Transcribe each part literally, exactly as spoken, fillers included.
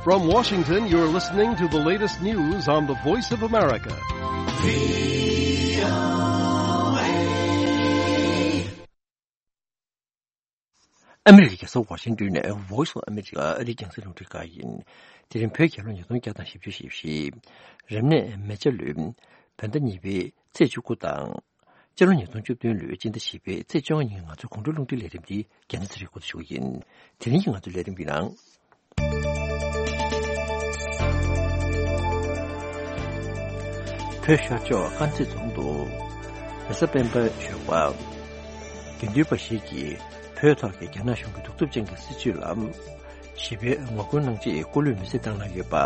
From Washington, you're listening to the latest news on the Voice of America. ཨ་མི་རི་ཀའི་རྒྱལ་ས་ཝ་ཤིང་ཏོན་ནས་Voice of America ཨ་རིའི་རྒྱང་སྲིང་རླུང་འཕྲིན་ཁང་ཡིན། དེ་རིང་བོད་རྒྱལ་ལོ་ཉིས་སྟོང་བརྒྱ་དང་བཞི་བཅུ་ཞེ་བཞི། རབ་གནས་མེ་བྱ་ལོའི་བོད་ཟླ་གཉིས་པའི་ཚེས་བཅུ་དགུ་དང་། སྤྱི་ལོ་ཉིས་སྟོང་བཅུ་བདུན་ལོའི་སྤྱི་ཟླ་བཞི་པའི་ཚེས་བཅོ་ལྔ་ཉིན་གྱི་ང་ཚོའི་དགོང་དྲོའི་རླུང་འཕྲིན་ལས་རིམ་འདི་རྒྱལ་སྤྱིའི་ཚེ་རིང་སྐོར་དུ་ཞུ་གི་ཡིན། དེ་རིང་གི་ང་ཚོའི་ལས་རིམ་གྱི་ནང་། བོད་ཤར་ཕྱོགས་དཀར་མཛེས་རྫོང་དུ་རེས་གཟའ་སྤེན་པའི་ཞོགས་པ། དགེ་འདུན་པ་ཞིག་གིས་བོད་ཐོག་གི་རྒྱ་ནག་གཞུང་གི་གདུག་རྩུབ་ཅན་གྱི་སྲིད་བྱུས་ལ་ཞི་བའི་ངོ་རྒོལ་གནང་ཆེད་སྐུ་ལུས་མེར་སྲེག་བཏང་གནང་ཡོད་པ།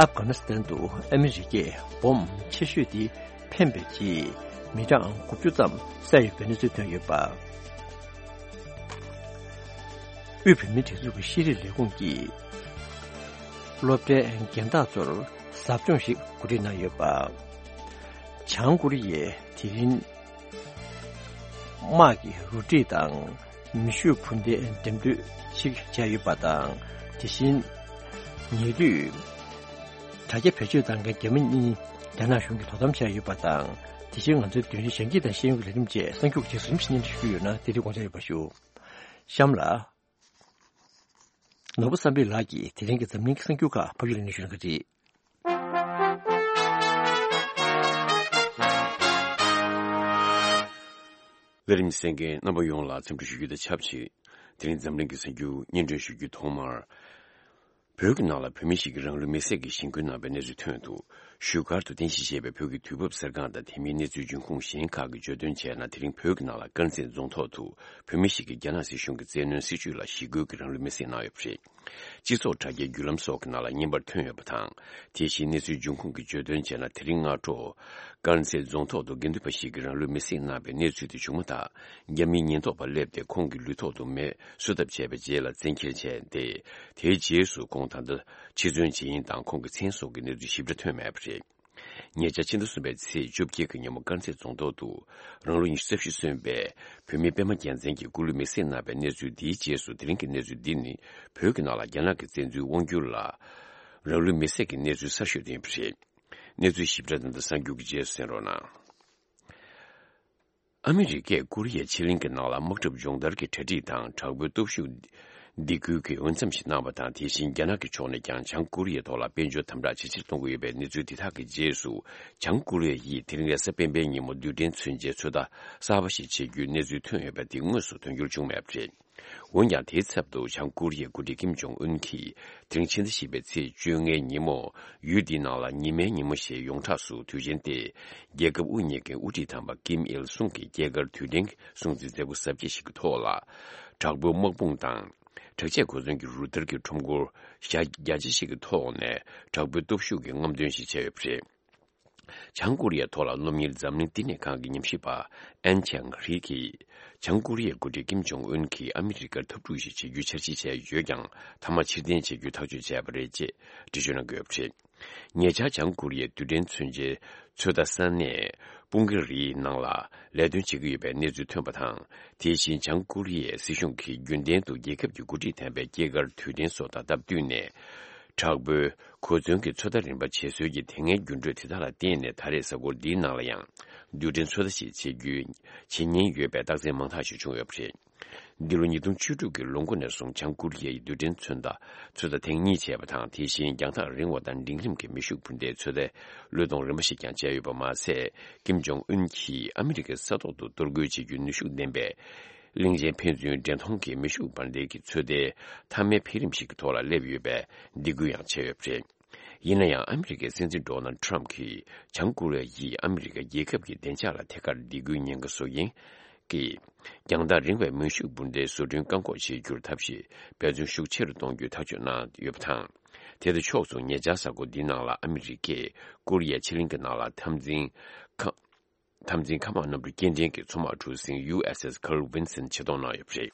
ཨབ་གྷ་ནི་སི་ཐན་དུ་ཨ་མི་རི་ཀས་འབོམ་ཆེ་ཤོས་དེ་འཕེན་པའི་རྗེས་མི་གྲངས་དགུ་བཅུ་ཙམ་བསད་ཡོད་པའི་གནས་ཚུལ་ཐོན་ཡོད་པ། དབུས་བོད་མིའི་སྒྲིག་འཛུགས་ཀྱི་ཤེས་རིག་ལས་ཁུངས་ཀྱིས་སློབ་གྲྭའི་རྒན་བདག་ཚོར་ཟབ་སྦྱོང་ཞིག་གོ་སྒྲིག་གནང་ཡོད་པ། བྱང་ཀོ་རི་ཡས་དེ་རིང་དམག་གི་རུ་སྒྲིག་དང་མེ་ཤུགས་འཕུར་མདེལ་འགྲེམས་སྤེལ་ཞིག་བྱས་ཡོད་པ་དང་། དེ་བཞིན་ཉེ་དུས་དྲ་རྒྱ་བེད་སྤྱོད་བཏང་མཁན་རྒྱ་མི་གཉིས་རྒྱ་ནག་གཞུང་གིས་དོ་དམ་བྱས་ཡོད་པ་དང་། དེ་བཞིན་ང་ཚོའི་མདུན་རིང་གཞན་གྱི་དང་ཤེས་ཡོན་གྱི་ལས་རིམ་བཅས་གསར་འགྱུར་གྱི་རིམ་བཞིན་སྙན་སྒྲོན་ཞུ་གི་ཡོད་ན་དེ་དུས་དགོངས་འཇགས་ཡོད་པ་ཞུ། གཤམ་ལ། ནོར་བུ་བསམ་འཕེལ་ལགས་ཀྱིས་དེ་རིང་གི་འཛམ་གླིང་གི་གསར་འགྱུར་ཁག་ཕབ་སྒྱུར་གནང་ཞུ་གནང་གི་རེད། ལས་རིམ་གསན་མཁན་རྣམ་པ་ཡོངས་ལ་འཚམས་འདྲི་ཞུ་རྒྱུ་དང་ཆབས་ཅིག་དེ་རིང་འཛམ་གླིང་གི་གསར་འགྱུར་སྙན་སྒྲོན་ཞུ་རྒྱུའི་ཐོག་མར། བོད་ཀྱི་ནང་ལ་བོད་མི་ཞིག་གིས་རང་ལུས་མེར་སྲེག་གིས་ཞེན་སྐུལ་གནང་བའི་གནས་ཚུལ་ཐོན་འདུག་བཞུགས་སྒར་དུ་རྟེན་གཞི་བྱས་པའི་བོད་ཀྱི་དུས་བབ་གསར་ཁང་དང་དེ་མིན་གནས་ཚུལ་འབྱུང་ཁུངས་གཞན་ཁག་གིས་བརྗོད་དོན་བྱས་ན། དེ་རིང་བོད་ཀྱི་ནང་ལ་དཀར་མཛེས་རྫོང་ཐོག་ཏུ་བོད་མི་ཞིག་གིས་རྒྱ་ནག་སྲིད་གཞུང་གི་བཙན་གནོན་སྲིད་བྱུས་ལ་ཞི་རྒོལ་གྱིས་རང་ལུས་མེར་སྲེག་གནང་ཡོད་པ་རེད། སྤྱི་ཚོགས་དྲ་རྒྱའི་བརྒྱུད་ལམ་སོགས་ཀྱི་ནང་ལ་བརྙན་པར་ཐོན་ཡོད་པ་དང་། དེ་བཞིན་གནས་ཚུལ་འབྱུང་ཁུངས་ཀྱིས་བརྗོད་དོན་བྱས་ན། དེ་རིང་སྔ་དྲོ་དཀར་མཛེས་རྫོང་ཐོག་ཏུ་དགེ་འདུན་པ་ཞིག་གིས་རང་ལུས་མེར་སྲེག་གནང་བའི་གནས་ཚུལ་དེ་བྱུང་མ་ཐག་རྒྱ་མིའི་ཉེན་རྟོག་པ་སླེབས་ཏེ་ཁོང་གི་ལུས་ཐོག་ཏུ་མེ་གསོད་ཐབས་བྱས་པའི་རྗེས་ལ་བཙན་འཁྱེར་བྱས་ཏེ། དེའི་རྗེས་སུ་ཁོང་ད་ལྟ་འཆི་གསོན་ཇི་ཡིན་དང་ཁོང་གི་མཚན་སོགས་ཀྱི་གནས་ཚུལ་ཞིབ་ཕྲ་ཐོན་མེད་པ་རེད། ཉེ་ཆར་ཕྱི་ཟླ་གསུམ་པའི་ཚེས་བཅོ་བརྒྱད་ཀྱི་ཉིན་མོ་དཀར་མཛེས་རྫོང་ཐོག་ཏུ་རང་ལོ་ཉི་ཤུ་རྩ་བཞི་སོན་པའི་བོད་མི་པད་མ་རྒྱལ་མཚན་གྱིས་སྐུ་ལུས་མེར་སྲེག་གནང་བའི་གནས་ཚུལ་འདིའི་རྗེས་སུ། དེ་རིང་གི་གནས་ཚུལ་འདི་ནི་བོད་ཀྱི་ནང་ལ་རྒྱ་ནག་གི་བཙན་འཛུལ་དབང་བསྒྱུར་ལ་རང་ལུས་མེར་སྲེག་གི་གནས་ཚུལ་གསར་ཤོས་དེ་ཡིན་པ་རེད། གནས་ཚུལ་ཞིབ་ཕྲ་དང་གསར་འགྱུར་གྱི་རྗེས་སུ་གསན་རོགས་གནང་། ཨ་མི་རི་ཀས་ཀོ་རི་ཡའི་ཕྱེད་གླིང་གི་ནང་ལ་དམག་འཁྲབ་སྦྱོང་བརྡར་གྱི་གྲ་སྒྲིག་དང་དྲག་པོའི་སྟོབས་ཤུགས་སྡེ་ཁུལ་གྱི་འོས་འཚམ་ཞིག་གནང་བ་དང་། དེ་བཞིན་རྒྱ་ནག་གི་ཕྱོགས་ནས་ཀྱང་བྱང་ཀོ་རི་ཡའི་ཐོག་ལ་དཔལ་འབྱོར་དམ་དྲག་ཇེ་ཆེར་གཏོང་གི་ཡོད་པའི་གནས་ཚུལ་འདི་དག་གི་རྗེས་སུ། བྱང་ཀོ་རི་ཡ་ཡིས་དེ་རིང་རེས་གཟའ་སྤེན་པའི་ཉིན་མོ་རྡུལ་ཕྲན་མཚོན་ཆའི་ཚོད་ལྟ་གསར་པ་ཞིག་བྱེད་རྒྱུའི་གནས་ཚུལ་ཐོན་ཡོད་པ་དེ་དངོས་སུ་དོན་འགྱུར་བྱུང་མེད་པ་རེད། འོན་ཀྱང་། དེའི་ཚབ་ཏུ་བྱང་ཀོ་རི་ཡའི་འགོ་ཁྲིད་ཀིམ་ཇོང་ཨུན་གྱིས་དེ་རིང་ཕྱི་ཟླ་བཞི་པའི་ཚེས་བཅོ་ལྔའི་ཉིན་མོ། ཡུལ་འདིའི་ནང་ལ་ཉི་མའི་ཉིན་མོ་ཞེས་ཡོངས་གྲགས་སུ་དུས་ཆེན་ཏེ། རྒྱལ་ཁབ་དབུ་བརྙེས་མཁན་དབུ་ཁྲིད་དམ་པ་ཀིམ་ཨིལ་སུང་གི་སྐྱེས་སྐར་དུས་དྲན་གྱི་སྲུང་བརྩི་མཛད་སྒོ་གཟབ་རྒྱས་ཤིག་གི་ཐོག་ལ། དྲག་པོའི་དམག་དཔུང་དང་། དྲག་ཆས་གོ་མཚོན་གྱི་རུ་སྟར་གྱི་ཁྲོམ་སྐོར་ཞྭ་རྒྱ་ཆེ་ཞིག་གི་ཐོག་ནས་དྲག་པོའི་སྟོབས་ཤུགས་ཀྱི་རྔམ་སྟོན་ཞིག་བྱས་ཡོད་པ་རེད། བྱང་ཀོ་རི་ཡའི་ཐོག་ལ་སློབ་གཉེར་འཛམ་གླིང་བསྟི་གནས་ཁང་གི་ཉམས་ཞིབ་པ་ཨན་ཆང་ཧྲི་གིས། བྱང་ཀོ་རི་ཡའི་འགོ་ཁྲིད་ཀིམ་ཇོང་ཨུན་གྱིས་ཨ་མི་རི་ཀར་འཐབ་འཁྲུག་ཞིག་བྱེད་རྒྱུའི་འཆར་གཞི་བྱས་ཡོད་ཀྱང་། མཐའ་མ་ཕྱིར་འཐེན་བྱེད་རྒྱུའི་ཐག་གཅོད་བྱས་པ་རེད་ཅེས་འགྲེལ་བརྗོད་གནང་གི་ཡོད་པ་རེད། ཉེ་ཆར་བྱང་ཀོ་རི་ཡའི་རྡུལ་ཕྲན་མཚོན་ཆའི་ཚོད་ལྟ་ས་གནས་པུང་ཀི་རིའི་ནང་ལ་ལས་དོན་བྱེད་ཀྱི་ཡོད་པའི་གནས་ཚུལ་ཐོན་པ་དང་། དེ་བཞིན་བྱང་ཀོ་རི་ཡའི་སྲིད་གཞུང་གིས་རྒྱུན་ལྡན་དུ་རྒྱལ་ཁབ་ཀྱི་འགོ་ཁྲིད་དམ་པའི་སྐྱེས་སྐར་དུས་དྲན་སོགས་དང་སྟབས་བསྟུན་ནས། དྲག་པོའི་གོ་མཚོན་གྱི་ཚོད་ལྟ་རིམ་པ་བྱེད་སྲོལ་གྱི་དེ་སྔའི་འགྱུར་འགྲོས་དེ་དག་ལ་བརྟེན་ནས། ད་རེས་གཟའ་འཁོར་འདིའི་ནང་ལ་ཡང་རྡུལ་ཕྲན་ཚོད་ལྟ་ཞིག་བྱེད་རྒྱུའི་བྱེད་ཉེན་ཡོད་པའི་རྟགས་མཚན་མང་དག་ཞིག་བྱུང་ཡོད་པ་རེད། འདི་ལོ་ཉིས་སྟོང་བཅུ་དྲུག་གི་ལོ་འགོ་ནས་བཟུང་བྱང་ཀོ་རི་ཡའི་རྡུལ་ཕྲན་ཚོད་ལྟ་ཚོད་ལྟ་ཐེངས་གཉིས་བྱས་པ་དང་། དེ་བཞིན་རྒྱང་ཐག་རིང་བ་དང་འབྲིང་རིམ་གྱི་མེ་ཤུགས་འཕུར་མདའི་ཚོད་ལྟའི་བློས་གཏོང་རིམ་པ་ཞིག་ཀྱང་བྱས་ཡོད་པ་མ་ཟད། ཀིམ་ཇོང་ཨུན་གྱིས་ཨ་མི་རི་ཀའི་ས་ཐོག་ཏུ་གཏོར་རྒོལ་བྱེད་རྒྱུའི་ནུས་ཤུགས་ལྡན་པའི་གླིང་ཆེན་ཕན་ཚུན་འདྲེན་མཐོང་གི་མེ་ཤུགས་འཕུར་མདའི་ཚོད་ལྟའི་མཐའ་མའི་འཕེལ་རིམ་ཞིག་གི་ཐོག་ལ་སླེབས་ཡོད་པའི་སྡིགས་སྐུལ་ཡང་བྱས་ཡོད་པ་རེད། ཡིན་ན་ཡང་། ཨ་མི་རི་ཀའི་སྲིད་འཛིན་ཌོ་ནལ་ཊྲམ་གྱིས་བྱང་ཀོ་རི་ཡ་ཡིས་ཨ་མི་རི་ཀ་རྒྱལ་ཁབ་ཀྱི་བདེ་འཇགས་ལ་ཐད་ཀར་སྡིགས་སྐུལ་ཉེན་ཁ་བཟོ་མཁན་གྱི་རྒྱང་ཐག་རིང་བའི་མེ་ཤུགས་འཕུར་མདའི་བཟོ་སྐྲུན་བཀག་འགོག་བྱེད་རྒྱུར་ཐབས་ཤེས་འབད་བརྩོན་ཤུགས་ཆེ་རུ་གཏོང་རྒྱུའི་ཐག་གཅོད་གནང་ཡོད་པ་དང་། དེ་དང་ཕྱོགས་མཚུངས། ཉེ་ཆར་གཟའ་འཁོར་འདིའི་ནང་ལ་ཨ་མི་རི་ཀས་ཀོ་རི་ཡའི་ཕྱེད་གླིང་གི་ནང་ལ་འཐབ་འཛིང་ཁ་འཐབ་འཛིང་མཁའ་དམག་གནམ་གྲུ་སྐྱེལ་འདྲེན་གྱི་མཚོ་དམག་གྲུ་གཟིངས་ཡུ་ཨེས་ཨེས་Carl Vinson ཇེ་ཐོག་གནང་ཡོད་པ་རེད།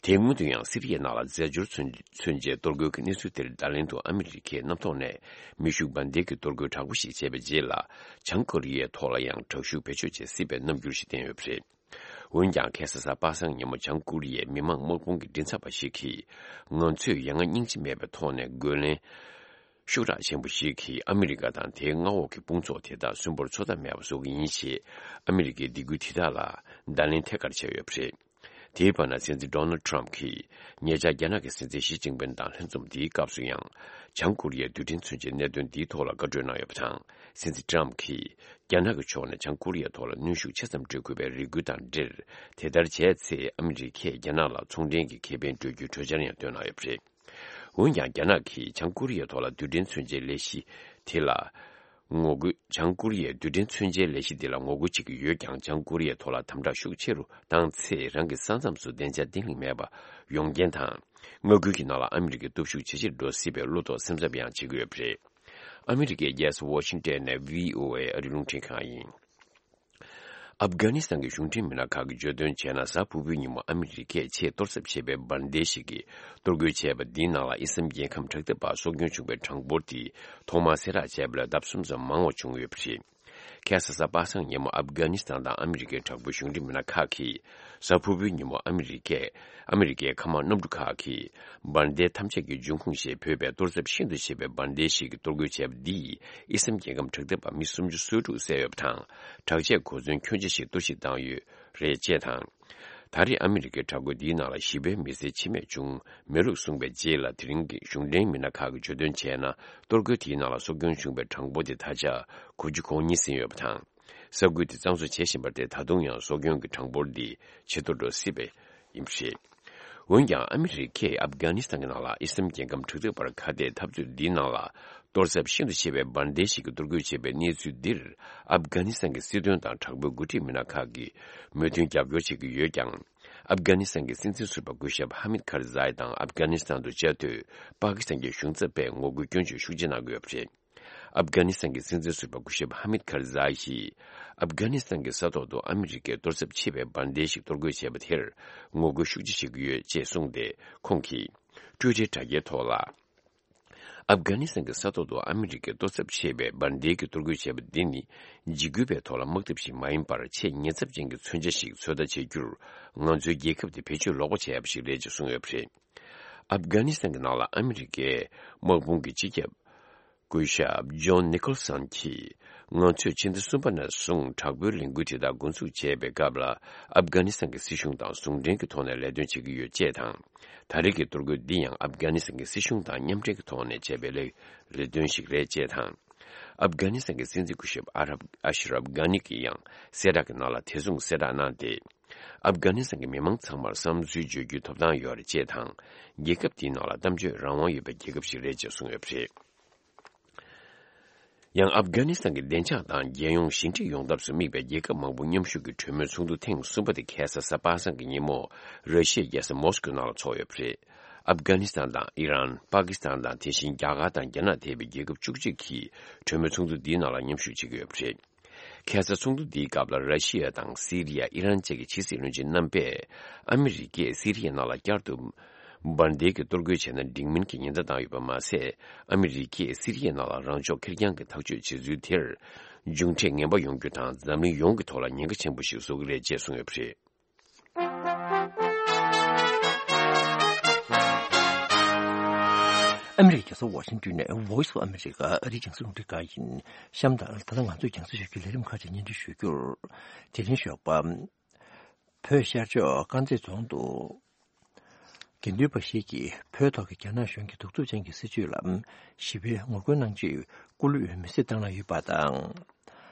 དེའི་སྔོན་དུ་ཡང་། སི་རི་ཡའི་ནང་ལ་རྫས་སྦྱོར་མཚོན་མཚོན་ཆའི་གཏོར་རྒོལ་གྱི་གནས་ཚུལ་དེར་བརྡ་ལན་དུ། ཨ་མི་རི་ཀས་གནམ་ཐོག་ནས་མེ་ཤུགས་འཕུར་མདའ་གྱི་གཏོར་རྒོལ་དྲག་པོ་ཞིག་བྱས་པའི་རྗེས་ལ། བྱང་ཀོ་རི་ཡའི་ཐོག་ལ་ཡང་དྲག་ཤུགས་བེད་སྤྱོད་བྱེད་སྲིད་པའི་རྣམ་འགྱུར་ཞིག་བསྟན་ཡོད་པ་རེད། འོན་ཀྱང་ཁ་སང་གཟའ་པ་སངས་ཉིན་མོ་བྱང་ཀོ་རི་ཡའི་མི་མང་དམག་དཔུང་གི་མགྲིན་ཚབ་པ་ཞིག་གིས། ང་ཚོས་ཡ་ང་སྙིང་རྗེ་མེད་པའི་ཐོག་ནས་རྒོལ་ལན་ཤུགས་དྲག་ཆེན་པོ་ཞིག་གིས་ཨ་མི་རི་ཀ་དང་དེའི་མངའ་འོག་གི་དཔུང་ཚོགས་དེ་དག་སུན་པོར་འཚོ་ཐབས་མེད་པ་བཟོ་གི་ཡིན་ཞེས་ཨ་མི་རི་ཀའི་སྡིགས་སྐུལ་དེ་དག་ལ་བརྡ་ལན་ཐད་ཀར་བྱས་ཡོད་པ་རེད། དེའི་བར་ན་སྲིད་འཛིན་ཌོ་ནལ་ཌི་ཊརམ་ཕ་གྱིས་ཉེ་ཆར་རྒྱ་ནག་གི་སྲིད་འཛིན་ཞི་ཅིན་ཕིན་དང་ལྷན་འཛོམས་འདིའི་སྐབས་སུ་ཡང་། བྱང་ཀོ་རི་ཡའི་རྡུལ་ཕྲན་མཚོན་ཆའི་གནད་དོན་འདིའི་ཐོག་ལ་བཀའ་གྲོས་གནང་ཡོད་པ་དང་། སྲིད་འཛིན་ཊརམ་ཕ་གྱིས་རྒྱ་ནག་གི་ཕྱོགས་ནས་བྱང་ཀོ་རི་ཡའི་ཐོག་ལ་གནོན་ཤུགས་ཆེ་ཙམ་སྤྲོད་དགོས་པའི་རེ་སྐུལ་དང་འབྲེལ། དེ་ལྟར་བྱས་ཚེ་ཨ་མི་རི་ཀས་རྒྱ་ནག་ལ་ཚོང་འབྲེལ་གྱི་ཁེ་ཕན་སྤྲོད་རྒྱུའི་གྲོས་འཆར་ཡང་བཏོན་གནང་ཡོད་པ་རེད། འོན་ཀྱང་། རྒྱ་ནག་གིས་བྱང་ཀོ་རི་ཡའི་ཐོག་ལ་རྡུལ་ཕྲན་མཚོན་ཆའི་ལས་གཞི་དེ་ལ་ངོ་རྒོལ། བྱང་ཀོ་རི་ཡའི་རྡུལ་ཕྲན་མཚོན་ཆའི་ལས་གཞི་དེ་ལ་ངོ་རྒོལ་བྱེད་ཀྱི་ཡོད་ཀྱང་། བྱང་ཀོ་རི་ཡའི་ཐོག་ལ་དམ་དྲག་ཤུགས་ཆེ་རུ་བཏང་ཚེ། རང་གི་ས་མཚམས་སུ་བདེ་འཇགས་བརྟན་ལྷིང་མེད་པ་ཡོང་རྐྱེན་དང་། མངའ་ཁུལ་གྱི་ནང་ལ་ཨ་མི་རི་ཀའི་སྟོབས་ཤུགས་ཇེ་ཆེར་འགྲོ་སྲིད་པའི་བློ་དོགས་སེམས་འཚབ་ཡང་བྱེད་ཀྱི་ཡོད་པ་རེད། ཨ་མི་རི་ཀའི་རྒྱལ་ས་ཝ་ཤིང་ཊོན་ནས་བྷི་ཨོ་ཨེ་ཨ་རིའི་རླུང་འཕྲིན་ཁང་ཡིན། ཨབ་གྷ་ནི་སི་ཐན་གྱི་གཞུང་འབྲེལ་མི་སྣ་ཁག་གིས་བརྗོད་དོན་བྱས་ན། གཟའ་ཕུར་བུའི་ཉིན་མོ་ཨ་མི་རི་ཀས་ཆེས་གཏོར་ཚབས་ཆེ་བའི་འབར་མདེལ་ཞིག་གིས་གཏོར་རྒོལ་བྱས་པ་འདིའི་ནང་ལ་ཨི་སམ་རྒྱལ་ཁམས་དྲག་འཐབ་པ་སྲོག་སྐྱོན་བྱུང་བའི་གྲངས་འབོར་དེ་ཐོག་མར་གསལ་བསྒྲགས་བྱས་པ་ལས་ལྡབ་གསུམ་ཙམ་མང་བ་བྱུང་ཡོད་པ་རེད། ཁ་སང་གཟའ་པ་སངས་ཉིན་མོ་ཨབ་གྷ་ནི་སི་ཐན་དང་ཨ་མི་རི་ཀའི་དྲག་པོའི་གཞུང་འབྲེལ་མི་སྣ་ཁག་གིས། གཟའ་ཕུར་བུའི་ཉིན་མོ་ཨ་མི་རི་ཀས། ཨ་མི་རི་ཀའི་མཁའ་དམག་གནམ་གྲུ་ཁག་གིས་འབར་མདེལ་ཐམས་ཅད་ཀྱི་འབྱུང་ཁུངས་ཞེས་འབོད་པའི་གཏོར་ཚབས་ཤིན་ཏུ་ཆེ་བའི་འབར་མདེལ་ཞིག་གིས་གཏོར་རྒོལ་བྱས་པ་འདིས་ཨི་སམ་རྒྱལ་ཁམས་དྲག་འཐབ་པ་མི་སུམ་ཅུ་སོ་དྲུག་བསད་ཡོད་པ་དང་། དྲག་ཆས་གོ་མཚོན་ཁྱོན་ཆེ་ཞིག་གཏོར་བཤིག་བཏང་ཡོད་རེད་ཅེས་དང་། ད་རེས་ཨ་མི་རི་ཀའི་དྲག་རྒོལ་འདིའི་ནང་ལ་ཞི་བའི་མི་སེར་འཆི་རྨས་བྱུང་མེད་ལུགས་གསུངས་པའི་རྗེས་ལ། དེ་རིང་གི་གཞུང་འབྲེལ་མི་སྣ་ཁག་གིས་བརྗོད་དོན་བྱས་ན། གཏོར་རྒོལ་དེའི་ནང་ལ་སྲོག་སྐྱོན་བྱུང་བའི་གྲངས་འབོར་དེ་ད་ཆ་དགུ་བཅུ་གོ་གཉིས་ཟིན་ཡོད་པ་དང་། ས་ཁུལ་དེ་གཙང་བཟོ་བྱེད་བཞིན་པར་བརྟེན། ད་དུང་ཡང་སྲོག་སྐྱོན་གྱི་གྲངས་འབོར་འདི་ཇེ་མཐོར་འགྲོ་སྲིད་པ་ཡིན་པ་རེད། འོན་ཀྱང་། ཨ་མི་རི་ཀས་ཨབ་གྷ་ནི་སི་ཐན་གྱི་ནང་ལ་ཨི་སམ་རྒྱལ་ཁམས་དྲག་འཐབ་པར་ཁ་གཏད་འཐབ་རྩོད་འདིའི་ནང་ལ། གཏོར་ཚབས་ཤིན་ཏུ་ཆེ་བའི་འབར་མདེལ་ཞིག་གིས་གཏོར་རྒོལ་བྱས་པའི་གནས་ཚུལ་འདིར། ཨབ་གྷ་ནི་སི་ཐན་གྱི་སྲིད་དོན་དང་དྲག་པོའི་འགོ་ཁྲིད་མི་སྣ་ཁག་གིས་མོས་མཐུན་རྒྱབ་སྐྱོར་བྱེད་ཀྱི་ཡོད་ཀྱང་། ཨབ་གྷ་ནི་སི་ཐན་གྱི་སྲིད་འཛིན་ཟུར་པ་སྐུ་ཞབས་ཧ་མིད་ཁར་ཛའི་དང་། ཨབ་གྷ་ནི་སི་ཐན་དུ་བཅའ་སྡོད་པ་ཀི་སི་ཐན་གྱི་གཞུང་ཚབ་པས་ངོ་རྒོལ་སྐྱོན་བརྗོད་ཤུགས་ཆེ་གནང་གི་ཡོད་པ་རེད། ཨབ་གྷ་ནི་སི་ཐན་གྱི་སྲིད་འཛིན་ཟུར་པ་སྐུ་ཞབས་ཧ་མིད་ཁར་ཛའི་ཡིས། ཨབ་གྷ་ནི་སི་ཐན་གྱི་ས་ཐོག་ཏུ་ཨ་མི་རི་ཀས་གཏོར་ཚབས་ཆེ་བའི་འབར་མདེལ་ཞིག་གཏོར་རྒོལ་བྱས་པ་དེར་ངོ་རྒོལ་ཤུགས་ཆེ་བྱེད་ཀྱི་ཡོད་ཅེས་གསུངས་ཏེ། ཁོང་གིས་ཊུའི་ཊར་དྲ་རྒྱའི་ཐོག་ལ། ཨབ་གྷ་ནི་སི་ཐན་གྱི་ས་ཐོག་ཏུ་ཨ་མི་རི་ཀས་གཏོར་ཚབས་ཆེ་བའི་འབར་མདེལ་གྱིས་གཏོར་རྒོལ་བྱས་པ་འདི་ནི། འཇིགས་སྐུལ་བའི་ཐོག་ལ་དམག་འཐབ་ཞིག་མ་ཡིན་པར། ཆེས་ཉེན་ཚབས་ཅན་གྱི་མཚོན་ཆ་ཞིག་ཚོད་ལྟ་བྱེད་རྒྱུར། ང་ཚོའི་རྒྱལ་ཁབ་དེ་བེད་སྤྱོད་ལོག་པ་བྱས་པ་ཞིག་རེད་ཅེས་གསུངས་ཡོད་པ་རེད། ཨབ་གྷ་ནི་སི་ཐན་གྱི་ནང་ལ་ཨ་མི་རི་ཀའི་དམག་དཔུང་གི་སྤྱི་ཁྱབ་སྐུ་ཞབས་ཇོན་ནི་ཁོལ་སན་གྱིས། ང་ཚོས་ཕྱི་ཟླ་གསུམ་པ་ནས་བཟུང་དྲག་པོའི་ལས་འགུལ་དེ་དག་འགོ་འཛུགས་བྱས་པའི་སྐབས་ལ། ཨབ་གྷ་ནི་སི་ཐན་གྱི་སྲིད་གཞུང་དང་ཟུང་འབྲེལ་གྱི་ཐོག་ནས་ལས་དོན་བྱེད་ཀྱི་ཡོད་ཅེས་དང་། ད་རེས་ཀྱི་གཏོར་རྒོལ་འདི་ཡང་ཨབ་གྷ་ནི་སི་ཐན་གྱི་སྲིད་གཞུང་དང་མཉམ་འབྲེལ་གྱི་ཐོག་ནས་བྱས་པའི་ལས་ལས་དོན་ཞིག་རེད་ཅེས་དང་། ཨབ་གྷ་ནི་སི་ཐན་གྱི་སྲིད་འཛིན་སྐུ་ཞབས་ཨ་རབ་ཨ་ཤི་རབ་གྷ་ནི་གྱིས་ཡང་གསལ་བསྒྲགས་ཀྱི་ནང་ལ་དེ་མཚུངས་གསལ་བསྒྲགས་གནང་སྟེ། ཨབ་གྷ་ནི་སི་ཐན་གྱི་མི་མང་ཚང་མར་བསམ་ཚུལ་བརྗོད་རྒྱུའི་ཐོབ་ཐང་ཡོད་རེད་ཅེས་དང་། རྒྱལ་ཁབ་དེའི་ནང་ལ་གཏམ་བརྗོད་རང་དབང་ཡོད་པའི་རྒྱལ་ཁབ་ཞིག་རེད་ཅེས་གསུངས་ཡོད་པ་རེད། ཡང་། ཨབ་གྷ་ནི་སི་ཐན་གྱི་བདེ་འཇགས་དང་རྒྱལ་ཡོངས་ཞི་འགྲིག་ཡོང་ཐབས་སུ་དམིགས་པའི་རྒྱལ་ཁབ་མང་པོ་མཉམ་ཞུགས་ཀྱི་གྲོས་མོལ་ཚོགས་འདུ་ཐེངས་གསུམ་པ་དེ་ཁ་སང་གཟའ་པ་སངས་ཀྱི་ཉིན་མོ། ར་ཤི་ཡའི་རྒྱལ་ས་མོ་སི་ཀོའི་ནང་ལ་འཚོགས་ཡོད་པ་རེད། ཨབ་གྷ་ནི་སི་ཐན་དང་ཨི་རན། པ་ཀི་སི་ཐན་དང་། དེ་བཞིན་རྒྱ་གར་དང་རྒྱ་ནག་ཐེ་བའི་རྒྱལ་ཁབ་བཅུ་གཅིག་གིས་གྲོས་མོལ་ཚོགས་འདུ་འདིའི་ནང་ལ་མཉམ་ཞུགས་བྱེད་ཀྱི་ཡོད་པ་རེད། ཁ་སང་ཚོགས་འདུ་འདིའི་སྐབས་ལ། ར་ཤི་ཡ་དང་སི་རི་ཡ། ཨི་རན་བཅས་ཀྱི་ཕྱི་སྲིད་བློན་ཆེན་རྣམ་པས། ཨ་མི་རི་ཀས་སི་རི་ཡའི་ནང་ལ་བསྐྱར་དུ་འབར་མདེལ་གྱིས་གཏོར་རྒོལ་བྱས་ན་འགྲིག་མིན་གྱི་ཉེན་བརྡ་བཏང་ཡོད་པ་མ་ཟད། ཨ་མི་རི་ཀས་སི་རི་ཡའི་ནང་ལ་རང་ཕྱོགས་ཁེར་རྐྱང་གི་ཐག་གཅོད་བྱེད་ཚུལ་དེར། མཇུག་འབྲས་ངན་པ་ཡོང་རྒྱུ་དང་། འཛམ་གླིང་ཡོངས་ཀྱི་ཐོག་ལ་ཉེན་ཁ་ཆེན་པོ་ཞིག་བཟོ་གི་རེད་ཅེས་གསུངས་ཡོད་པ་རེད། ཨ་མི་རི་ཀའི་རྒྱལ་ས་ཝ་ཤིང་ཏོན་ནས་Voice of America ཨ་རིའི་རྒྱང་སྲིང་རླུང་འཕྲིན་ཁང་ཡིན། གཤམ་དུ་ད་ལྟ་ང་ཚོས་རྒྱང་སྲིང་ཞུ་རྒྱུའི་ལས་རིམ་ཁག་ཅིག་སྙན་སྒྲོན་ཞུ་རྒྱུར། དེ་རིང་ཞོགས་པ། བོད་ཤར་ཕྱོགས་དཀར་མཛེས་རྫོང་དུ། དགེ་འདུན་པ་ཞིག་གིས་བོད་ཐོག་གི་རྒྱ་ནག་གཞུང་གི་གདུག་རྩུབ་ཅན་གྱི་སྲིད་བྱུས་ལ་ཞི་བའི་ངོ་རྒོལ་གནང་ཆེད་སྐུ་ལུས་མེར་སྲེག་བཏང་གནང་ཡོད་པ་དང་།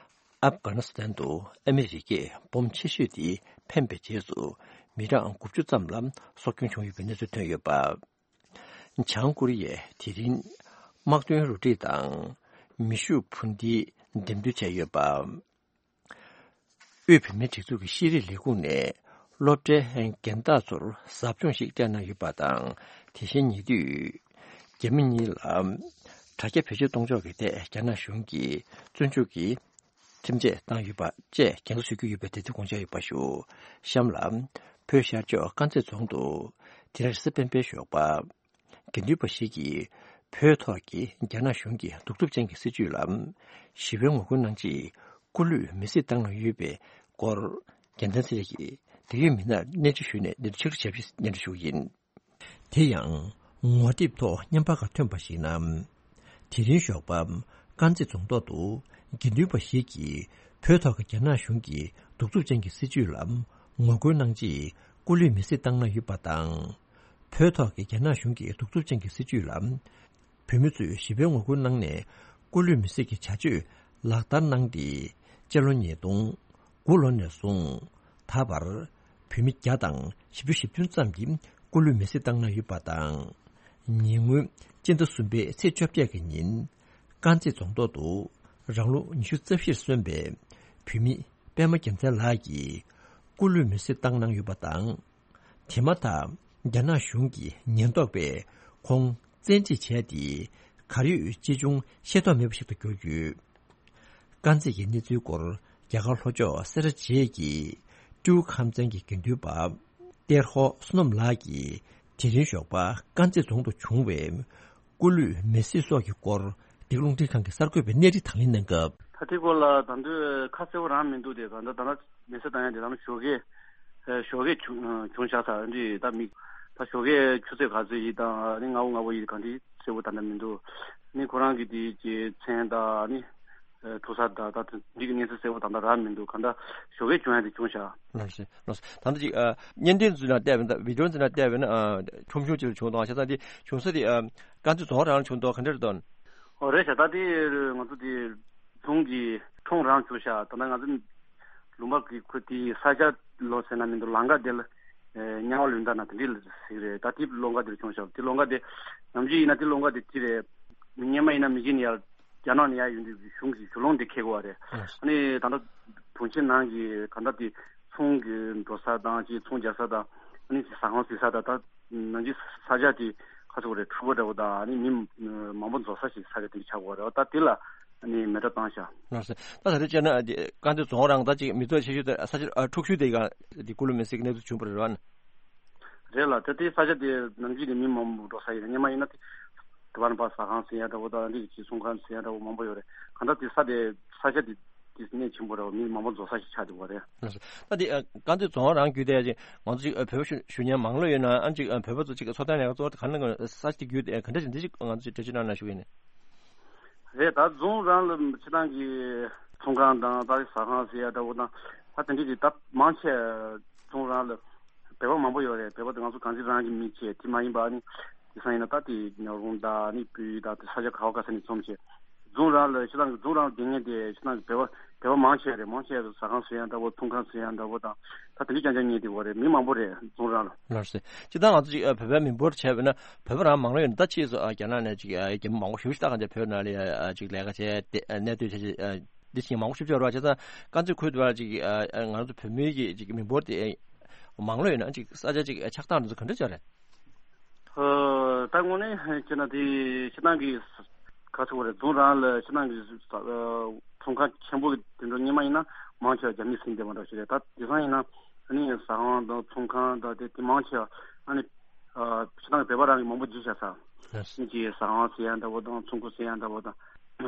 ཨབ་གྷ་ནི་སི་ཐན་དུ་ཨ་མི་རི་ཀས་འབོམ་ཆེ་ཤོས་དེ་འཕེན་པའི་རྗེས་སུ་མི་གྲངས་དགུ་བཅུ་ཙམ་ལ་སྲོག་སྐྱོན་བྱུང་ཡོད་པའི་གནས་ཚུལ་ཐོན་ཡོད་པ། བྱང་ཀོ་རི་ཡས་དེ་རིང་དམག་དོན་རོ་སྒྲིག་དང་མེ་ཤུགས་འཕུར་མདེལ་འགྲེམས་སྟོན་བྱས་ཡོད་པ། དབུས་བོད་མིའི་སྒྲིག་འཛུགས་ཀྱི་ཤེས་རིག་ལས་ཁུངས་ནས་སློབ་གྲྭའི་རྒན་བདག་ཚོར་ཟབ་སྦྱོང་ཞིག་སྤྲད་གནང་ཡོད་པ་དང་། དེ་བཞིན་ཉེ་དུས་རྒྱ་མི་གཉིས་ལ་དྲ་རྒྱ་བེད་སྤྱོད་གཏོང་ཕྱོགས་ཀྱི་ཐད་རྒྱ་ནག་གཞུང་གིས་བཙོན་འཇུག་གི་ཁྲིམས་ཆད་བཏང་ཡོད་པ་བཅས་རྒྱང་བསྒྲགས་ཞུ་རྒྱུ་ཡོད་པའི་དེ་དུས་དགོངས་འཆར་ཡོད་པ་ཞུ། གཤམ་ལ་བོད་ཤར་ཕྱོགས་དཀར་མཛེས་རྫོང་དུ་དེ་རིང་རེས་གཟའ་སྤེན་པའི་ཞོགས་པ། དགེ་འདུན་པ་ཞིག་གིས་བོད་ཐོག་གི་རྒྱ་ནག་གཞུང་གི་གདུག་རྩུབ་ཅན་གྱི་སྲིད་བྱུས་ལ་ཞི་བའི་ངོ་རྒོལ་གནང་ཆེད་སྐུ་ལུས་མེར་སྲེག་བཏང་གནང་ཡོད་པའི་སྐོར། རྒྱལ་མཚན་ཚེ་རིང་གིས་ དེ་གའི་མི་སྣར་གནས་འདྲི་ཞུས་ནས་འདིར་ཕྱིར་ཞབས་ཕྱི་སྙན་སྒྲོན་ཞུ་གི་ཡིན། དེ་ཡང་ངོ་དེབ་ཐོག་བརྙན་པར་ཁག་ཐོན་པར་གཞིགས་ན། དེ་རིང་ཞོགས་པ་དཀར་མཛེས་རྫོང་ཐོག་ཏུ་དགེ་འདུན་པ་ཞིག་གིས་བོད་ཐོག་གི་རྒྱ་ནག་གཞུང་གི་གདུག་རྩུབ་ཅན་གྱི་སྲིད་བྱུས་ལ་ངོ་རྒོལ་གནང་རྗེས་སྐུ་ལུས་མེར་སྲེག་བཏང་གནང་ཡོད་པ་དང་། བོད་ཐོག་གི་རྒྱ་ནག་གཞུང་གི་གདུག་རྩུབ་ཅན་གྱི་སྲིད་བྱུས་ལ་བོད་མི་ཚོས་ཞི་བའི་ངོ་རྒོལ་གནང་ནས་སྐུ་ལུས་མེར་སྲེག་གི་བྱ་སྤྱོད་ལག་བསྟར་གནང་སྟེ། སྤྱི་ལོ་ཉིས་སྟོང་དགུ་ལོ་ནས་བཟུང་ད་བར་བོད་མི་བརྒྱ་དང་བཞི་བཅུ་ཞེ་བདུན་ཙམ་གྱིས་སྐུ་ལུས་མེར་སྲེག་བཏང་གནང་ཡོད་པ་དང་། ཉེ་སྔོན་སྤྱི་ཟླ་གསུམ་པའི་ཚེས་བཅོ་བརྒྱད་ཀྱི་ཉིན་དཀར་མཛེས་རྫོང་ཐོག་ཏུ་རང་ལོ་ཉི་ཤུ་རྩ་བཞིར་སོན་པའི་བོད་མི་པད་མ་རྒྱལ་མཚན་ལགས་ཀྱིས་སྐུ་ལུས་མེར་སྲེག་བཏང་གནང་ཡོད་པ་དང་། དེ་མ་ཐག་རྒྱ་ནག་གཞུང་གི་ཉེན་རྟོག་པས་ཁོང་བཙན་ཁྲིད་བྱས་ཏེ་གར་ཡོད་ཅི་བྱུང་ཤེས་རྟོགས་མེད་པ་ཞིག་ཏུ་གྱུར་ཡོད། དཀར་མཛེས་ཀྱི་གནས་ཚུལ་སྐོར་རྒྱ་གར་ལྷོ་ཕྱོགས་སེ་ར་བྱེས་ཀྱི་ཀྲུའུ་ཁམས་ཚན་གྱི་དགེ་འདུན་པ་ཏེར་ཧོ་བསོད་ནམས་ལགས་ཀྱིས་དེ་རིང་ཞོགས་པ་དཀར་མཛེས་རྫོང་དུ་བྱུང་བའི་སྐུ་ལུས་མེར་སྲེག་སོགས་ཀྱི་སྐོར་འདི་ག་རླུང་འཕྲིན་ཁང་གི་གསར་འགོད་པས་གནས་འདྲི་དང་ལེན་གནང་སྐབས། ད་དེ་སྐོར་ལ་ད་དུང་ཁ་གསལ་པོ་རང་མི་འདུག་སྟེ། ད་ལྟ་ད་ལྟ་མེར་སྲེག་བཏང་ཡ་དེ་ད་ལྟ་ཞོགས་ཀས་ཨེ་ཞོགས་ཀས་བྱུང་བྱུང་བཞག་ས་འདི་ད་མི་ད་ཞོགས་ཀས་ཆུ་ཚོད་ག་ཚོད་ཡིན་དང་ཨ་ནི་སྔ་པོ་སྔ་པོ་ཡིན་ག་འདི་གསལ་པོ་ད་ལྟ་མི་འདུག་ནི་ཁོ་རང་གི་དེ་གི་མཚན་དང་ཨ་ནི་ཨེ་ཐུག་ས་དང་ད་འདི་གི་གནས་ཚུལ་གསལ་པོ་ད་ལྟ་རག་མི་འདུག་གང་ལྟར་ཞོགས་ཀས་བྱུང་ཡ་དེ་བྱུང་བཞག་ལགས་སེ། ལགས་སེ། ད་ལྟ་ཅིག་ཨ་བརྙན་འཕྲིན་ཚོའི་ནང་བལྟས་པ་ཡིན་ན་བི་ཌི་ཡོ་ཚོའི་ནང་བལྟས་པ་ཡིན་ན་ཨ་ཁྲོམ་གཞུང་ཅིག་ལ་བྱུང་དང་བྱས་ཙང་དེ་བྱུང་ས་དེ་ཨ་དཀར་མཛེས་རྫོང་རང་ལ་བྱུང་དང་ག་འདྲ་རེད་དང་། ཨོ་རེད་ཤག་ད་དེ་ང་ཚོ་དེ་རྫོང་གི་ཁྲོམ་རང་བྱུང་ཤག་ད་ལྟ་ང་ཚོ་ལུང་པ་གི་ཁུལ་དེའི་ས་ཆ་ལོ་ཟེར་ན་མི་འདུག་ལམ་ཁ་དེ་ལ་ཨེ་གཉའ་བ་ལུང་ད་ན་དེ་འདྲ་ལ་ཟེར་གི་རེད། ད་དེ་ལམ་ཁ་དེར་བྱུང་ཤག་དེ་ལམ་ཁ་དེ་ནམ་རྒྱུན་ཡིན་ན་དེ་ལམ་ཁ་དེ་དེ་རེད། སྔོན་མ་ཡིན་ན་མི་གཞན་ཡར་རྒྱ་ནག་ནས་ཡར་ཡོང་དུས་གཞུང་གི་གཞུང་ལམ་དེ་འཁེལ་དགོས་པ་རེད། ཨ་ནི་ད་ལྟ་གྲོང་ཁྱེར་ནང་གི་ག་འདྲ་དེ་ཚོང་གི་འགྲོ་ས་དང་ཅིག་ཚོང་རྒྱག་ས་དང་ཨ་ནི་ཟ་ཁང་ཟ་ས་དང་ད་ནང་གི་ས་ཆ་དེ་ཁ་ཚུགས་རེད། འཁྲུག་པ་འདྲ་བོ་དང་ཨ་ནི་མི་མང་པོ་འཛོམས་ས་ཞིག་ས་ཆ་དེ་ཆགས་དགོས་པ་རེད། ད་དེ་ལ་ཨ་ནི་མེ་སྲེག་བཏང་ཤག་ལགས་སེ། ད་ད་རེས་བྱས་ན་དེ་དཀར་མཛེས་རྫོང་རང་ད་ཅིག་མི་ཚོགས་ཆེ་ཤོས་དེ་ས་ཆ་ཨ་འཁྲུག་ཤོས་དེ་ག་དེ་སྐུ་ལུས་མེར་སྲེག་གི་གནས་ཚུལ་བྱུང་བ་རེད་བ། རེད་ལ་དེ་དེའི་ས་ཆ་དེ་ནམ་རྒྱུན་དེ་མི་མང་པོ་འགྲོ་ས་ཡིན། སྔོན་མ་ཡིན་ན་དེ་དེ་བར་པ་ཟ་ཁང་ཟེར་ཡ་འདྲ་བོ་དང་འདི་གི་ཚོང་ཁང་ཟེར་ཡ་འདྲ་བོ་མང་པོ་ཡོད་རེད། གང་ལྟར་དེ་ས་དེ་ས་ཆ་དེ་དེ་གནས་ཆེན་པོ་རེད་བ། མི་མང་པོ་འཛོམས་ས་ཞིག་ཆགས་འདུག་བ་རེད། ལགས་སོ། ད་དེ་ཨ་དཀར་མཛེས་རྫོང་རང་བརྒྱུད་དེ་ཅིག་ང་ཚོ་ཅིག་ཨ་བོད་པ་ཞུ་ཞུ་མཁན་མང་ལོས་ཡོད་ན་ཨ་ཅིག་ཨ་བོད་པ་ཚོ་ཅིག་འཚོ་སྟངས་ལས་ཀ་གཙོ་བོ་དེ་ག་ནས་ས་ཆ་དེ་བརྒྱུད་དེ་ག་འདྲ་ཞིག་འདི་ཅིག་ང་ཚོ་ཅིག་འགྲེལ་བརྗོད་གནང་ན་ཞུ་གི་ཡིན། རེད། ད་རྫོང་རང་ལ་སྤྱིར་བཏང་གི་ཚོང་ཁང་དང་ད་ཟ་ཁང་ཟེར་ཡ་འདྲ་བོ་དང་ད་དེ་འདྲ་གི་ད་མང་ཆེ་རྫོང་རང་ལ་བོད་པ་མང་པོ་ཡོད་རེད། བོད་པ་དེ་ང་ཚོ་གངས་ཅན་རང་གི་མི་བྱས་དེ་མ་ཡིན་པ་ཨ་ནི་དེང་སང་ཡིན་ན་ད་དེ་ཉག་རོང་དང་ཨ་ནི་སྤོས་དང་དེ་ས་ཆ་ག་བ་ག་ས་ནས་འཛོམས་བྱས་རྫོང་རང་ལ་སྤྱིར་བཏང་གི་རྫོང་རང་ལ་སྡོད་མཁན་དེ་སྤྱིར་བཏང་གི་བོད་པ་བོད་པ་མང་ཆེ་རེད། མང་ཆེ་རེད། ཟ་ཁང་ཟེར་ཡ་འདྲ་བོ་ཚོང་ཁང་ཟེར་ཡ་འདྲ་བོ་དང་ད་དེ་འདྲ་རྐྱང་རྐྱང་རྙེད་བསྡད་ཡོད་རེད། མི་མང་པོ་རེད་རྫོང་རང་ལ། ལགས་སེ། སྤྱིར་བཏང་ང་ཚོ་ཅིག་ཨ་བོད་པའི་མི་འབོར་བྱས་པ་ན་བོད་པ་རང་མང་ལོས་ཡོད་ན་ད་ཕྱིས་སུ་ཨ་རྒྱ་ནག་ནས་ཅིག་ཨ་རྒྱ་མི་མང་པོ་ཞེ་པོ་ཞིག་ད་ག་འདྲ་བོད་ནང་ལ་ཨ་ཅིག་ལས་ཀ་བྱས་ཏེ་ཨ་གནས་སྡོད་བྱས་བྱས་ཨ་འདི་བཞིན་མང་པོ་ཞེ་པོ་ཅིག་ཡོད་རེད་བ། བྱས་ཙང་དཀར་མཛེས་ཁུལ་དུ་བ་ཅིག་ཨ་ཨ་ང་ཚོ་བོད་མིའི་གི་ཅིག་མི་འབོར་དེ་ཨ་མང་ལོས་ཡོད་ན་ཅིག་ས་ཆ་ཅིག་ཨ་ཆགས་སྟངས་འདི་ཚོ་ག་འདྲ་ཅིག་རེད། ཨ་ད་དངོས་གནས་བྱས་ན་དེ་སྤྱིར་བཏང་གི་ག་ཚོད་རེད། རྫོང་རང་ལ་སྤྱིར་བཏང་གི་ཨ་ཚོང་ཁང་ཆེན་པོ་དེ་འདྲ་སྔོན་མ་ཡིན་ན་མང་ཆེ་བ་རྒྱ་མི་ཟིན་བསྡད་པ་འདྲ་ཞིག་རེད། ད་དེང་སང་ཡིན་ན་ཨ་ནི་ཟ་ཁང་དང་ཚོང་ཁང་དང་དེ་དེ་མང་ཆེ་བ་ཨ་ནི་ཨ་སྤྱིར་བཏང་བོད་པ་རང་གི་མང་པོ་འཛུལ་བཞག་ས། ལགས་སོ། ཨ་ནི་ཅིག་ཟ་ཁང་ཟེར་ཡ་འདྲ་བོ་དང་ཚོང་ཁུག་ཟེར་ཡ་འདྲ་བོ་དང་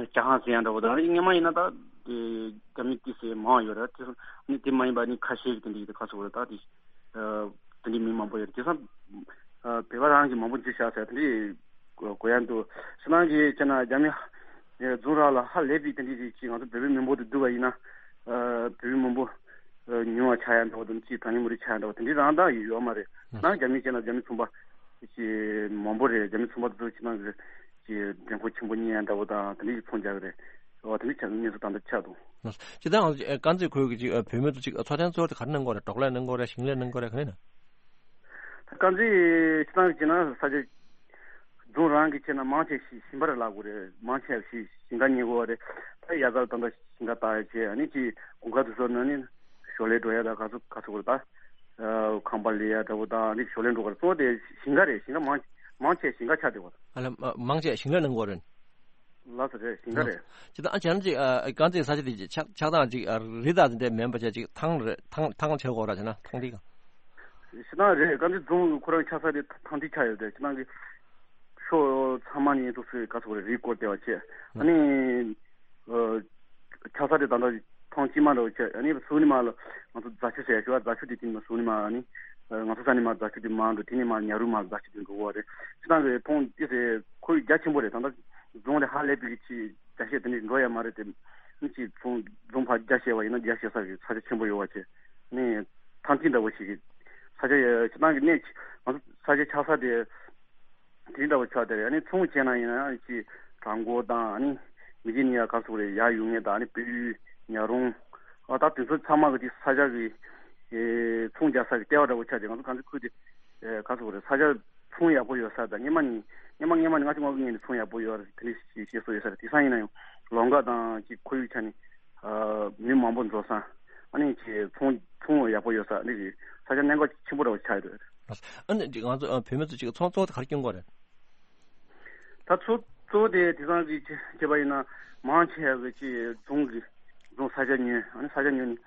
ཇ་ཁང་ཟེར་ཡ་འདྲ་བོ་དང་ཨ་ནི་སྔོན་མ་ཡིན་ན་ད་དེ་རྒྱ་མི་ཏི་སེ་མང་བ་ཡོད་རེད། དེ་ཨ་ནི་དེ་མ་ཡིན་པ་ཨ་ནི་ཁ་ཤས་ཀྱི་དེ་འདྲ་ཡིན། ད་ག་ཚོད་རེད་ད་དེ། ཨ་དེ་འདྲའི་མི་མང་པོ་ཡོད་རེད། དེང་སང་ཨ་བོད་པ་རང་གིས་མང་པོ་འཛུལ་བཞག་ཟེར་དེ་འདྲའི་གོ་ཡ་འདུག་སྤྱིར་བཏང་གི་བྱས་ན་རྒྱ་མི་ཨ་རྫོང་རང་ལ་ཧ་ལས་པའི་དེ་འདྲའི་རིགས་ཅིག་ང་ཚོ་བོད་པའི་མི་འབོར་དུ་བསྡུར་བ་ཡིན་ན་ཨ་བོད་པའི་མི་འབོར་ཨ་ཉུང་བ་ཆགས་ཡ་འདྲ་བོ་དང་ཅིག་གྲངས་ཉུང་མི་རིགས་ཆགས་ཡ་འདྲ་བོ་དེ་འདྲའི་རང་ད་ཡོད་མ་རེད། ནང་རྒྱ་མི་བྱས་ན་རྒྱ་མི་ཚོང་པ་ཅིག་མང་པོ་རེད། རྒྱ་མི་ཚོང་པ་དེ་ཚོ་ཕྱི་ནང་གི་ཅིག་འགྲེམས་ཁོག་ཆེན་པོ་གཉེར་ཡ་འདྲ་བོ་དང་དེ་འདྲའི་ཚོང་རྒྱག་གི་རེད། འོ་དེ་འདྲའི་ཆགས་གནས་ཚུལ་ད་ལྟ་ཆགས་འདུག་སྤྱིར་བཏང་ང་ཚོ་དཀར་མཛེས་ཁུལ་གྱི་ཅིག་བོད་མི་ཚོ་ཅིག་འཚོ་རྟེན་གཙོ་བོ་དེ་ག་རེ་གནང་གི་ཡོད་རེད། འབྲོག་ལས་གནང་གི་ཡོད་རེད། ཞིང་ལས་གནང་གི་ཡོད་རེད། ག་རེ་ཡིན་ན། དཀར་མཛེས་སྤྱིར་བཏང་གི་བྱས་ན་ས་ཆ་རྫོང་རང་གི་བྱས་ན་མང་ཆེ་ཞིང་ཞིང་པ་རེད་ལབ་དགོས་རེད། མང་ཆེ་ཞིང་ཞིང་ཁ་གཉེར་དགོས་པ་རེད། ད་ཡ་གར་ད་ལྟ་ཞིང་ཁ་བཏགས་ཡ་བྱས་ཨ་ནི་ཅིག་དགུན་ཁ་དུས་ཚོད་ན་ནི་ཞོར་ལས་འགྲོ་ཡ་ད་ག་ཚོད་ག་ཚོད་དགོས་རེད། ད་ཁང་པ་ལས་ཡ་འདྲ་བོ་ད་ཨ་ནི་ཞོར་ལས་འགྲོ་གི་རེད། གཙོ་བོ་དེ་ཞིང་ཁ་རེད། ཞིང་ཁ་མང་མང་ཆེ་ཞིང་ཁ་ཆགས་བསྡད་པ་རེད། ཨ་ལ་མ་མང་ཆེ་ཞིང་ལས་གནང་གི་ཡོད་རེད། ལགས་སོ་རེད། ཞིང་ཁ་རེད། ཅི་ད་ཨ་བྱས་ན་ཅིག་ཨ་དཀར་མཛེས་ས་ཆ་དེ་ཆགས་ཆགས་སྟངས་ཅིག་ཨ་རི་དྭགས་དེ་འདྲ་མིན་པ་བྱས་ཅིག་ཐང་རེད། ཐང་ཐང་བྱེད་དགོས་ར་བྱས་ན་ཐང་དེ་ག་ཞེ་དྲག་རེད། དཀར་མཛེས་རྫོང་ཁོ་རང་ཆགས་ས་དེ་ཐང་དེ་ཆགས་ཡོད་རེད། ཞེ་དྲག་གི་ཕྱོགས་ཚང་མ་ནས་འདུག་སེ་ག་ཚོད་རེད་རི་སྐོར་བདེ་བ་བྱས་ཨ་ནི་ཨ་ཆགས་ས་དེ་ད་ལྟ་ ཐེངས་གཅིག་མ་འདྲ་བོ་བྱས། ཨ་ནི་ཟུར་ནས་མར་ལ་ང་ཚོ་རྫ་ཆུ་ཟེར་ཡ་ཞུ་བ། རྫ་ཆུ་དེ་དེ་ནས་མར་ཟུར་ནས་མར། ཨ་ནི་ང་ཚོ་ས་ནས་མར་རྫ་ཆུ་དེ་མར་འགྲོ། དེ་ནས་མར་ཉ་རུ་མར་རྫ་ཆུ་དེ་འགྲོ་གི་ཡོད་རེད། སྤྱིར་བཏང་གི་ཕུང་དེ་ཟེར་ཁོར་ཡུག་རྒྱ་ཆེན་པོ་རེད། ད་ལྟ་རྫོང་དེ་ཧ་ལས་པའི་གི་ཆེ་རྒྱ་ཤེད་དེ་འདྲ་འགྲོ་ཡ་མ་རེད་དེ། ཨ་ནི་ཅིག་ཕུང་རྫོང་ཕར་རྒྱ་ཤེད་པ་ཡིན་ན་རྒྱ་ཤེད་ས་གི་ས་ཆ་ཆེན་པོ་ཡོད་པ་བྱས། ཨ་ནི་ཐང་ཐིག་འདྲ་བོ་ཞིག་གི་ས་ཆ་ཡ། སྤྱིར་བཏང་གི་གནས་ང་ཚོ་ས་ཆ་ཆགས་ས་དེ། དེ་འདྲ་བོ་ཆགས་དེ་རེད། ཨ་ནི་ཚོང་བྱས་ན་ཡིན་ན་ཅིག་བྲག་འགོ་དང་། ཨ་ནི་མི་རྒྱུ་ནི་ཡ་ག་ཚོད་རེད། ཡར་ཡོང་མཁན་དང་། ཨ་ནི་སྤོས་ཡུལ་ཉག་རོང་། ཨ་ད་དེ་ཚོ་ཚང་མ་གི་དེ་ས་ཆ་གི་ཨེ་ཚོང་རྒྱག་ས་གི་ལྟེ་བ་འདྲ་བོ་ཆགས་དེ། ང་ཚོ་གངས་རྩེ་ཁུལ་དེ་ཨེ་ག་ཚོད་རེད། ས་ཆ་ཚོང་ཡག་པོ་ཡོད་ས་དང་། སྔོན་མ་ནས་སྔོན་མ་སྔོན་མ་ནས་ང་ཚོ་སྔོན་གི་ངོས་ནས་ཚོང་ཡག་པོ་ཡོད་རེད། དེ་འདྲ་ཞིག་བཤད་སྲོལ་ཡོད་ས་རེད། དེང་སང་ཡིན་ན་ཡང་ལམ་ཁ་དང་ཅིག་ཁོར་ཡུག་ཆ་ནས་ཨ་མི་མང་པོ་འཛོམས་ས། ཨ་ནི་ཅིག་ཚོང་ཚོང་ཡག་པོ་ཡོད་ས། ཨ་ནི་ས་ཆ་གནད་འགག་ཆེན་པོ་འདྲ་བོ་ཆགས་ཡོད་རེད། ཨ་ནི་ང་ཚོ་ཨ་བོད་མི་ཚོ་ཅིག་ཚོང་གཙོ་བོ་དེ་ག་རེ་སྐྱོན་གྱི་ཡོད་རེད། ད་ཚོ་གཙོ་བོ་དེ་དེང་སང་གི་བྱས་པ་ཡིན་ན་མང་ཆེ་བ་གི་ཅིག་རྫོང་གི་རྫོང་ས་ཆ་ཉོས། ཨ་ནི་ས་ཆ་ཉོས་ནས་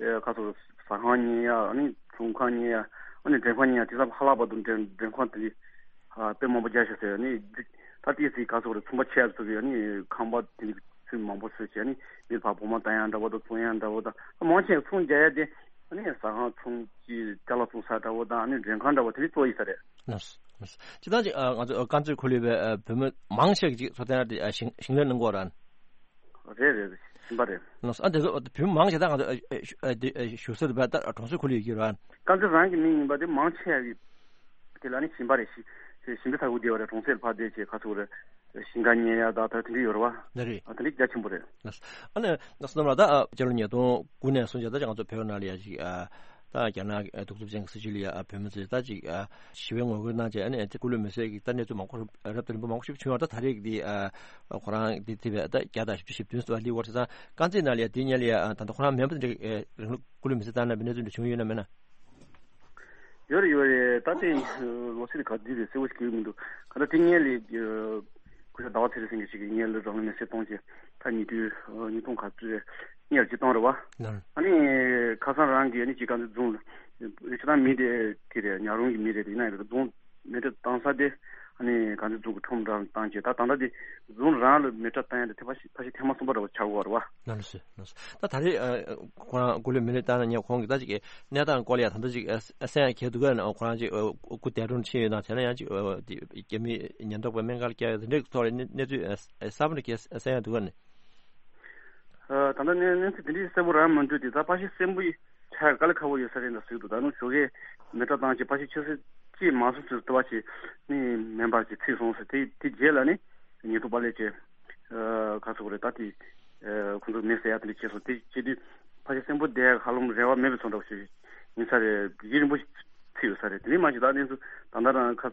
ཨེ་ག་ཚོད་ཟ་ཁང་ཉོས་ཡ། ཨ་ནི་ཚོང་ཁང་ཉོས་ཡ། ཨ་ནི་མགྲོན་ཁང་ཉོས་ཡ། དེང་སང་ཧ་ལས་པ་འདུག་མགྲོན་མགྲོན་ཁང་དེ་ཨ་དཔེ་མང་པོ་རྒྱག་ཤག་ཟེར། ཨ་ནི་ད་ལྟའི་ཚེ་ག་ཚོད་རེད། ཚོང་པ་ཆེ་ཚོ་གི་ཨ་ནི་ཁང་པ་དེ་ཚོད་མང་པོ་བཟོས་བྱས། ཨ་ནི་མི་ཕར་བོགས་མ་བཏང་ཡ་འདྲ་བོ་དང་། བཙོང་ཡ་འདྲ་བོ་དང་། མང་ཆེ་ཚོང་རྒྱག་ཡ་དེ་ཨ་ནི་ཟ་ཁང་ཚོང་གི་ཅ་ལག་བཙོང་ས་འདྲ་བོ་དང་། ཨ་ནི་མགྲོན་ཁང་འདྲ་བོ་དེ་རིགས་གཙོ་ཡིན་ས་རེད། ལགས་སོ། ལགས་སོ། སྤྱིར་བཏང་ཅིག་ཨ་ང་ཚོ་དཀར་མཛེས་ཁུལ་ལ་ཡོད་པའི་ཨ་བོད་མི་མང་ཆེ་གིས་ཅིག་འཚོ་རྟེན་ར་དེ་ཨ་ཞིང་ཞིང་ལས་གནང་གི་ཡོད་རེད། རེད་རེད་རེད། ཞིང་པ་རེད། ལགས་སོ། ཨ་དེ་ཚོ་བོད་མི་མང་ཆེ་ད་ང་ཚོ་ཨ་ཨ་ཨ་དེ་ཨ་བཞུགས་ས་དེ་བ་ད་གྲོང་གསེབ་ཁུལ་ལ་ཡོད་ཀྱི་རེད། དཀར་མཛེས་རང་གི་མི་ཡིན་པ་དེ་མང་ཆེ་བ་གིས་དེ་ལ་ནི་ཞིང་པ་རེད། ཞིང་ཞིང་པའི་ས་ཁུལ་དེ་བ་རེད། གྲོང་གསེབ་ལ་ཕར་བསྡད་བྱས་ག་ཚོད་རེད། ཞིང་ཁ་ཉོ་ཡ་ད་ད་དེ་འདྲ་ཡོད་རེད་བ། ལགས་རེད། ཨ་དེ་འདྲ་རྒྱ་ཆེན་པོ་རེད། ལགས་སོ། ཨ་ནི་བསོད་ནམས་ལགས། ད་ཨ་སྤྱི་ལོ་ཉིས་སྟོང་དགུ་ནས་བཟུང་བྱས་ད་ང་ཚོ་བོད་ནང་ལ་ཡ་ཅིག་ཨ་ད་རྒྱ་ནག་གི་གདུག་རྩུབ་ཅན་གྱི་སྲིད་བྱུས་ལ་ཡ་ཨ་བོད་མི་ཚོས་ད་ཅིག་ཨ་ཞི་བའི་ངོ་རྒོལ་གནང་བྱས། ཨ་ནི་སྐུ་ལུས་མེ་སྲེག་གི་ད་གནས་ཚུལ་མང་པོ་རབ་དང་རིམ་པ་མང་པོ་ཞིག་བྱུང་བ། ད་ད་རེས་ཀྱི་འདི་ཨ་ཁོ་རང་འདི་ཐེ་བའི་ད་བརྒྱ་དང་བཞི་བཅུ་ཞེ་བདུན་ཙམ་སླེབས་ཡོད་རེད། ད་དཀར་མཛེས་ནང་ལ་ཡ་འདི་སྔོན་ལ་ཡ་ཨ་ད་ལྟ་ཁོ་རང་མེད་པ་དེ་འདྲ་ཨ་རིང་ལུགས་སྐུ་ལུས་མེ་སྲེག་བཏང་གནང་བའི་གནས་ཚུལ་འདྲ་བྱུང་ཡོད་ན་མེད་ན། ཡོད་རེད་ཡོད་རེད། ད་དེ་ལོ་ཚིགས་ག་དུས་རེད་གསལ་པོ་ཞིག་གི་མི་འདུག་ག་ད་དེ་སྔོན་ལ་སྐུ་ཞབས་ཟླ་བ་ཚེ་རིང་ཟེར་མཁན་ཞིག་གིས་སྔོན་ལ་རང་ལུས་མེ་སྲེག་བཏང་བྱས། ད་ཉིས་སྟོང་ཉིས་སྟོང་ག་ཚོད་རེད། སྔོན་ལ་ཅིག་བཏང་རེད་བ། ལགས། ཨ་ནི་ཁ་སང་རང་གིས་ཨ་ནི་ཅིག་དཀར་མཛེས་རྫོང་ལ་ཅིག་ད་མི་དེ་དེ་རེད། ཉག་རོང་གི་མི་རེད། དེ་ཡིན་ན་ཡང་རྫོང་མེ་སྲེག་བཏང་ས་དེ་ཨ་ནི་དཀར་མཛེས་རྫོང་གི་ཁྲོམ་ར་བཏང་བྱས། ད་ད་ལྟ་དེ་རྫོང་རང་ལ་མེ་སྲེག་བཏང་ཡ་དེ་ཐེངས་ཕལ་ཆེར་ཐེངས་མ་གསུམ་པ་འདྲ་བོ་ཆགས་ཀྱི་ཡོད་རེད་བ། ལགས་སོ། ལགས་སོ། ད་ད་རེས་ཨ་ཁོ་རང་སྐུ་ལུས་མེ་སྲེག་བཏང་ནས་ཁོང་གིས་ད་ཅིག་གནས་སྟངས་སྐོར་ལ་ཡ་ད་ལྟ་ཅིག་ཨ་གསན་ཡ་གལ་འདུག་ག་ཁོ་རང་ཅིག་ཨ་སྐུ་འདས་གྲོངས་ཕྱིན་ཡོད་ན། དེ་ན་ཡང་ཅིག་ཨ་དེ་རྒྱ་མིས་ཉེན་རྟོག་པས་སྨན་ཁང་ལ་བསྐྱལ་ཡ་དེ་འདྲའི་ཐོག་ལ་གནས་གནས་ཚུལ་ཨ་གསར་པ་འདྲ་གས་གསན་ཡ་འདུག་ག་ནི། ཨ་ད་ལྟ་གནས་གནས་ཚུལ་དེ་འདྲའི་གསལ་པོ་རང་མི་འདུག་དེ་ད་ཕལ་ཆེར་གསོན་པོ་ཡི་ཆ་དཀའ་ལས་ཁག་པོ་ཡོད་ས་རེད་འདྲ་ཟེར་གྱི་འདུག་ད་ནང་ཞོགས་ཀས་མེ་སྲེག་བཏང་བྱས་ཕལ་ཆེར་ཆུ་ཚོད་གཅིག་མ་སོང་ཚོད་ལྟ་བ་བྱས་ནི་མེ་འབར་བྱས་ཚིག་སོང་ཟེར། དེ་དེ་རྗེས་ལ་ནི་ཉེན་རྟོག་པ་སླེབས་བྱས། ཨ་ག་ཚོད་རེད། ད་དེ་ཨ་ཁོང་ཚོ་མེ་བསད་ཡ་དེ་འདྲ་བྱས་སོང་། དེ་བྱེད་དུས་ཕལ་ཆེར་གསོན་པོ་བསྡད་ཧ་ལམ་རེ་བ་མེད་པའི་བཟོ་འདྲ་བོ་ཞིག་ཡིན་ས་རེད། ཡུན་རིང་པོ་ཞིག་ཚིག་ཡོད་ས་རེད། དེ་མིན་མ་གཞི་ད་གནས་ཚུལ་ད་ལྟ་རང་ཁ་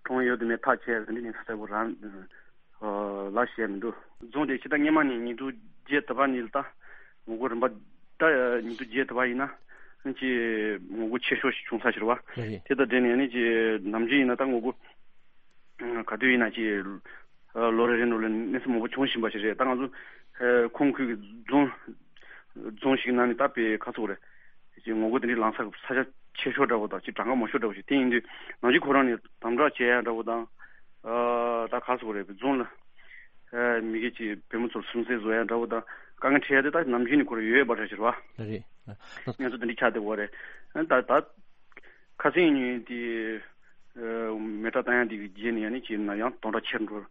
གྲོངས་ཡོད་དུ་མེད་ཐག་བཅད་དེ་འདྲ་གནས་ཚུལ་གསལ་པོ་རང་ཨ་ལ་བཤད་མི་འདུག་རྫོང་དེ་ཕྱི་ཟླ་སྔོན་མ་ནས་ཉིས་སྟོང་བརྒྱད་དུ་བ་ནས་ད་ངོ་རྒོལ་རིམ་པ་ད་ཉིས་སྟོང་བརྒྱད་དུ་བ་ཡིན་ན་ཅི་ངོ་རྒོལ་ཆེ་ཤོས་ཤིག་བྱུང་ས་ཞིག་རེད་བ། རེད་རེད། དེ་དང་འབྲེལ་ནས་ནི་ཅི་ནམ་རྒྱུན་ཡིན་ན་ད་ངོ་རྒོལ་ག་དུས་ཡིན་ན་ཅི་ལོ་རེ་རེ་ནང་ལ་གནས་ཚུལ་མང་པོ་བྱུང་བཞིན་པ་ཞིག་རེད། ད་ང་ཚོ་ཁོང་ཁུལ་གྱི་རྫོང་རྫོང་ཞིག་ནང་ནས་ད་དཔེ་ག་ཚོད་རེད། ཅིག་ངོ་རྒོལ་དེ་འདྲའི་ལངས་ས་ས་ཆ་ཆེ་ཤོས་འདྲ་བོ་དང་ཅིག་གྲངས་ཀ་མང་ཤོས་འདྲ་བོ་ཞིག་དེ་ཡིན་དུས་ནམ་རྒྱུན་ཁོ་རང་ནས་དམ་དྲག་བྱེད་ཡ་འདྲ་བོ་དང་། ཨ་ད་ག་ཚོད་རེད། རྫོང་ལ་ཨ་མི་སྒེར་གྱི་བུ་མོ་ཚོར་སུན་གཙེར་བཟོ་ཡ་འདྲ་བོ་དང་དཀའ་ངལ་འཕྲད་ཡ་དེ་ད་ནམ་རྒྱུན་ནས་ཁོ་རང་ཡོད་པ་འདྲ་ཞིག་རེད་བ། རེད། ངས་ཚོ་དེ་འདྲའི་ཆགས་བསྡད་ཡོད་རེད། ཨ་ད་ད་ཁ་སང་ཉིན་དེ་ཨ་མེ་སྲེག་བཏང་ཡ་དེ་གི་རྗེས་ནས་ཡང་ནི་ཅིག་ན་ཡང་དོན་དག་ཆེར་འགྲོ་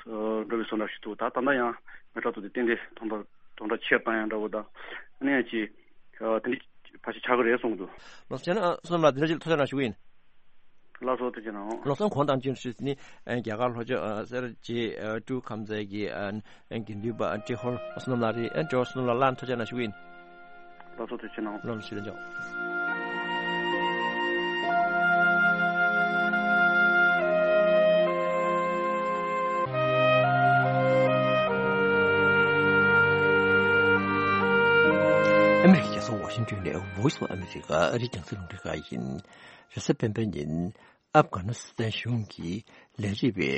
འགྲོ་བའི་བཟོ་འདྲ་ཞིག་འདུག་ད་ད་ལྟ་ཡང་མེ་སྲེག་ཐོག་དེ་ཏན་ཏན་དོན་དག་དོན་དག་ཆེར་བཏང་ཡ་འདྲ་བོ་དང་ཨ་ནི་ཡང་ཅིག་ཨ་དེ་འདྲའི་ཕལ་ཆེར་ཆགས་ཀྱི་རེད་གསུངས་འདུག་ལགས་སོ། བྱས་ན་བསོད་ནམས་ལགས་འདི་འདྲ་ཅིག་ལ་ཐུགས་རྗེ་གནང་ཞུ་གི་ཡིན། ལགས་སོ། ཐུགས་རྗེ་གནང་། ལགས་སོ། གོང་དང་ཅི་ཞུས་ནི་རྒྱ་གར་ལྷོ་ཕྱོགས་སེར་བྱེས་ཀྲུའུ་ཁམས་ཚན་གྱི་དགེ་འདུན་པ་ཏྲེ་ཧོར་བསོད་ནམས་ལགས་རེད། ཨ་ཏྲེ་ཧོར་བསོད་ནམས་ལགས་ལ་ཐུགས་རྗེ་གནང་ཞུ་གི་ཡིན། ལགས་སོ། ཐུགས་རྗེ་གནང་། ལགས་སོ། ཞུ་རྒྱུ། ཨ་མི་རི་ཀའི་རྒྱལ་ས་ཝ་ཤིང་ཊོན་ནས་Voice of America ཨ་རིའི་རྒྱང་སྲིང་རླུང་འཕྲིན་ཁང་ཡིན། རེས་གཟའ་སྤེན་པའི་ཉིན་ཨབ་གྷ་ནི་སི་ཐན་གཞུང་གིས་ལས་བྱེད་པའི་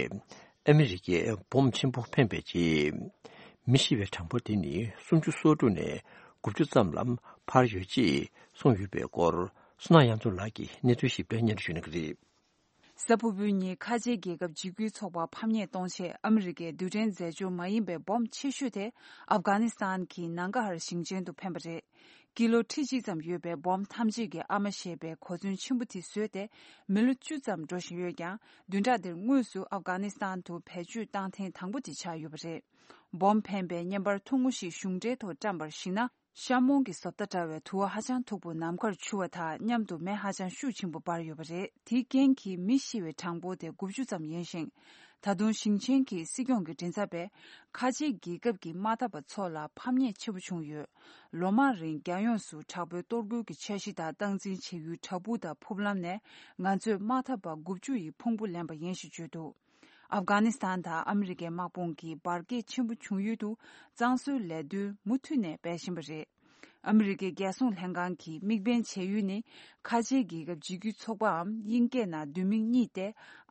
ཨ་མི་རི་ཀའི་འབོམ་ཆེན་པོ་འཕེན་པའི་རྗེས། མི་ཤི་བའི་གྲངས་འབོར་དེ་ནི་སུམ་ཅུ་སོ་དྲུག་ནས་དགུ་བཅུ་ཙམ་ལ་འཕར་ཡོད་ཅེས་གསུངས་ཡོད་པའི་སྐོར། བསོད་ནམས་གཡང་འཛོམས་ལགས་ཀྱིས་གནས་ཚུལ་ཞིབ་ཕྲ་སྙན་སྒྲོན་ཞུ་གནང་གི་རེད། གཟའ་ཕུར་བུའི་ཉིན་ཁ་ཆེའི་རྒྱལ་ཁབ་འཇིགས་སྐུལ་ཚོགས་པ་ཕམ་ཉེས་གཏོང་ཆེད་ཨ་མི་རི་ཀའི་རྡུལ་ཕྲན་རྫས་སྦྱོར་མ་ཡིན་པའི་སྦོམ་ཆེ་ཤོས་དེ་ཨབ་གྷ་ནི་སི་ཐན་གྱི་ནང་གྷ་ཧར་ཞིང་ཆེན་དུ་འཕེན་པ་རེད། ཀི་ལོ་ཁྲི་གཅིག་ཙམ་ཡོད་པའི་སྦོམ་ཐམས་ཅད་ཀྱི་ཨ་མ་ཞེས་པའི་གོ་མཚོན་ཆེན་པོ་དེ་བཟོས་ཏེ་མི་ལོ་བཅུ་ཙམ་འགྲོ་བཞིན་ཡོད་ཀྱང་། བདུན་ཕྲག་འདིར་དངོས་སུ་ཨབ་གྷ་ནི་སི་ཐན་དུ་བེད་སྤྱོད་བཏང་ཐེངས་དང་པོ་དེ་ཆགས་ཡོད་པ་རེད། སྦོམ་འཕེན་པའི་བརྙན་པར་ཐུང་ངུ་ཞིག་གཞུང་འབྲེལ་ཐོག་བཀྲམ་པར་གཞིགས་ན། ཤ་མོང་གི་བཟོ་ལྟ་འདྲ་བའི་དུ་བ་ཧ་ཅང་མཐུག་པོ་ནམ་མཁར་འཕྱུར་བ་དང་མཉམ་དུ་མེ་ཧ་ཅང་ཤུགས་ཆེན་པོ་འབར་ཡོད་པ་རེད། དེའི་རྐྱེན་གྱིས་མི་ཤི་བའི་གྲངས་འབོར་དེ་དགུ་བཅུ་ཙམ་ཡིན་ཞིང་། ད་དུང་ཞིང་ཆེན་གྱི་སྲིད་སྐྱོང་གི་མགྲིན་ཚབ་པས་ཁ་ཆེའི་རྒྱལ་ཁབ་ཀྱི་དམག་འཐབ་པ་ཚོ་ལ་ཕམ་ཉེས་ཆེན་པོ་བྱུང་ཡོད། ལོ་མང་རིང་རྒྱལ་ཡོངས་སུ་དྲག་པོའི་གཏོར་རྒོལ་གྱི་འཆར་གཞི་དང་སྟངས་འཛིན་བྱེད་ཡུལ་བྲག་ཕུག་དང་ཕུག་ལམ་ནས་ང་ཚོས་དམག་འཐབ་པ་དགུ་བཅུ་ཡི་ཕུང་པོ་ལེན་པ་ཡིན་ཞེས་བརྗོད་འདུག་ཨབ་གྷ་ནི་སི་ཐན་དང་ཨ་མི་རི་ཀའི་དམག་དཔུང་གིས་འབར་གས་ཆེན་པོ་བྱུང་ཡུལ་དུ་གཙང་བཟོའི་ལས་དོན་མུ་མཐུད་ནས་སྤེལ་བཞིན་པ་རེད། ཨ་མི་རི་ཀའི་རྒྱལ་སྲུང་ལྷན་ཁང་གིས་དམིགས་འབེན་བྱས་ཡུལ་ནི་ཁ་ཆེའི་རྒྱལ་ཁབ་འཇིགས་སྐུལ་ཚོགས་པའམ་དབྱིན་སྐད་ནང་བསྡུས་མིང་གཉིས་ཏེ།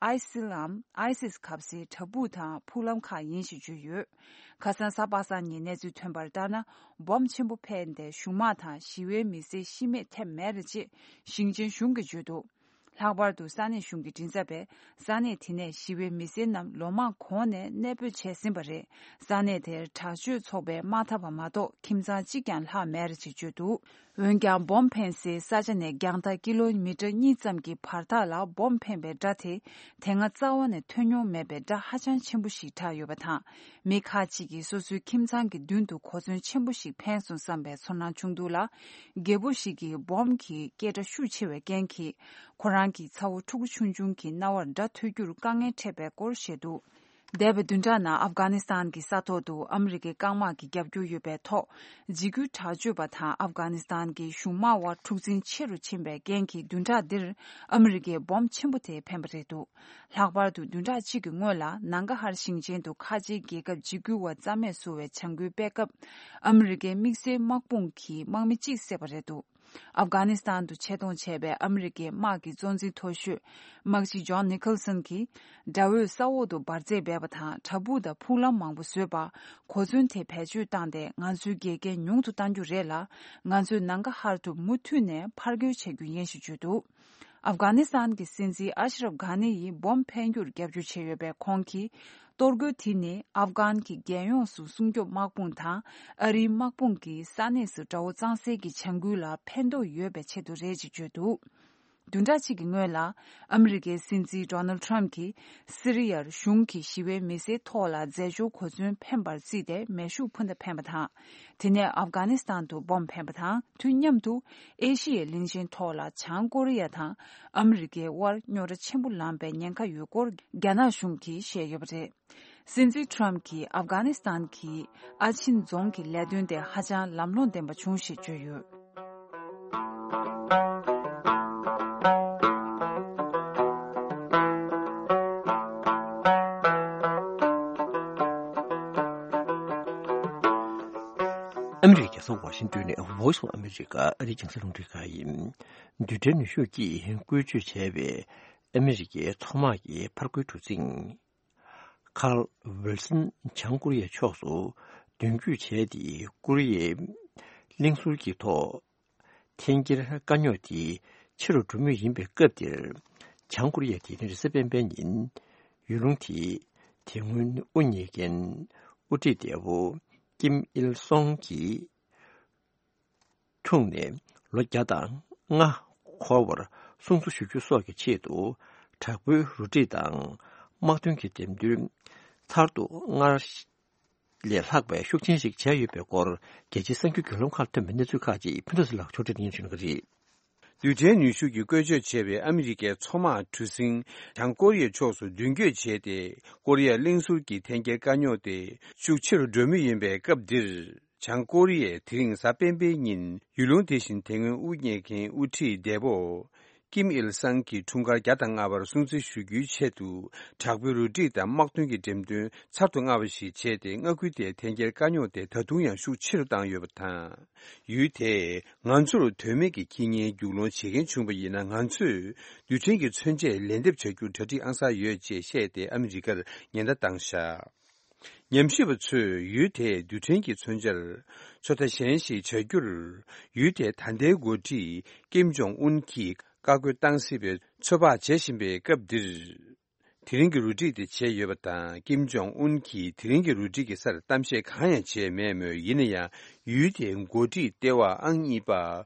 ཨའི་སིལ་ལམ་ཨའི་སིས་གབ་སའི་བྲག་ཕུག་དང་ཕུག་ལམ་ཁག་ཡིན་ཞེས་བརྗོད་ཡོད། ཁ་སང་གཟའ་པ་སངས་ཉིན་གནས་ཚུལ་ཐོན་པར་ལྟར་ན། སྦོམ་ཆེན་པོ་འཕེན་ཏེ་གཞུང་དམག་དང་ཞི་བའི་མི་སེར་ཤི་རྨས་ཐེབས་མེད་རེད་ཅེས་ཞིང་ཆེན་གཞུང་གིས་བརྗོད་འདུག་ལྷག་པར་དུ་ས་གནས་གཞུང་གི་མགྲིན་ཚབ་པས་ས་གནས་དེ་ནས་ཞི་བའི་མི་སེར་རྣམས་ལོ་མང་གོང་ནས་གནས་སྤོས་བྱས་ཟིན་པ་རེད། ས་གནས་དེར་དྲག་སྤྱོད་ཚོགས་པའི་དམག་འཐབ་པ་མ་གཏོགས་ཁྱིམ་ཚང་གཅིག་ཀྱང་ལྷག་མེད་རེད་ཅེས་བརྗོད་འདུག་འོན་ཀྱང་སྦོམ་འཕེན་སའི་ས་ཆ་ནས་རྒྱང་ཐག་ཀི་ལོ་མི་ཊར་གཉིས་ཙམ་གྱི་བར་ཐག་ལ་སྦོམ་འཕེན་པའི་སྒྲ་དེ་དེ་སྔ་རྩ་བ་ནས་ཐོས་མྱོང་མེད་པའི་སྒྲ་ཧ་ཅང་ཆེན་པོ་ཞིག་གྲགས་ཡོད་པ་དང་། མི་ཁག་ཅིག་གིས་སོ་སོའི་ཁྱིམ་ཚང་གི་མདུན་དུ་གོ་མཚོན་ཆེན་པོ་ཞིག་འཕེན་སོང་བསམ་པའི་ཚོར་སྣང་བྱུང་འདུག་ལ། རྒད་པོ་ཞིག་གིས་སྦོམ་གྱི་སྐད་སྒྲ་ཤུགས་ཆེ་བའི་རྐྱེན་གྱིས་ཁོ་རང་གི་ཚ་བོ་ཕྲུ་གུ་ཆུང་ཆུང་གི་རྣ་བར་སྒྲ་ཐོས་རྒྱུར་དཀའ་ངལ་འཕྲད་པའི་སྐོར་བཤད་འདུག་འདས་པའི་བདུན་ཕྲག་ནང་ཨབ་གྷ་ནི་སི་ཐན་གྱི་ས་ཐོག་ཏུ་ཨ་མི་རི་ཀའི་རྐང་དམག་གི་རྒྱབ་སྐྱོར་ཡོད་པའི་ཐོག་འཇིགས་སྐུལ་དྲག་སྤྱོད་པ་དང་ཨབ་གྷ་ནི་སི་ཐན་གྱི་གཞུང་དམག་དབར་འཁྲུག་འཛིང་ཆེ་རུ་ཕྱིན་པའི་རྐྱེན་གྱིས་བདུན་ཕྲག་འདིར་ཨ་མི་རི་ཀའི་སྦོམ་ཆེན་པོ་དེ་འཕེན་པ་རེད་འདུག་ལྷག་པར་དུ་བདུན་ཕྲག་གཅིག་གི་སྔོན་ལ་ནང་གྷ་ཧར་ཞིང་ཆེན་དུ་ཁ་ཆེའི་རྒྱལ་ཁབ་འཇིགས་སྐུལ་བ་རྩ་མེད་བཟོ་བའི་བྱ་འགུལ་སྤེལ་སྐབས་ཨ་མི་རི་ཀའི་དམིགས་བསལ་དམག་དཔུང་གིས་དམག་མི་གཅིག་བསད་པ་རེད་འདུག་ཨབ་གྷ་ནི་སི་ཐན་དུ་ཆེད་གཏོང་བྱས་པའི་ཨ་མི་རི་ཀའི་དམག་གི་གཙོ་འཛིན་མཐོ་ཤོས་དམག་སྤྱི་ཇོན་ནི་ཁལ་སན་གྱིས་དགྲ་བོས་ས་འོག་ཏུ་འབར་རྫས་སྦས་པ་དང་བྲག་ཕུག་དང་ཕུག་ལམ་མང་པོ་བཟོས་པ་གོ་མཚོན་དེ་བེད་སྤྱོད་བཏང་སྟེ་ང་ཚོའི་འགལ་རྐྱེན་ཉུང་དུ་གཏང་རྒྱུ་རེད་ལ། ང་ཚོས་ནང་གྷ་ཧར་དུ་མུ་མཐུད་ནས་ཕར་རྒོལ་བྱེད་རྒྱུ་ཡིན་ཞེས་བརྗོད་འདུག་ཨབ་གྷ་ནི་སི་ཐན་གྱི་སྲིད་འཛིན་ཨ་ཤི་རབ་གྷ་ནི་ཡིས་སྦོམ་འཕེན་རྒྱུར་རྒྱབ་སྐྱོར་བྱས་ཡོད་པས། ཁོང་གིས་གཏོར་རྒོལ་དེ་ནི་ཨབ་གྷན་གྱི་རྒྱལ་ཡོངས་སུ་སྲུང་སྐྱོབ་དམག་དཔུང་དང་ཨ་རིའི་དམག་དཔུང་གིས་ས་གནས་སུ་དགྲ་བོ་གཙང་སེལ་གྱི་བྱ་འགུལ་ལ་ཕན་ཐོགས་ཡོད་པའི་ཆེད་དུ་རེད་ཅེས་བརྗོད་འདུག་བདུན་ཕྲག་གཅིག་གི་སྔོན་ལ་ཨ་མི་རི་ཀའི་སྲིད་འཛིན་ཌོ་ནལ་ཌི་ཊརམ་གྱིས་སི་རི་ཡར་གཞུང་གིས་ཞི་བའི་མི་སེར་ཐོག་ལ་རྫས་སྦྱོར་གོ་མཚོན་འཕེན་པར་བརྩིས་ཏེ་མེ་ཤུགས་འཕུར་མདའ་འཕེན་པ་དང་། དེ་ནས་ཨབ་གྷ་ནི་སི་ཐན་དུ་སྦོམ་འཕེན་པ་དང་། དུས་མཉམ་དུ་ཨེ་ཤི་ཡའི་གླིང་ཆེན་ཐོག་ལ་བྱང་ཀོ་རི་ཡ་དང་ཨ་མི་རི་ཀའི་དབར་རྙོག་དྲ་ཆེན་པོ་ལངས་པའི་ཉེན་ཁ་ཡོད་སྐོར་རྒྱ་ནག་གཞུང་གིས་བཤད་ཡོད་པ་རེད། སྲིད་འཛིན་ཊརམ་གྱིས་ཨབ་གྷ་ནི་སི་ཐན་གྱི་ཨ་ཆིན་རྫོང་གི་ལས་དོན་དེ་ཧ་ཅང་ལམ་ལྷོང་ལྡན་པ་བྱུང་ཞེས་བརྗོད་ཡོད། ཨ་མི་རི་ཀའི་རྒྱལ་ས་ཝ་ཤིང་ཏོན་ནས་Voice of America ཨ་རིའི་རྒྱང་སྲིང་རླུང་འཕྲིན་ཁང་ཡིན། རྡུལ་ཕྲན་ནུས་ཤུགས་ཀྱིས་བཀོལ་སྤྱོད་བྱས་པའི་ཨ་མི་རི་ཀའི་མཚོ་དམག་གི་ཕར་རྒོལ་གྲུ་གཟིངས། ཁཱརལ་ཝིལ་སན་བྱང་ཀོ་རི་ཡའི་ཕྱོགས་སུ་མདུན་སྐྱོད་བྱས་ཏེ། ཀོ་རི་ཡའི་གླིང་ཟུར་གྱི་ཐོག་འཐེན་འཁྱེར་དཀའ་རྙོག་དེ་ཆེ་རུ་འགྲོ་མུས་ཡིན་པའི་སྐབས་འདིར། བྱང་ཀོ་རི་ཡ་དེ་རིང་རེས་གཟའ་སྤེན་པའི་ཉིན་ཡུལ་ལུང་དེའི་དེ་སྔོན་དབུ་བརྙེས་མཁན་དབུ་ཁྲིད་འདས་པོ་ཀིམ་ཨིལ་སོང་གི་འཁྲུངས་ནས་ལོ་བརྒྱ་དང་ལྔ་འཁོར་བར་སྲུང་བརྩི་ཞུ་རྒྱུ་སོགས་ཀྱི་ཆེད་དུ་དྲག་པོའི་རུ་སྒྲིག་དང་དམག་དོན་གྱི་འགྲེམས་སྟོན་ཚར་དུ་དངར་ལས་ལྷག་པའི་ཤུགས་ཆེན་ཞིག་བྱས་ཡོད་པའི་སྐོར། རྒྱལ་སྤྱིའི་གསར་འགྱུར་བརྒྱུད་ལམ་ཁག་ཐོན་པའི་གནས་ཚུལ་ཁག་ཅིག་ཕུན་ཚོགས་ཚེ་ལགས་ཕྱོགས་སྒྲིག་གནང་བྱུང་གི་རེད། རྡུལ་ཕྲན་ནུས་ཤུགས་ཀྱིས་བཀོལ་སྤྱོད་བྱས་པའི་ཨ་མི་རི་ཀའི་མཚོ་དམག་གྲུ་གཟིངས་བྱང་ཀོ་རི་ཡའི་ཕྱོགས་སུ་མདུན་སྐྱོད་བྱས་ཏེ། ཀོ་རི་ཡ་གླིང་ཟུར་གྱི་འཐེན་འཁྱེར་དཀའ་རྙོག་དེ་ཤུགས་ཆེ་རུ་འགྲོ་མུས་ཡིན་པའི་སྐབས་འདིར། བྱང་ཀོ་རི་ཡས་དེ་རིང་གཟའ་སྤེན་པའི་ཉིན་ཡུལ་ལུང་དེ་བཞིན་དེ་སྔོན་དབུ་བརྙེས་མཁན་དབུ་ཁྲིད་འདས་པོ་ཀིམ་ཨིལ་སང་གི་འཁྲུངས་སྐར་བརྒྱ་དང་ལྔ་པར་སྲུང་བརྩི་ཞུ་རྒྱུའི་ཆེད་དུ། དྲག་པོའི་རུ་སྒྲིག་དང་དམག་དོན་གྱི་འགྲེམས་སྟོན་ཚར་དུ་དངར་བ་ཞིག་བྱས་ཏེ། མངའ་ཁུལ་དེའི་འཐེན་འཁྱེར་དཀའ་རྙོག་དེ་ད་དུང་ཡང་ཤུགས་ཆེ་རུ་བཏང་ཡོད་པ་དང་། ཡུལ་དེས་ང་ཚོར་དོན་མེད་ཀྱི་ཁྱི་ངན་རྒྱུག་སློང་བྱེད་མཁན་བྱུང་བ་ཡིན་ན། ང་ཚོས་རྡུལ་ཕྲན་གྱི་མཚོན་ཆས་ལན་འདེབས་བྱ་རྒྱུར་གྲ་སྒྲིག་ཨང་གསར་ཡོད་ཅེས་བཤད་དེ་ཨ་མི་རི་ཀར་ཉེན་བརྡ་བཏང་བཞག་ཉམས་ཞིབ་པ་ཚོས་ཡུལ་དེའི་རྡུལ་ཕྲན་གྱི་མཚོན་ཆར་ཚོད་ལྟ་གཞན་ཞིག་བྱ་རྒྱུར། ཡུལ་དེའི་ད་ལྟའི་འགོ་ཁྲིད་ཀིམ་ཇོང་ཨུན་གྱིས་ བཀའ་བཀོད་བཏང་སྲིད་པའི་ཚོད་དཔག་བྱེད་བཞིན་པའི་སྐབས་འདིར། དེ་རིང་གི་རུ་སྒྲིག་དེ་བྱས་ཡོད་པ་དང་། ཀིམ་ཇོང་ཨུན་གྱིས་དེ་རིང་གི་རུ་སྒྲིག་གི་སར་གཏམ་བཤད་གང་ཡང་བྱས་མེད་མོད། ཡིན་ན་ཡང་ཡུལ་དེའི་འགོ་ཁྲིད་ལྟེ་བ་ཨང་གཉིས་པ་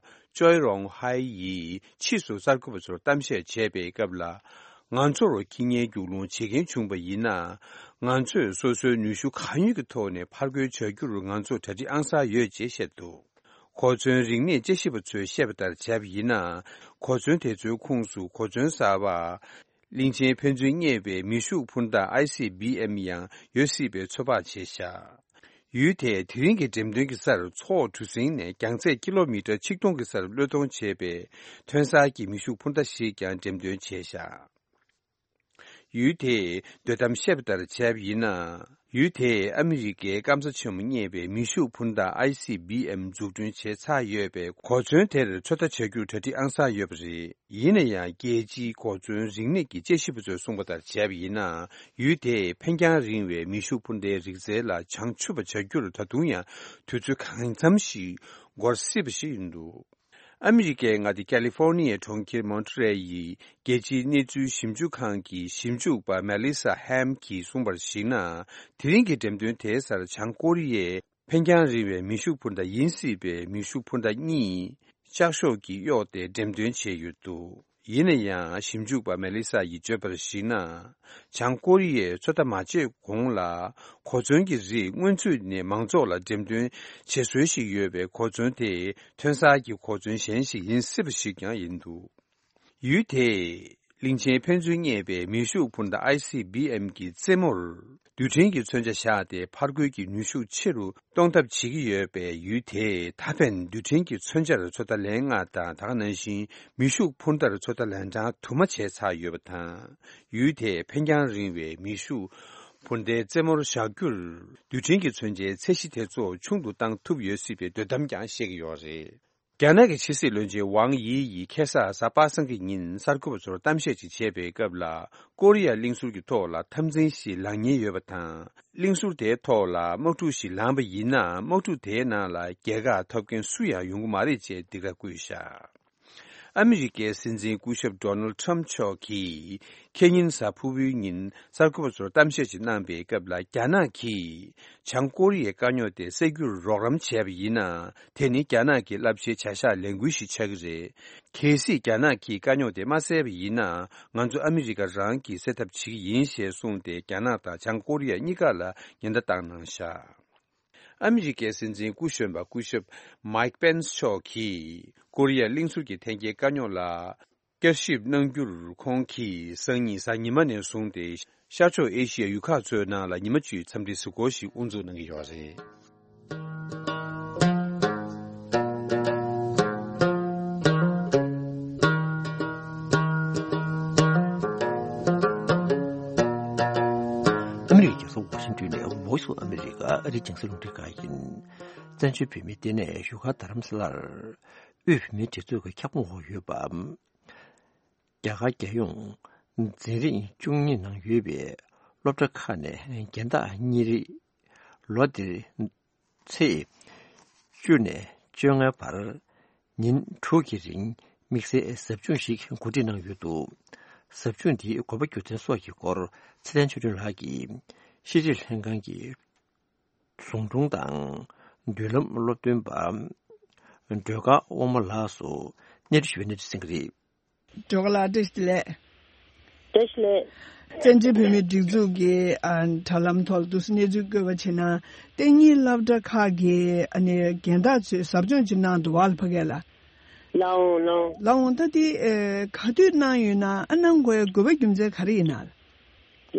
ཅོའི་རོང་ཧའེ་ཡིས་ཕྱིས་སུ་གསར་འགོད་པ་ཚོར་གཏམ་བཤད་བྱས་པའི་སྐབས་ལ། ང་ཚོར་ཁྱི་ངན་རྒྱུག་ལུང་བྱེད་མཁན་བྱུང་པ་ཡིན་ན། ང་ཚོས་སོ་སོའི་ནུས་ཤུགས་གང་ཡོད་ཀྱི་ཐོག་ནས་ཕར་རྒོལ་བྱ་རྒྱུར་ང་ཚོ་གྲ་སྒྲིག་ཨང་གསར་ཡོད་ཅེས་བཤད་འདུག་གོ་མཚོན་རིག་གནས་དཔྱད་ཞིབ་པ་ཚོས་བཤད་པ་ལྟར་བྱས་པ་ཡིན་ན། གོ་མཚོན་དེ་ཚོའི་ཁོངས་སུ་གོ་མཚོན་གསར་པ། གླིང་ཆེན་ཕན་ཚུན་རྙེད་པའི་མེ་ཤུགས་འཕུར་མདའ་ཨའི་སི་བི་ཨེམ་ཡང་ཡོད་སྲིད་པའི་ཚོད་དཔག་བྱས་བཞག་ཡུལ་དེས་དེ་རིང་གི་འགྲེམས་སྟོན་གྱི་སར་མཚོ་འོག་གྲུ་གཟིངས་ནས་རྒྱང་ཚད་ཀི་ལོ་མི་ཊར་ཆིག་སྟོང་གི་སར་གློད་གཏོང་བྱས་པའི་ཐོན་གསར་གྱི་མེ་ཤུགས་འཕུར་མདའ་ཞིག་ཀྱང་འགྲེམས་སྟོན་བྱས་བཞག་ཡུལ་དེས་དོ་དམ་བཤད་པ་ལྟར་བྱས་པ་ཡིན་ན། ཡུལ་དེས་ཨ་མི་རི་ཀའི་སྐམ་ས་ཆེན་མོ་རྙེད་པའི་མེ་ཤུགས་འཕུར་མདའ་ཨའི་སི་བི་ཨེམ་འཛུགས་སྐྲུན་བྱས་ཚར་ཡོད་པས། གོ་མཚོན་དེར་ཚོད་ལྟ་བྱ་རྒྱུར་གྲ་སྒྲིག་ཨང་གསར་ཡོད་པ་རེད། ཡིན་ན་ཡང་། རྒྱལ་སྤྱིའི་གོ་མཚོན་རིག་གནས་ཀྱི་དཔྱད་ཞིབ་པ་ཚོས་གསུངས་པ་ལྟར་བྱས་པ་ཡིན་ན། ཡུལ་དེས་འཕེན་རྒྱང་རིང་བའི་མེ་ཤུགས་འཕུར་མདའི་རིག་རྩལ་ལ་བྱང་ཆུབ་པ་བྱ་རྒྱུར་ད་དུང་ཡང་དུས་ཚོད་གང་འཚམ་ཞིག་འགོར་སྲིད་པ་ཞིག་ཡིན་འདུག་ཨ་མི་རི་ཀའི་མངའ་སྡེ་ཀ་ལི་ཧྥོར་ནི་ཡའི་གྲོང་ཁྱེར་མོན་ཊི་རེལ་ཡི་རྒྱལ་སྤྱིའི་གནས་ཚུལ་ཞིབ་འཇུག་ཁང་གི་ཞིབ་འཇུག་པ་མེ་ལི་ས་ཧེམ་གྱིས་གསུངས་པར་གཞིགས་ན། དེ་རིང་གི་འགྲེམས་སྟོན་དེའི་སར་བྱང་ཀོ་རི་ཡས་འཕེན་རྒྱང་རིང་བའི་མེ་ཤུགས་འཕུར་མདའ་ཡིན་སྲིད་པའི་མེ་ཤུགས་འཕུར་མདའ་གཉིས་ལྕགས་ཤོག་གིས་གཡོགས་ཏེ་འགྲེམས་སྟོན་བྱས་ཡོད་འདུག་ཡིན་ན་ཡང་། ཞིབ་འཇུག་པ་མེ་ལི་ས་ཡིས་བརྗོད་པར་གཞིགས་ན། བྱང་ཀོ་རི་ཡས་ཚོད་ལྟ་མ་བྱས་གོང་ལ། གོ་མཚོན་གྱི་རིགས་སྔོན་ཚུད་ནས་མང་ཚོགས་ལ་འགྲེམས་སྟོན་བྱེད་སྲོལ་ཞིག་ཡོད་པའི་གོ་མཚོན་དེ་ཐོན་གསར་གྱི་གོ་མཚོན་གཞན་ཞིག་ཡིན་སྲིད་པ་ཞིག་ཀྱང་ཡིན་འདུག་ཡུལ་དེས་གླིང་ཆེན་ཕན་ཚུན་རྙེད་པའི་མེ་ཤུགས་འཕུར་མདའ་ཨའི་སི་བི་ཨེམ་གྱི་རྩེ་མོར་རྡུལ་ཕྲན་གྱི་མཚོན་ཆ་བཞག་སྟེ། ཕར་རྒོལ་གྱི་ནུས་ཤུགས་ཆེ་རུ་གཏོང་ཐབས་བྱེད་ཀྱི་ཡོད་པས། ཡུལ་དེས་ད་ཕན་རྡུལ་ཕྲན་གྱི་མཚོན་ཆར་ཚོད་ལྟ་ལན་ལྔ་དང་། ད་ག་ནང་བཞིན་མེ་ཤུགས་འཕུར་མདའར་ཚོད་ལྟ་ལན་གྲངས་དུ་མ་བྱས་ཚར་ཡོད་པ་དང་། ཡུལ་དེས་འཕེན་རྒྱང་རིང་བའི་མེ་ཤུགས་འཕུར་མདའི་རྩེ་མོར་བཞག་རྒྱུར། རྡུལ་ཕྲན་གྱི་མཚོན་ཆའི་ཚད་གཞི་དེ་ཚོ་ཆུང་དུ་བཏང་ཐུབ་ཡོད་སྲིད་པའི་འདོད་གཏམ་ཀྱང་བཤད་ཀྱི་ཡོད་རེད། རྒྱ་ནག་གི་ཕྱི་སྲིད་བློན་ཆེན་ཝང་དབྱི་ཡིས་ཁ་སང་གཟའ་པ་སངས་ཀྱི་ཉིན་གསར་འགོད་པ་ཚོར་གཏམ་བཤད་ཅིག་བྱས་པའི་སྐབས་ལ། ཀོ་རི་ཡ་གླིང་ཟུར་གྱི་ཐོག་ལ་འཐབ་འཛིང་ཞིག་ལངས་ཉེན་ཡོད་པ་དང་། གླིང་ཟུར་དེའི་ཐོག་ལ་དམག་འཁྲུག་ཞིག་ལངས་པ་ཡིན་ན། དམག་འཁྲུག་དེའི་ནང་ལ་རྒྱལ་ཁ་ཐོབ་མཁན་སུ་ཡང་ཡོང་གི་མ་རེད་ཅེས་སྡིགས་ར་བསྐུལ་བཞག་ཨ་མི་རི་ཀའི་སྲིད་འཛིན་སྐུ་ཞབས་ཌོ་ནལ་ཁྲམ་མཆོག་གིས་ཁེ་ཉིན་གཟའ་ཕུར་བུའི་ཉིན་གསར་འགོད་པ་ཚོར་གཏམ་བཤད་ཅིག་གནང་པའི་སྐབས་ལ། རྒྱ་ནག་གིས་བྱང་ཀོ་རི་ཡའི་དཀའ་རྙོག་དེ་སེལ་རྒྱུར་རོགས་རམ་བྱས་པ་ཡིན་ན། དེ་ནི་རྒྱ་ནག་གི་རླབས་ཆེའི་བྱ་གཞག་ལས་འགུལ་ཞིག་ཆགས་ཀྱི་རེད། གལ་སྲིད་རྒྱ་ནག་གིས་དཀའ་རྙོག་དེ་མ་སེལ་བ་ཡིན་ན། ང་ཚོ་ཨ་མི་རི་ཀ་རང་གིས་སེལ་ཐབས་བྱེད་ཀྱི་ཡིན་ཞེས་གསུངས་ཏེ། རྒྱ་ནག་དང་བྱང་ཀོ་རི་ཡ་གཉིས་ཀ་ལ་ཉེན་བརྡ་བཏང་གནང་བཞག་ཨ་མི་རི་ཀའི་སྲིད་འཛིན་སྐུ་གཞོན་པ་སྐུ་ཞབས་མའིག་པེན་སི་མཆོག་གིས་ཀོ་རི་ཡ་གླིང་ཟུར་གྱི་ཐོན་སྐྱེད་དཀའ་རྙོག་ལ་བསྐྱར་ཞིབ་གནང་རྒྱུར། ཁོང་གིས་སང་ཉིན་གཟའ་ཉི་མ་ནས་བཟུང་སྟེ་ཤར་ཕྱོགས་ཨེ་ཤི་ཡའི་ཡུལ་ཁག་ཚོའི་ནང་ལ་ཉི་མ་བཅུའི་འཚམས་འདྲིའི་གཟིགས་སྐོར་ཞིག་དབུ་འཛུགས་གནང་གི་ཡོད་རེད། ཨ་མི་རི་ཀའི་རྒྱལ་ས་ཝ་ཤིང་ཏོན་ནས་Voice of America ཨ་རིའི་རྒྱང་སྲིང་རླུང་འཕྲིན་ཁང་ཡིན། བཙན་བྱོལ་བོད་མིའི་ལྟེ་གནས་བཞུགས་སྒར་རྡ་རམ་ས་ལར། དབུས་བོད་མིའི་སྒྲིག་འཛུགས་ཀྱི་ཁྱབ་ཁོངས་འོག་ཡོད་པ། རྒྱ་གར་རྒྱལ་ཡོངས་འཛིན་རིམ་བཅུ་གཉིས་ནང་ཡོད་པའི་སློབ་གྲྭ་ཁག་ནས་རྒན་བདག་གཉེར་རིམ་ལོ་འདིར་ཚེས་བཅུ་ནས་བཅོ་ལྔའི་བར་ཉིན་དྲུག་གི་རིང་དམིགས་བསལ་ཟབ་སྦྱོང་ཞིག་གོ་སྒྲིག་གནང་ཡོད་འདུག་ཟབ་སྦྱོང་འདིའི་དགོས་པ་རྒྱུ་མཚན་སོགས་ཀྱི་སྐོར་ཚེ་བརྟན་ཆོས་སྒྲོན་ལགས་ཀྱིས་ཤེས་རིག་ལྷན་ཁང་གི་ཟུང་དྲུང་དང་མདུན་ལམ་སློབ་སྟོན་པ་སྒྲོལ་དཀར་དབང་མོ་ལགས་སུ་གནས་འདྲི་ཞུ་བའི་གནས་ཚུལ་གསན་གྱི་རེད། སྒྲོལ་དཀར་ལགས་བཀྲ་ཤིས་བདེ་ལེགས། བཀྲ་ཤིས་བདེ་ལེགས། བཙན་བྱོལ་བོད་མིའི་སྒྲིག་འཛུགས་ཀྱི་ཨ་དྲ་ལམ་ཐོག་ལ་འདུག་སེ་གནས་ཚུལ་བཀོད་པ་བྱས་ན། ལྟེ་གཉིས་སློབ་གྲྭ་ཁག་གི་ཨ་ནི་རྒན་བདག་ཚོས་ཟབ་སྦྱོང་ཅིག་གནང་འདུག་བ་ལ་ཕ་གི་ལ། ལགས་འོང་ལགས་འོང་། ལགས་འོང་། ད་དེ་ཨེ་ག་དུས་གནང་ཡོད་ན། ཨ་གནང་དགོས་ཡ་དགོས་པ་རྒྱུ་མཚན་ག་རེ་ཡིན་ན།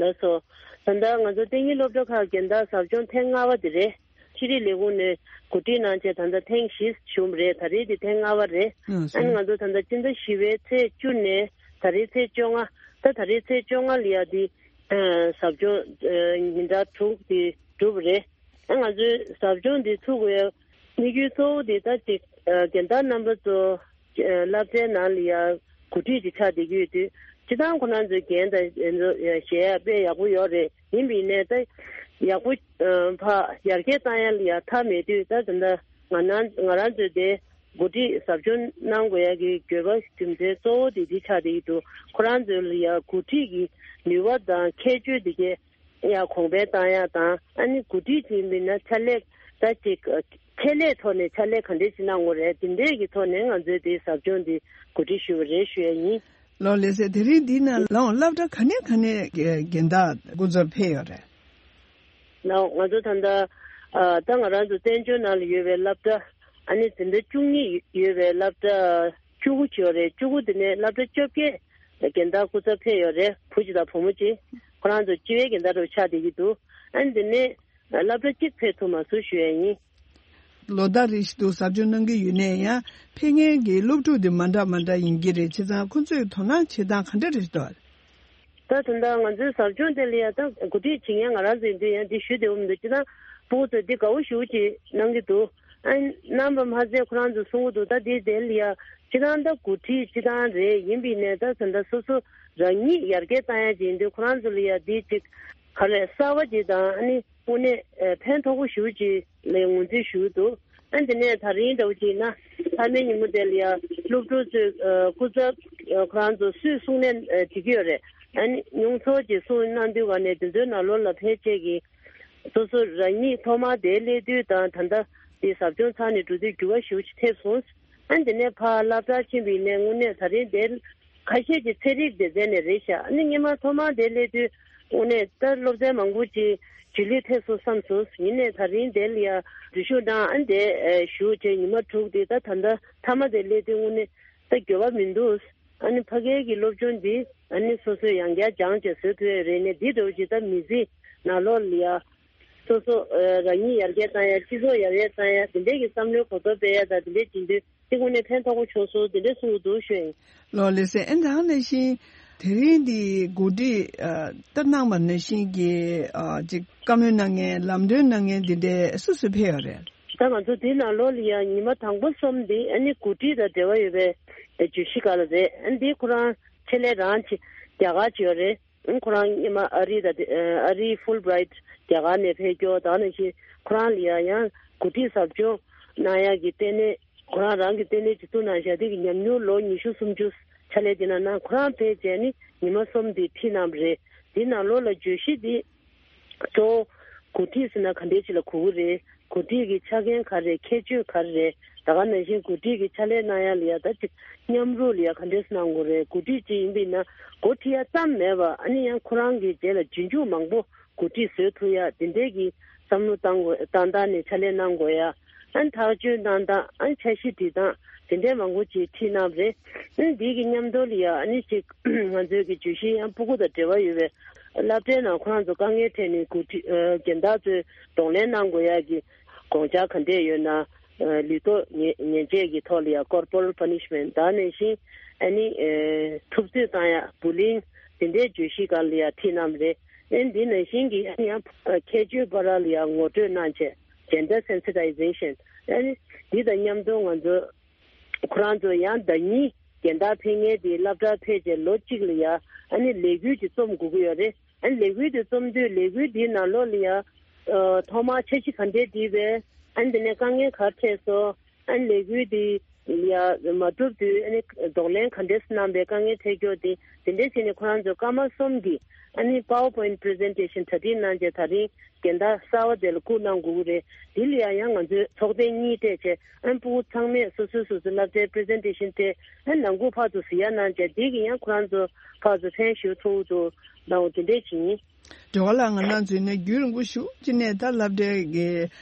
ལགས་སོ། ད་ལྟ་ང་ཚོ་ལྟེ་གཉིས་སློབ་གྲྭ་ཁག་རྒན་བདག་ཟབ་སྦྱོང་ཐེངས་ལྔ་པ་དེ་རེད། ཤེས་རིག་ལས་ཁུངས་ནས་གོ་སྒྲིག་གནང་བྱས་ད་ལྟ་ཐེངས་བཞི་བྱུང་བ་རེད། ད་རེས་དེ་ཐེངས་ལྔ་པ་རེད། ཨ་ནི་ང་ཚོ་ད་ལྟ་སྤྱི་ཟླ་བཞི་པའི་ཚེས་བཅུ་ནས་ད་རེས་ཚེས་བཅོ་ལྔ། ད་ད་རེས་ཚེས་བཅོ་ལྔ་ལ་ཡ་དེ་ཟབ་སྦྱོང་ཉིན་གྲངས་དྲུག་དེ་གྲུབ་པ་རེད། ཨ་ང་ཚོའི་ཟབ་སྦྱོང་འདི་ཚུགས་དགོས་དམིགས་ཡུལ་གཙོ་བོ་དེ་ད་ཅིག་རྒན་བདག་རྣམ་པ་ཚོ་སློབ་གྲྭའི་ནང་ལ་ཡ་གོ་སྒྲིག་ཅིག་ཆགས་བསྡད་ཀྱི་ཡོད་དུས། སྤྱིར་བཏང་ཁོ་རང་ཚོའི་རྒན་དང་གཞས་ཡ་དཔེ་ཡག་པོ་ཡོད་རེད། ཡིན་པ་ཡིན་ནའི་ད་ཡག་པོ་ཕ་ཡར་རྒྱས་བཏང་ཡ་ལ་ཡ་མཐའ་མེད་དུས། ད་ད་ལྟ་ང་རང་ང་རང་ཚོའི་དེ་ འགོ་ཁྲིད་ཟབ་སྦྱོང་གནང་དགོས་ཡ་གི་དགོས་པ་རྒྱུ་མཚན་གཙོ་བོ་དེ་འདི་ཆགས་བསྡད་ཀྱི་འདུག་ཁོ་རང་ཚོ་ལ་ཡ་འགོ་ཁྲིད་ཀྱི་ནུས་པ་དང་ཁྱད་ཆོས་དེ་གས་ཡ་གོང་འཕེལ་བཏང་ཡ་དང་ཨ་ནི་འགོ་ཁྲིད་ཅིག་ཡིན་པ་ཡིན་ན་ཕྱག་ལས་ད་ཅིག་ཁྱད་ལས་ཐོག་ནས་ཕྱག་ལས་ག་འདྲས་ཅིག་གནང་དགོས་རེད། དེ་འདྲས་ཀྱི་ཐོག་ནས་ང་ཚོས་དེ་ཟབ་སྦྱོང་འདི་གོ་སྒྲིག་ཞུས་པ་རེད་ཞུ་ཡ་ཡིན། ལགས་ལགས་སེ། དེ་རིང་འདི་ནང་ལའང་སློབ་གྲྭ་ག་ནས་ག་ནས་རྒན་བདག་སྐུ་ཚབ་ཕེབས་ཡོད་རེད། ལའང་ང་ཚོ་ད་ལྟ་ཨ་ད་ང་རང་ཚོ་བཙན་བྱོལ་ནང་ལ་ཡོད་པའི་སློབ་གྲྭ་ཨ་ནི་འཛིན་གྲྭ་བཅུ་གཉིས་ཡོད་པའི་སློབ་གྲྭ་བཅུ་དགུ་ཅིག་ཡོད་རེད། བཅུ་དགུ་དེ་ནས་སློབ་གྲྭ་བཅོ་བརྒྱད་རྒན་བདག་སྐུ་ཚབ་ཕེབས་ཡོད་རེད། བུ་གཅིག་དང་བུ་མོ་གཅིག་ཁོ་རང་ཚོ་སྤྱི་བའི་རྒན་བདག་འདྲ་བོ་ཆགས་བསྡད་ཀྱི་འདུག་ཨ་ནི་དེ་ནས་སློབ་གྲྭ་གཅིག་ཕེབས་ཐུབ་མ་སོང་ཞུ་ཡ་ཡིན། ལོ་ཟླ་རེ་བཞིན་དུ་ཟབ་སྦྱོང་གནང་གི་ཡོད་ནའི་ཡང་ཕེབས་མཁན་གྱི་སློབ་ཕྲུག་དེ་མ་འདྲ་མ་འདྲ་ཡིན་གྱི་རེད། བྱས་ཙང་ཁོ་ཚོས་དོ་སྣང་བྱེད་སྟངས་ག་འདྲ་རེད་འདུག་ད་དོན་དག་ང་ཚོའི་ཟབ་སྦྱོང་དེ་ལ་ཡང་ད་གོ་སྒྲིག་བྱེད་མཁན་ང་རང་ཚོ་ཡིན་དུས་ཡང་འདི་ཞུ་བདེ་བོ་མི་འདུག་སྤྱིར་བཏང་ཕྲུ་གུ་ཚོས་འདི་དགའ་བོ་ཞེ་པོ་ཅིག་གནང་གི་འདུག་ཨ་གནང་བ་མ་ཟད་ཁོ་རང་ཚོ་གསུང་གི་འདུག་ད་འདི་དེ་ལ་ཡང་སྤྱིར་བཏང་ད་གོ་སྒྲིག་སྤྱིར་བཏང་རེད། ཡིན་པའི་ནས་ད་ད་ལྟ་སོ་སོ་རང་ཉིད་ཡར་རྒྱས་བཏང་ཡ་ཅིག་ཡིན་དུས་ཁོ་རང་ཚོ་ལ་ཡང་འདི་ཅིག་ག་རེ་གསར་བ་ཅིག་དང་ཨ་ནི་དངོས་གནས་ཕན་ཐོགས་པོ་ཞེ་པོ་ཅིག་ལ་ངོས་འཛིན་ཞུ་གི་འདུག་ཨ་འདི་ནས་ད་རིང་འདྲ་བོ་ཅིག་ན་མཐའ་མའི་ཉིན་མོ་དེ་ལ་ཡང་སློབ་ཕྲུག་ཚོས་སྐུ་ཚབ་ཁོ་རང་ཚོ་སུས་གསུང་ནས་བྲིས་ཀྱི་ཡོད་རེད། ཨ་ནི་མྱོང་ཚོར་ཅིག་གསུང་གནང་དུས་ག་ནས་དེ་ཚོའི་ནང་ལོགས་ལ་ཕལ་ཆེར་གྱི་སོ་སོ་རང་ཉིད་ཐོག་མར་དེ་སླེབས་དུས་དང་ད་ལྟ་དེ་ཟབ་སྦྱོང་ཚར་ནས་འགྲོ་དུས་འགྱུར་བ་ཞེ་པོ་ཅིག་ཐེབས་སོང་། ཨ་འདི་ནས་ཕར་སློབ་གྲྭར་ཕྱིན་པ་ཡིན་ནའི་དངོས་གནས་ད་རིང་དེ་ཁ་ཤས་ཀྱི་ཚན་རིག་སྡེ་ཚན་ནས་རེད་ཤག་ཨ་ནི་སྔོན་མ་ཐོག་མར་དེ་སླེབས་དུས་དངོས་གནས་ད་སློབ་ཚན་མང་པོ་ཅིག་རྗེས་ལུས་ཐེབས་སོང་བསམ་སོང་། ཡིན་ནའི་ད་རིང་དེ་ལ་ཡ་འཛུལ་ཞུགས་གནང་ཨ་འདི་ཞུ་བྱས་ཉི་མ་དྲུག་དེ་ད་ད་ལྟ་མཐའ་མ་དེ་སླེབས་དུས་དངོས་གནས་ད་འགྱུར་བ་མི་འདུག་ཨ་ནི་ཕ་གིའི་གི་སློབ་སྦྱོང་འདི་ཨ་ནི་སོ་སོས་ཡང་བསྐྱར་སྦྱངས་བྱས་བཟོ་ཐུབ་ཡ་རེད་ནས་འདི་འདྲ་བོ་ཅིག་ད་མི་ཚེ་ནང་ལོགས་ལ་ཡ་སོ་སོ་རང་ཉིད་ཡར་རྒྱས་བཏང་ཡ་སྤྱི་ཚོགས་ཡར་རྒྱས་བཏང་ཡ་དེ་འདྲས་ཀྱི་བསམ་བློའི་གོ་རྟོགས་སྤེལ་ཡ་དང་དེ་འདྲས་བྱེད་དུས་དེ་དངོས་གནས་ཕན་ཐོགས་པོ་བྱུང་སོང་དེ་འདྲས་གསུང་གི་འདུག་ཞུ་ཡིན། ལགས་ལགས་སེ། ཨ་ནི་ད་ག་ནང་བཞིན་དེ་རིང་འདི་གོ་སྒྲིག་ལྟར་གནང་བ་ནང་བཞིན་གྱི་ཅིག་བཀའ་མོལ་གནང་མཁན་ལམ་སྟོན་གནང་མཁན་འདི་འདྲས་སུ་སུ་ཕེབས་ཡོད་རེད། ད་ང་ཚོ་འདི་ནང་ལོགས་ལ་ཡང་ཉི་མ་དང་པོ་གསུམ་འདི་ཨ་ནི་གོ་སྒྲིག་དང་འབྲེལ་བ་ཡོད་པའི་བརྗོད་གཞི་སྒང་ལ་རེད། ཨ་ནི་འདི་ཁོ་རང་ཆེད་ལས་རང་ཆེ་རྒྱ་གར་ཆེ་ཡོད་རེད། ཨ་ཁོ་རང་སྔོན་མ་ཨ་རི་དང་ཨ་རི་ཧྥུལ་བྷི་རའིཊ་རྒྱ་གར་ནས་ཕེབས་སྐྱོར་དང་ནང་བཞིན་ཁོ་རང་ལ་ཡང་ཡང་གོ་སྒྲིག་ཟབ་སྦྱོང་གནང་ཡག་གི་ལྟེ་གནས་ཁོ་རང་རང་གི་ལྟེ་གནས་ཀྱི་བཙུགས་གནང་བཞག་དེ་གི་ཉམས་མྱོང་ལོ་ཉི་ཤུ་སུམ་ཅུ་ཕྱག་ལས་དེ་ནང་ནང་ཁོ་རང་ཕེབས་བྱས་ནི་ཉི་མ་གསུམ་དེ་ཁྲིད་གནང་བ་རེད། དེ་ནང་ལོགས་ལ་བརྗོད་གཞི་དེ་གཙོ་བོ་གོ་སྒྲིག་ཟེར་ན་ག་འདྲས་ཅིག་ལ་གོ་གི་རེད། གོ་སྒྲིག་གི་ཆ་རྐྱེན་ག་རེ་རེད། ཁྱད་ཆོས་ག་རེ་རེད། ད་ག་ནང་བཞིན་གོ་སྒྲིག་གི་ཕྱག་ལས་གནང་ཡ་ལ་ཡ་ད་ཅིག་མཉམ་རུབ་ལ་ཡ་ག་འདྲས་གནང་དགོས་རེད། གོ་སྒྲིག་ཅིག་ཡིན་པ་ཡིན་ན་འགོ་ཁྲིད་ཡ་ཙམ་མེད་པ་ཨ་ནི་ཡང་ཁོ་རང་གི་རྗེས་ལ་རྗེས་འཇུག་མང་པོ་གོ་སྒྲིག་བཟོ་ཐུབ་ཡ་དེ་འདྲས་ཀྱི་བསམ་བློ་བཏང་དགོས་བཏང་སྟངས་ནས་ཕྱག་ལས་གནང་དགོས་ཡ། ཨ་ནི་ཐག་གཅོད་གནང་སྟངས་ཨ་ནི་འཆར་གཞི་སྒྲིག་སྟངས་དེ་འདྲས་མང་པོ་ཅིག་ཁྲིད་གནང་བ་རེད། ཨ་ནི་འདི་གི་མཉམ་དུ་ལ་ཡ་ཨ་ནི་ཅིག་ང་ཚོའི་གི་བརྗོད་གཞི་ཡང་སྤུ་གུ་དང་འབྲེལ་བ་ཡོད་པའི་སློབ་གྲྭའི་ནང་ཁོ་རང་ཚོ་དཀའ་ངལ་འཕྲད་ནས་འགོ་ཁྲིད་ཨ་རྒན་བདག་ཚོས་གདོང་ལེན་གནང་དགོས་ཡག་གི་དགོངས་འཆར་ག་འདྲས་ཡོད་ན། ཨ་ལུས་ཐོག་ཉེས་ཉེས་ཆད་ཀྱི་ཐོག་ལ་ཡང་ཀོར་པོ་རལ་པ་ནི་ཤི་མེན་ཊི་ད་ནང་བཞིན་ཨ་ནི་ཨ་ཐུབ་ཚོད་བཏང་ཡ་བུ་ལིང་དེ་འདྲའི་བརྗོད་གཞི་སྒང་ལ་ཡང་ཁྲིད་གནང་བ་རེད། ཨ་ནི་འདི་ནང་བཞིན་གྱི་ཨ་ནི་ཡང་ཁྱད་ཆོས་བར་ལ་ཡང་ངོ་སྤྲོད་གནང་བྱས་ཇེན་ཌར་སེན་སི་ཊའི་ཛེ་ཤན་ཨ་ནི་འདི་དང་མཉམ་དུ་ང་ཚོ་ཁོ་རང་ཚོ་ཡང་ཟླ་ཉིན་རྒན་བདག་ཕེབས་མཁན་དེ་སློབ་གྲྭར་ཕེབས་རྗེས་ལོ་གཅིག་ལ་ཡ་ཨ་ནི་ལས་འགུལ་ཅིག་རྩོམ་དགོས་ཀྱི་ཡོད་རེད། ཨ་ནི་ལས་འགུལ་དེ་རྩོམ་དུས་ལས་འགུལ་དེའི་ནང་ལོགས་ལ་ཡ་ཨ་ཐོག་མར་འཆར་གཞི་ག་འདྲས་བསྒྲིགས་པས། ཨ་ནི་དེ་ནས་དཀའ་ངལ་ག་རེ་འཕྲད་སོང་། ཨ་ནི་ལས་འགུལ་དེ་ཡ་མ་གྲུབ་དུས་ཨ་ནི་གདོང་ལེན་ག་འདྲས་གནང་པས། དཀའ་ངལ་འཕྲད་ཀྱོག་དེ་དེ་འདྲས་བྱས་ནས་ཁོ་རང་ཚོ་སྐར་མ་གསུམ་གྱི་ཨ་ནི་པ་ཝར་པོ་ཡིན་པི་རི་ཛེན་ཊེ་ཤན་གྲ་སྒྲིག་གནང་བྱས་ད་རིང་རྒན་བདག་གསར་བ་དེ་ལ་བསྐུར་གནང་དགོས་ཀྱི་རེད། དེ་ལ་ཡང་ཡང་ང་ཚོས་ཚོགས་ཐེངས་གཉིས་སྤྲད་བྱས་ཨ་ནི་སྤུ་གུ་ཚང་མས་སོ་སོའི་སོ་སོའི་སློབ་གྲྭའི་པི་རི་ཛེན་ཊེ་ཤན་སྤྲད་ཨ་ནི་ནང་ཁུལ་ཕར་ཚུར་གཟིགས་ཡ་གནང་བྱས་དེ་གི་ཡང་ཁོ་རང་ཚོ་ཕར་ཚུར་ཕན་ཞུ་ཐུབ་འདུག་གནང་འོ་དེ་འདྲས་བྱེད་ཡིན། སྒྲོལ་དཀར་ལགས་ང་རང་ཚོའི་ནས་རྒྱུན་རིང་པོ་ཞུ་ཅི་ནས་ད་སློབ་གྲྭའི་གི་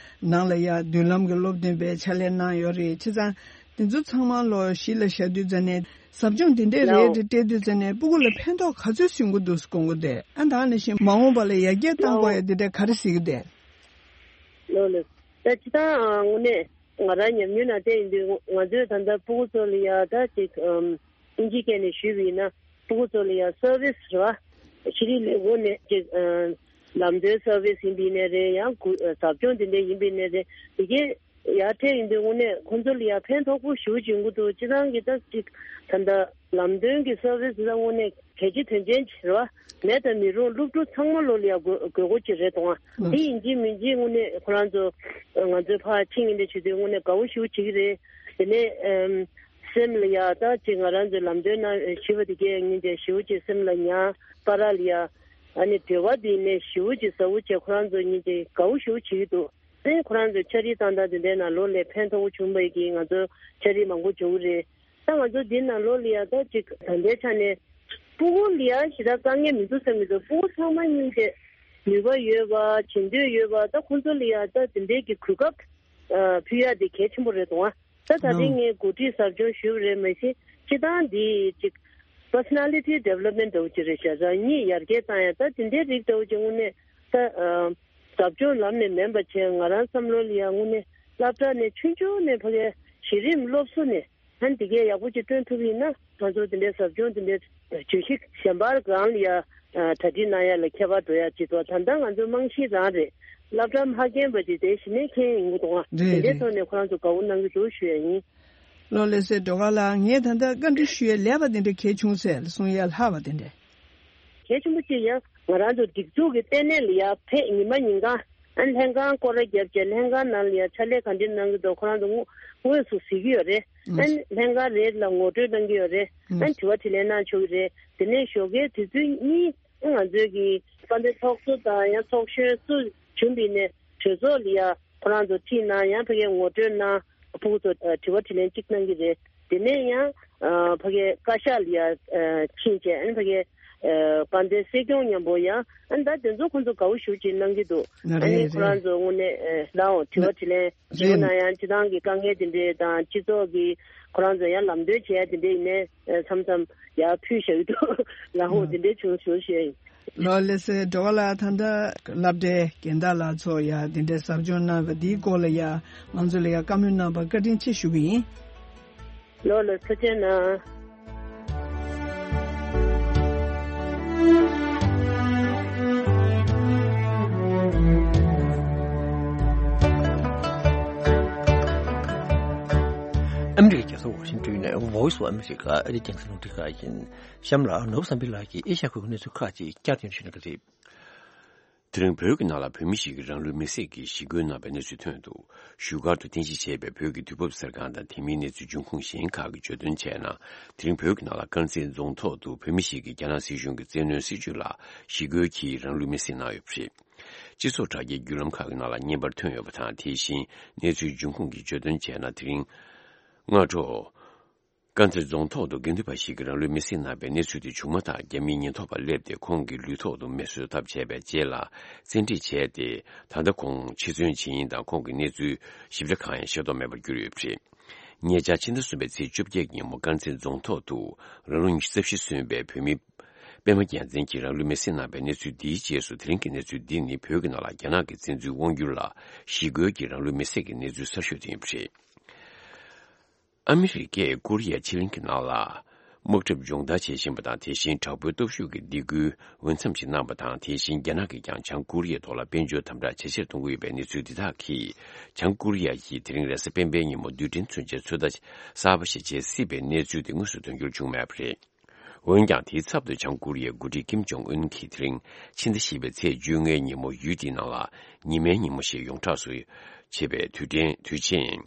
ནང་ལ་ཡ་མདུན་ལམ་གྱི་སློབ་སྟོན་པའི་ཕྱག་ལས་གནང་ཡོད་རེད། བྱས་ཙང་དེ་ཚོ་ཚང་མ་ལོ་གཞི་ལ་བཞག་དུས་ཙ་ནས་ཟབ་སྦྱོང་འདི་འདྲས་རེད་ལའོ། དེ་སྤྲད་དུས་ཙ་ནས་སྤུ་གུ་ལ་ཕན་ཐོགས་ག་ཚོད་སོན་གྱི་འདུག་དགོངས་ཀྱི་འདུག་ཨ་ད་ནི་བཞིན་མ་འོངས་པ་ལ་ཡར་རྒྱས་གཏང་དགོས་ཡ་འདི་འདྲས་ག་རེ་གཟིགས་ཀྱི་འདུག་ལོ་ལོ། ད་ཅི་ད་དངོས་གནས་ང་རང་ཉམས་མྱོང་ནང་བལྟས་ཡིན་དུས་ང་ཚོས་ད་ལྟ་སྤུ་གུ་ཚོ་ལ་ཡ་ད་ཅིག་ཨམ་ཨིན་ཇིའི་སྐད་ནས་ཞུས་པ་ཡིན་ན་སྤུ་གུ་ཚོ་ལ་ཡ་སར་བིས་རེད་བ། ཤེས་རིག་ལས་ཁུངས་ནས་ཅིག་ཨམ་ལམ་སྟོན་སར་བིས་ཡིན་པ་ཡིན་ནའི་རེད། ཡང་གུ་ཟབ་སྦྱོང་དེ་འདྲ་ཡིན་པ་ཡིན་ནའི་རེད། དེ་གས་ཡར་འཕྲད་ཡིན་དུས་དངོས་གནས་ཁོང་ཚོ་ལ་ཡ་ཕན་ཐོགས་པོ་ཞེ་པོ་ཅིག་ཡོང་གི་འདུག་སྤྱིར་བཏང་གི་ད་ཅིག་ད་ལྟ་ལམ་སྟོན་གྱི་སར་བིས་ལ་དངོས་གནས་གལ་ཆེ་དོན་ཆེན་ཅིག་རེད་བ། མེད་དང་མི་རུང་སློབ་ཕྲུག་ཚང་མ་ལོ་ལ་ཡ་དགོས་དགོས་མཁོ་ཅིག་རེད་དང་། ཨ་དེ་ཡིན་གཅིག་མིན་གཅིག་དངོས་གནས་ཁོ་རང་ཚོ་ང་ཚོའི་ཕར་ཕྱིན་ཡིན་དེ་བྱེད་དུས་དངོས་གནས་དགའ་བོ་ཞེ་པོ་བྱེད་ཀྱི་རེད། དེ་ནས་ཨམ་སེམས་ལ་ཡ་ད་ཅིག་ང་རང་ཚོའི་ལམ་སྟོན་གནང་ཞུས་པ་དེ་གས་ཉིན་དེ་ཞེ་པོ་ཅིག་སེམས་ལ་ཉར་བར་ལ་ཡ། ཨ་ནི་འབྲེལ་བ་དེ་ནས་ཞེ་པོ་ཅིག་ཟབ་པོ་བྱས། ཁོ་རང་ཚོ་ཉིན་དེ་དགའ་པོ་ཞེ་པོ་བྱེད་ཀྱི་འདུག་ཨ་ནི་ཁོ་རང་ཚོ་ཕྱག་བྲིས་བཏང་སྟངས་དེ་འདྲའི་ནང་ལོགས་ལ་ཕན་ཐོགས་པོ་བྱུང་བ་ཡིན་གྱི། ང་ཚོ་ཕྱག་བྲིས་མང་པོ་འབྱོར་གྱི་རེད། ད་ང་ཚོ་འདི་ནང་ལོགས་ལ་ཡ་ད་ཅིག་ད་ལྟའི་ཆ་ནས་སྤུ་གུ་ལ་ཡ་ཞེ་དྲག་དཀའ་ངལ་མི་འདུག་བསམ་གྱི་འདུག་སྤུ་གུ་ཚང་མ་སྙིང་རྗེ། ནུས་པ་ཡོད་པ། བྱེད་འདོད་ཡོད་པ། ད་ཁོང་ཚོ་ལ་ཡ་ད་དེ་འདྲའི་གི་གོ་སྐབས་ཨ་ཕུལ་ཡ་དེ་གལ་ཆེན་པོ་རེད་འདུག་ཨ། ད་ད་ལོ། རིང་ངས་འགོ་ཁྲིད་ཟབ་སྦྱོང་ཞུས་པ་རེད། མ་གཞི་སྤྱི་བཏང་འདི་ཅིག་personality development འདྲ་བོ་ཅིག་རེད་ཤག་རང་ཉིད་ཡར་རྒྱས་བཏང་ཡ། ད་དེ་འདྲའི་རིགས་འདྲ་བོ་ཅིག་དངོས་གནས་ད་ཨ་ཟབ་སྦྱོང་ལམ་ནས་མིན་པ་བྱས། ང་རང་བསམ་བློ་ལ་ཡ་དངོས་གནས་སློབ་གྲྭ་ནས་ཆུང་ཆུང་ནས་ཕ་གིའི་གཞི་རིམ་སློབ་གསོ་ནས་ཨ་ནི་དེ་གས་ཡག་པོ་ཅིག་བསྐྲུན་ཐུབ་ཡིན་ན། ང་ཚོ་དེ་འདྲའི་ཟབ་སྦྱོང་དེ་འདྲའི་བརྗོད་གཞི་གཞན་པ་གང་ལ་ཡ་ཨ་གྲ་སྒྲིག་གནང་ཡ་ལ་ཁྱད་པར་འགྲོ་ཡ་ཅིག་འདུག་ད་ལྟ་ང་ཚོའི་རྨང་གཞི་རང་རེད། སློབ་གྲྭ་མ་རྒན་པ་དེ་དེ་གཞི་ནས་མཁན་ཡིན་གྱི་འདུག་ཨ། རེད། དེ་འདྲའི་རེད། ཐོག་ནས་ཁོ་རང་ཚོ་དགའ་པོ་གནང་གི་འདུག་ཞུ་ཡ་ཡིན། ལོ་ལགས་སེ། སྒྲོལ་དཀར་ལགས། ངས་ད་ལྟ་བཀའ་འདྲི་ཞུ་ཡ་ལས་པ་དེ་འདྲ་གལ་བྱུང་ཟེར་གསུང་ཡ་ལྷག་པ་དེ་འདྲ། གལ་ཆེན་པོ་གཅིག་ཡང་ང་རང་ཚོ་སྒྲིག་འཛུགས་ཀྱི་ལྟེ་གནས་ལ་ཡར་ཕེབས། ཉི་མ་ཉིན་གང་ཨ་ནི་ལྷན་ཁང་སྐོར་ར་བརྒྱབ་བྱས། ལྷན་ཁང་ནང་ལ་ཡར་ཕྱག་ལས་ག་འདྲ་གནང་གི་འདུག་ཁོ་རང་ཚོ་དངོས་དངོས་སུ་གཟིགས་ཀྱི་ཡོད་རེད། ཨ་ནི་ལྷན་ཁང་རེ་ལ་ངོ་སྤྲོད་གནང་གི་ཡོད་རེད། ཨ་ནི་དྲི་བ་དྲིས་ལན་གནང་ཆོག་གི་རེད། དེ་ནས་ཞོགས་ཀའི་དུས་ཚོད་གཉིས་ང་ཚོའི་གི་དཔལ་ལྡན་ཚོགས་གཙོ་དང་ཡང་ཚོགས་གཞོན་སུ་བྱུང་བ་ཡིན་ནའི་གྲོས་ཚོགས་ལ་ཡ་ཁོ་རང་ཚོ་ཁྲིད་གནང་། ཡང་ཕ་གིའི་ངོ་སྤྲོད་གནང་། ཕྲུ་གུ་ཚོ་ཨ་དྲི་བ་དྲིས་ལན་གཅིག་གནང་གི་རེད། དེ་ནས་ཡང་ཨ་ཕ་གིའི་བཀའ་ཤག་ལ་ཡ་ཨ་ཕྱིན་བྱས། ཨ་ནི་ཕ་གིའི་ཨ་དཔལ་ལྡན་སྲིད་སྐྱོང་མཉམ་པོ་ཡང་ཨ་ནི་ད་དེ་ཚོ་ཁོང་ཚོ་དགའ་པོ་ཞེ་པོ་ཅིག་གནང་གི་འདུག་ཨ་རེད། ནི་ཁོ་རང་རེད། ཚོ་དངོས་གནས་ཨ་ལའོ་དྲི་བ་དྲིས་ལན་རེད། ཞུ་ན་ཡང་སྤྱི་བཏང་གི་དཀའ་ངལ་དེ་འདྲས་དང་། སྤྱི་ཚོགས་ཀྱི་ཁོ་རང་ཚོ་ཡང་ལམ་སྟོན་བྱེད་ཡ་དེ་འདྲས་ཡིན་ནའི་ཨ་མཚམས་མཚམས་ཡར་ཕུལ་བཞག་གི་འདུག་ལའོ་དེ་འདྲས་བྱུང་ཞུ་ཞུ་ཡ་ཡིན། ལོ་ལགས་སེ། སྒྲོལ་དཀར་ལགས། ད་ལྟ་སློབ་གྲྭའི་རྒན་བདག་ལགས་ཚོ་ཡ་དེ་འདྲའི་ཟབ་སྦྱོང་གནང་བ་འདིའི་སྐོར་ལ་ཡ་ང་ཚོ་ལ་ཡ་བཀའ་མོལ་གནང་བར་བཀའ་དྲིན་ཆེ་ཞུ་གི་ཡིན། ལོ་ལ་ཐུགས་རྗེ་གནང་། ཨ་མི་རི་ཀའི་རྒྱལ་ས་ཝ་ཤིང་ཏོན་ནས་Voice of America ཨ་རིའི་རྒྱང་སྲིང་རླུང་འཕྲིན་ཁང་ཡིན། གཤམ་ལ་ནོར་བུ་བསམ་འཕེལ་ལགས་ཀྱིས་ཨེ་ཤ་ཁུལ་གྱི་གནས་ཚུལ་ཁག་ཅིག་བསྐྱར་ཟློས་ཞུ་གནང་གི་རེད། དེ་རིང་བོད་ཀྱི་ནང་ལ་བོད་མི་ཞིག་གིས་རང་ལུས་མེར་སྲེག་གིས་ཞི་རྒོལ་གནང་བའི་གནས་ཚུལ་ཐོན་འདུག་བཞུགས་སྒར་དུ་རྟེན་གཞི་བྱས་པའི་བོད་ཀྱི་དུས་བབ་གསར་ཁང་དང་དེ་མིན་གནས་ཚུལ་འབྱུང་ཁུངས་གཞན་ཁག་གིས་བརྗོད་དོན་བྱས་ན། དེ་རིང་བོད་ཀྱི་ནང་ལ་དཀར་མཛེས་རྫོང་ཐོག་ཏུ་བོད་མི་ཞིག་གིས་རྒྱ་ནག་སྲིད་གཞུང་གི་བཙན་གནོན་སྲིད་བྱུས་ལ་ཞི་རྒོལ་གྱིས་རང་ལུས་མེར་སྲེག་གནང་ཡོད་པ་རེད། སྤྱི་ཚོགས་དྲ་རྒྱའི་བརྒྱུད་ལམ་ཁག་གི་ནང་ལ་བརྙན་པར་ཐོན་ཡོད་པ་དང་། དེ་བཞིན་གནས་ཚུལ་འབྱུང་ཁུངས་ཀྱིས་བརྗོད་དོན་བྱས་ན། དེ་རིང་སྔ་དྲོ་དཀར་མཛེས་རྫོང་ཐོག་ཏུ་དགེ་འདུན་པ་ཞིག་གིས་རང་ལུས་མེར་སྲེག་གནང་བའི་གནས་ཚུལ་དེ་བྱུང་མ་ཐག་རྒྱ་མིའི་ཉེན་རྟོག་པ་སླེབས་ཏེ་ཁོང་གི་ལུས་ཐོག་ཏུ་མེ་གསོད་ཐབས་བྱས་པའི་རྗེས་ལ་བཙན་ཁྲིད་བྱས་ཏེ། ད་ལྟ་ཁོང་འཆི་གསོན་ཇི་ཡིན་དང་ཁོང་གི་གནས་ཚུལ་ཞིབ་ཕྲ་གང་ཡང་ཤེས་རྟོགས་མེད་པར་གྱུར་ཡོད་པ་རེད། ཉེ་ཆར་ཕྱི་ཟླ་གསུམ་པའི་ཚེས་བཅོ་བརྒྱད་ཉིན་མོ་དཀར་མཛེས་རྫོང་ཐོག་ཏུ་རང་ལོ་ཉི་ཤུ་རྩ་བཞི་སོན་པའི་བོད་མི་པད་མ་རྒྱལ་མཚན་གྱིས་རང་ལུས་མེར་སྲེག་གནང་བའི་གནས་ཚུལ་འདིའི་རྗེས་སུ། དེ་རིང་གི་གནས་ཚུལ་འདི་ནི་བོད་ཀྱི་ནང་ལ་རྒྱ་ནག་གི་བཙན་འཛུལ་དབང་སྒྱུར་ལ་ཞི་རྒོལ་གྱིས་རང་ལུས་མེར་སྲེག་གི་གནས་ཚུལ་གསར་ཤོས་དེ་ཡིན་པ་རེད། ཨ་མི་རི་ཀས་ཀོ་རི་ཡ་ཕྱེད་གླིང་གི་ནང་ལ་དམག་འཁྲབ་སྦྱོང་བརྡར་བྱེད་བཞིན་པ་དང་། དེ་བཞིན་དྲག་པོའི་སྟོབས་ཤུགས་ཀྱི་སྡིགས་སྐུལ་འོས་འཚམ་ཞིག་གནང་བ་དང་། དེ་བཞིན་རྒྱ་ནག་གིས་ཀྱང་བྱང་ཀོ་རི་ཡའི་ཐོག་ལ་དཔལ་འབྱོར་དམ་དྲག་ཇེ་ཆེར་གཏོང་གི་ཡོད་པའི་གནས་ཚུལ་འདི་དག་གིས། བྱང་ཀོ་རི་ཡ་ཡིས་དེ་རིང་རེས་གཟའ་སྤེན་པའི་ཉིན་མོ་རྡུལ་ཕྲན་མཚོན་ཆའི་ཚོད་ལྟ་གསར་པ་ཞིག་བྱེད་སྲིད་པའི་གནས་ཚུལ་དེ་དངོས་སུ་དོན་འཁྱོལ་བྱུང་མེད་པ་རེད། འོན་ཀྱང་། དེའི་ཚབ་ཏུ་བྱང་ཀོ་རི་ཡའི་འགོ་ཁྲིད་ཀིམ་ཇོང་ཨུན་གྱིས་དེ་རིང་ཕྱི་ཟླ་བཞི་པའི་ཚེས་བཅོ་ལྔའི་ཉིན་མོ་ཡུལ་དེའི་ནང་ལ་ཉི་མའི་ཉིན་མོ་ཞིག་ཡོངས་གྲགས་སུ་བྱེད་པའི་དུས་དྲན་དུས་ཆེན།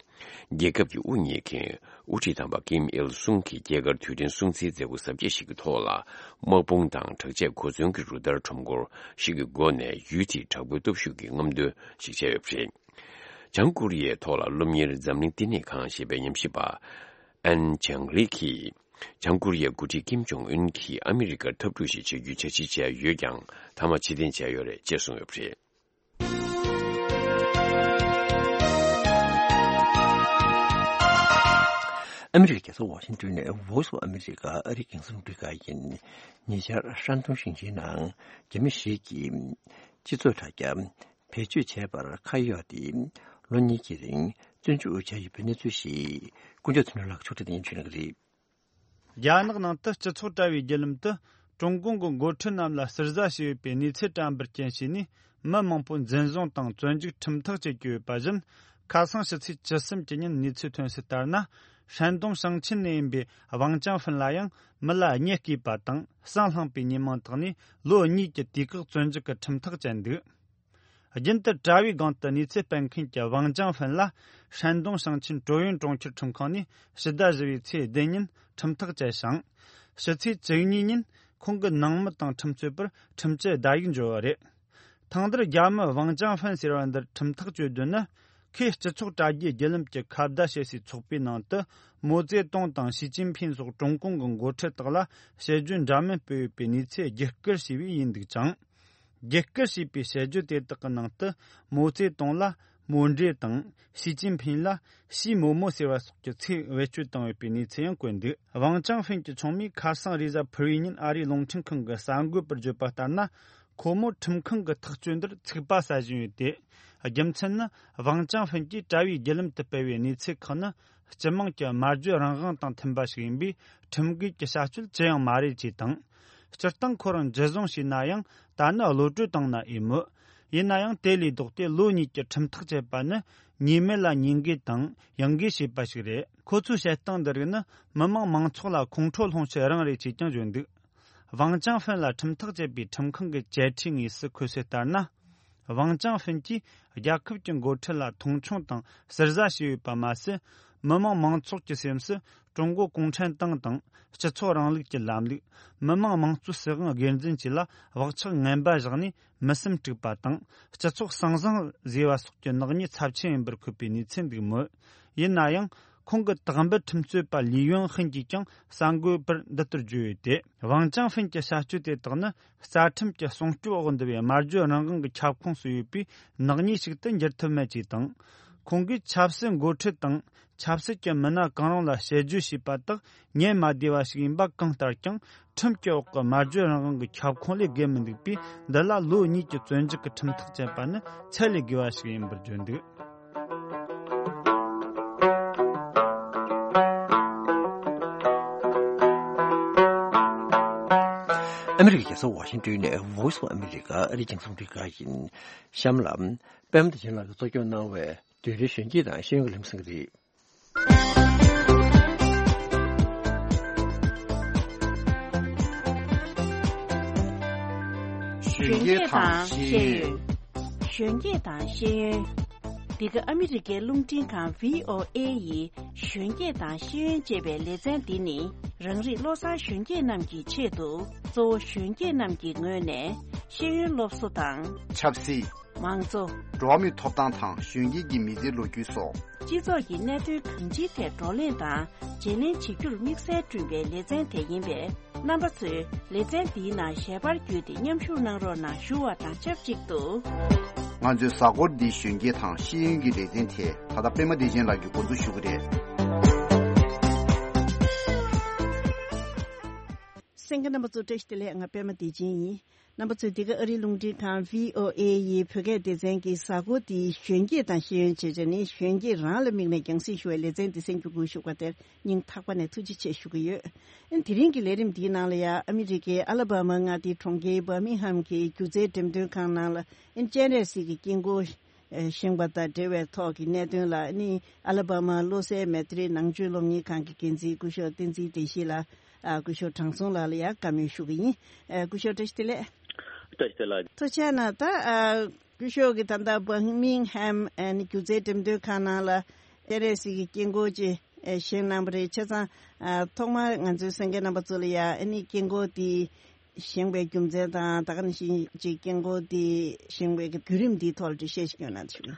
རྒྱལ་ཁབ་ཀྱི་དབུ་བརྙེས་མཁན་དབུ་ཁྲིད་དམ་པ་ཀིམ་ཨིལ་སུང་གི་སྐྱེས་སྐར་དུས་དྲན་སྲུང་བརྩིའི་མཛད་སྒོ་གཟབ་རྒྱས་ཤིག་གི་ཐོག་ལ། དམག་དཔུང་དང་དྲག་ཆས་གོ་མཚོན་གྱི་རུ་སྟར་ཁྲོམ་སྐོར་ཞིག་གི་སྒོ་ནས་ཡུལ་དེའི་དྲག་པོའི་སྟོབས་ཤུགས་ཀྱི་རྔམ་སྟོན་ཞིག་བྱས་ཡོད་པ་རེད། བྱང་ཀོ་རི་ཡའི་ཐོག་ལ་སློབ་གཉེར་འཛམ་གླིང་བསྟི་གནས་ཁང་ཞེས་པའི་ཉམས་ཞིབ་པ་ཨན་ཅང་ལི་གིས། བྱང་ཀོ་རི་ཡའི་འགོ་ཁྲིད་ཀིམ་ཇོང་ཨུན་གྱིས་ཨ་མི་རི་ཀར་འཐབ་འཁྲུག་ཞིག་བྱེད་རྒྱུའི་འཆར་གཞི་བྱས་ཡོད་ཀྱང་། མཐའ་མ་ཕྱིར་འཐེན་བྱས་ཡོད་རེད་ཅེས་གསུངས་ཡོད་པ་རེད། ཨ་མི་རི་ཀའི་རྒྱལ་ས་ཝ་ཤིང་ཏོན་ནས་Voice of America ཨ་རིའི་རྒྱང་སྲིང་རླུང་འཕྲིན་ཁང་ཡིན། ཉེ་ཆར་ཧྲན་ཏུང་ཞིང་ཆེན་ནང་རྒྱ་མི་ཞིག་གིས་སྤྱི་ཚོགས་དྲ་རྒྱ་བེད་སྤྱོད་བྱས་པར་ཁ་གཡོགས་ཏེ། ལོ་གཉིས་ཀྱི་རིང་བཙོན་འཇུག་བྱས་ཡོད་པའི་གནས་ཚུལ་ཞིག་ཀུན་ཁྱབ་ཚུལ་ལགས་ཕྱོགས་སྒྲིག་ཏུ་ཡིན་ཞུ་གནང་གི་རེད། རྒྱ་ནག་ནང་དུ་སྤྱི་ཚོགས་དྲ་བའི་བརྒྱུད་ལམ་དུ་ཀྲུང་གུང་གི་འགོ་ཁྲིད་རྣམས་ལ་ཟུར་ཟ་བྱས་ཡོད་པའི་གནས་ཚུལ་བཀྲམ་པར་རྐྱེན་བྱས་ནས། མི་མང་པོ་འཛིན་བཟུང་དང་བཙོན་འཇུག་ཁྲིམས་ཐག་བཅད་ཀྱི་ཡོད་པ་བཞིན། ཁ་སང་ཕྱི་ཚེས་བཅུ་གསུམ་གྱི་ཉིན་གནས་ཚུལ་ཐོན་གསལ་ལྟར་ན། ཧྲན་ཏུང་ཞིང་ཆེན་ནས་ཡིན་པའི་ཝང་ཅང་ཧྥིན་ལ་ཡང་མི་ལ་གཉིད་བསྐྱེད་པ་དང་ཟངས་བསླངས་པའི་ཉེས་མིང་བཏགས་ནས་ལོ་གཉིས་ཀྱི་དུས་བཀག་བཙོན་འཇུག་གི་ཁྲིམས་ཐག་བཅད་འདུག་རྒྱུན་དུ་དྲ་བའི་སྒང་དུ་གནས་ཚུལ་སྤེལ་མཁན་གྱི་ཝང་ཅང་ཧྥན་ལ་ཧྲན་ཏུང་ཞིང་ཆེན་ཀྲོ་ཡོན་གྲོང་ཁྱེར་ཁྲིམས་ཁང་ནས་ཕྱི་ཟླ་བཞི་པའི་ཚེས་བདུན་ཉིན་ཁྲིམས་ཐག་བཅད་ཞིང་། ཕྱི་ཚེས་བཅུ་གཉིས་ཉིན་ཁོང་གི་ནང་མི་དང་ཁྲིམས་རྩོད་པར་ཁྲིམས་བཅད་བརྡ་ཡིག་འབྱོར་བ་རེད། ཐང་དར་རྒྱ་མི་ཝང་ཅང་ཧྥན་ཟེར་བ་འདིར་ཁྲིམས་ཐག་གཅོད་དོན་ནི། ཁོས་སྤྱི་ཚོགས་དྲ་རྒྱའི་བརྒྱུད་ལམ་གྱི་ཁ་བརྡ་བྱེད་སའི་ཚོགས་པའི་ནང་དུ། མའོ་ཙེ་ཏུང་དང་ཞི་ཅིན་ཕིན་སོགས་ཀྲུང་གུང་གི་འགོ་ཁྲིད་དག་ལ་བཤད་རྒྱུན་འདྲ་མིན་སྤེལ་ཡོད་པའི་གནས་ཚུལ་བརྒྱུད་བསྐུར་བྱས་པས་ཡིན་འདུག་ཅིང་། བརྒྱུད་བསྐུར་བྱས་པའི་བཤད་རྒྱུན་དེ་དག་གི་ནང་དུ། མའོ་ཙེ་ཏུང་ལ་མའོ་འདྲེ་དང་། ཞི་ཅིན་ཕིན་ལ་ཞི་མོ་མོ་ཟེར་བ་སོགས་ཀྱི་ཚིག་བེད་སྤྱོད་བཏང་ཡོད་པའི་གནས་ཚུལ་ཡང་བཀོད་འདུག་ཝང་ཅང་ཧྥན་གྱི་ཆུང་མས་ཁ་སང་རེས་གཟའ་ཕུར་བུའི་ཉིན་ཨ་རིའི་རླུང་འཕྲིན་ཁང་གི་གསར་འགོད་པར་བརྗོད་པ་ལྟར་ན། ཁོ་མོ་ཁྲིམས་ཁང་གི་ཐག་གཅོད་འདིར་ཚིག་པ་ཟ་བཞིན་ཡོད་དེ། རྒྱུ་མཚན་ནི། ཝང་ཅང་ཧྥན་གྱིས་དྲ་བའི་བརྒྱུད་ལམ་དུ་སྤེལ་བའི་གནས་ཚུལ་ཁག་ནི། སྤྱི་དམངས་ཀྱི་སྨྲ་བརྗོད་རང་དབང་དང་མཐུན་པ་ཞིག་ཡིན་པས། ཁྲིམས་འགལ་གྱི་བྱ་སྤྱོད་ཅི་ཡང་མ་རེད་ཅེས་དང་། སྤྱིར་བཏང་ཁོ་རང་འཇུ་བཟུང་བྱས་ན་ཡང་། ད་ནི་གློད་གྲོལ་བཏང་ན་འོས་མོད། ཡིན་ན་ཡང་། དེ་ལས་ལྡོག་སྟེ་ལོ་གཉིས་ཀྱི་ཁྲིམས་ཐག་བཅད་པ་ནི། ཉེས་མེད་ལ་ཉེས་འགེལ་དང་། ཡང་འགེལ་བྱས་པ་ཞིག་རེད། ཁོ་ཚོའི་བཤད་སྟངས་འདི་རིགས་ནི། མི་དམངས་མང་ཚོགས་ལ་ཁོང་ཁྲོ་སློང་ཆེད་རང་རེད་ཅེས་ཀྱང་བརྗོད་འདུག་ཝང་ཅང་ཧྥན་ལ་ཁྲིམས་ཐག་བཅད་པའི་ཁྲིམས་ཁང་གི་བཅད་ཁྲའི་དངོས་སུ་འཁོད་གསལ་ལྟར་ན། ཝང་ཅང་ཧྥན་གྱིས་རྒྱལ་ཁབ་ཀྱི་འགོ་ཁྲིད་ལ་མཐོང་ཆུང་དང་ཟུར་ཟ་བྱས་ཡོད་པ་མ་ཟད། མི་དམངས་མང་ཚོགས་ཀྱི་སེམས་སུ་ཀྲུང་གོ་གུང་ཁྲན་ཏང་དང་སྤྱི་ཚོགས་རིང་ལུགས་ཀྱི་ལམ་ལུགས། མི་དམངས་དམངས་གཙོའི་སྲིད་དབང་སྒེར་འཛིན་བཅས་ལ་བག་ཆགས་ངན་པ་བཞག་ནས་མི་སེམས་དཀྲུགས་པ་དང་སྤྱི་ཚོགས་ཟང་ཟིང་བཟོས་པ་སོགས་ཀྱི་ནག་ཉེས་ཚབས་ཆེན་ཡིན་པར་འཁོད་པའི་གནས་ཚུལ་འདུག་མོད། ཡིན་ན་ཡང་། ཁོང་གི་དག་འབུད་ཁྲིམས་རྩོད་པ་ལི་ཡོན་ཧིན་གྱིས་ཀྱང་གསར་འགོད་པར་འདི་ལྟར་བརྗོད་ཡོད་དེ། ཝང་ཅང་ཧྥན་གྱི་བྱ་སྤྱོད་དེ་དག་ནི་རྩ་ཁྲིམས་ཀྱི་སྲུང་སྐྱོབ་འོག་འདུ་བའི་སྨྲ་བརྗོད་རང་དབང་གི་ཁྱབ་ཁོངས་སུ་ཡོད་པའི་ནག་ཉེས་ཤིག་ཏུ་འགྱུར་ཐུབ་མེད་ཅེས་དང་། ཁོང་གིས་ཆབ་སྲིད་འགོ་ཁྲིད་དང་ཆབ་སྲིད་ཀྱི་མི་སྣ་གང་རུང་ལ་བཤད་རྒྱུ་ཞེས་པ་དག་ཉན་མ་བདེ་བ་ཞིག་ཡིན་པ་གང་ལྟར་ཀྱང་། ཁྲིམས་ཀྱི་འོག་གི་སྨྲ་བརྗོད་རང་དབང་གི་ཁྱབ་ཁོངས་ལས་བརྒལ་མི་འདུག་པས། འདི་ལ་ལོ་གཉིས་ཀྱི་བཙོན་འཇུག་གི་ཁྲིམས་ཐག་བཅད་པ་ནི་ཚད་ལས་བརྒལ་བ་ཞིག་ཡིན་པར་བརྗོད་འདུག་ཨ་མི་རི་ཀའི་རྒྱལ་ས་ཝ་ཤིང་ཊོན་ནས་Voice of America ཨ་རིའི་རྒྱང་སྲིང་རླུང་འཕྲིན་ཁང་ཡིན། གཤམ་ལ། པད་མ་བདེ་ཆེན་ལགས་ཀྱིས་གཙོ་སྐྱོང་གནང་བའི་བདུན་རེའི་གཞོན་སྐྱེས་དང་ཤེས་ཡོན་གྱི་ལམ་སང་རེད། གཞོན་སྐྱེས་དང་ཤེས་ཡོན། གཞོན་སྐྱེས་དང་ཤེས་ཡོན། འདི་ག་ཨ་མི་རི་ཀའི་རླུང་འཕྲིན་ཁང་V O A ཡི་གཞོན་སྐྱེས་དང་ཤེས་ཡོན་ཅེས་པའི་ལེ་ཚན་འདི་ནི། རང་རིགས་བློ་བཟང་གཞོན་སྐྱེས་རྣམས་ཀྱི་ཆེད་དུ། གཙོ་བོ་གཞོན་སྐྱེས་རྣམས་ཀྱི་ངོས་ནས་ཤེས་ཡོན་སློབ་གསོ་དང་། ཆབ་སྲིད། མང་གཙོ། འགྲོ་བ་མིའི་ཐོབ་ཐང་དང་གཞོན་སྐྱེས་ཀྱི་མི་ཚེའི་ལོ་རྒྱུས་སོགས། སྤྱི་ཚོགས་ཀྱི་གནད་དོན་གང་ཅིའི་ཐད་བགྲོ་གླེང་དང་བརྗེ་ལེན་བྱེད་རྒྱུར་དམིགས་བསལ་བསྐྲུན་པའི་ལེ་ཚན་དེ་ཡིན་པས། རྣམ་པ་ཚོས་ལེ་ཚན་འདིའི་ནང་ཞལ་པར་བརྒྱུད་དེ་མཉམ་ཞུགས་གནང་རོགས་གནང་ཞུ་བ་དང་ཆབས་ཅིག་ཏུ། ང་ཚོའི་གཟའ་འཁོར་འདིའི་གཞོན་སྐྱེས་དང་ཤེས་ཡོན་གྱི་ལེ་ཚན་དེ་ད་ལྟ་པད་མ་བདེ་ཆེན་ལགས་ཀྱིས་འགོ་འཛུགས་ཞུ་གི་རེད། གསན་མཁན་རྣམ་པ་ཚོ་བཀྲ་ཤིས་བདེ་ལེགས། ང་པད་མ་བདེ་ཆེན་ཡིན། རྣམ་པ་ཚོས་འདི་ག་ཨ་རིའི་རླུང་འཕྲིན་ཁང་V O A ཡི་བོད་སྐད་སྡེ་ཚན་གྱི་གཟའ་འཁོར་འདིའི་གཞོན་སྐྱེས་དང་ཤེས་ཡོན་ཅེས་བྱས་ནས་གཞོན་སྐྱེས་རང་ལ་དམིགས་ནས་རྒྱང་སྲིང་ཞུ་བའི་ལེ་ཚན་འདི་གསན་རྒྱུ་སྒུག་བཞུགས་པ་དེར་སྙིང་ཐག་པ་ནས་ཐུགས་རྗེ་ཆེ་ཞུ་གི་ཡོད། ཨ་ནི་དེ་རིང་གི་ལས་རིམ་འདིའི་ནང་ལ་ཡང་ཨ་མི་རི་ཀའི་ཨ་ལ་བྷ་མ་མངའ་སྡེའི་གྲོང་ཁྱེར་བྷར་མིང་ཧམ་གྱི་སྒྱུ་རྩལ་འགྲེམས་སྟོན་ཁང་ནང་ལ་ཨ་ནི་སྤྱན་རས་གཟིགས་ཀྱི་དཀྱིལ་འཁོར་བཞེངས་པ་དང་འབྲེལ་བའི་ཐོག་གི་གནད་དོན་ལ་ཨ་ནི་ཨ་ལ་བྷ་མ་བློ་གསལ་མེ་ཏྲི་ནང་ཆོས་སློབ་གཉེར་ཁང་གི་འགན་འཛིན་སྐུ་ཞབས་བསྟན་འཛིན་བདེ་སྐྱིད་ལགས། ཨ། སྐུ་ཞབས་དྲང་སྲོང་ལགས་ལ་ཡང་བཀའ་མོལ་ཞུ་གི་ཡིན། ཨ། སྐུ་ཞབས་བཀྲ་ཤིས་བདེ་ལེགས། བཀྲ་ཤིས་བདེ་ལེགས། ཐུགས་རྗེ་གནང་། ད། ཨ། སྐུ་ཞབས་ཀྱིས་ད་ལྟ་བྷར་མིང་ཧམ་ཨ་ནི་སྒྱུ་རྩལ་འགྲེམས་སྟོན་ཁང་ནང་ལ་སྤྱན་རས་གཟིགས་ཀྱི་དཀྱིལ་འཁོར་ཅིག་ཨ་བཞེངས་གནང་བ་རེད། བྱས་ཙང་། ཨ། ཐོག་མར་ང་ཚོའི་གསན་མཁན་རྣམ་པ་ཚོ་ལ་ཡང་ཨ་ནི་དཀྱིལ་འཁོར་དེ་བཞེངས་པའི་རྒྱུ་མཚན་དང་། ད་ག་ནང་བཞིན་ཅིག་དཀྱིལ་འཁོར་དེ་བཞེངས་པའི་བརྒྱུད་རིམ་འདིའི་ཐོག་ལ་འགྲེལ་བཤད་ཞིག་སྐྱོན་གནང་ཞུ།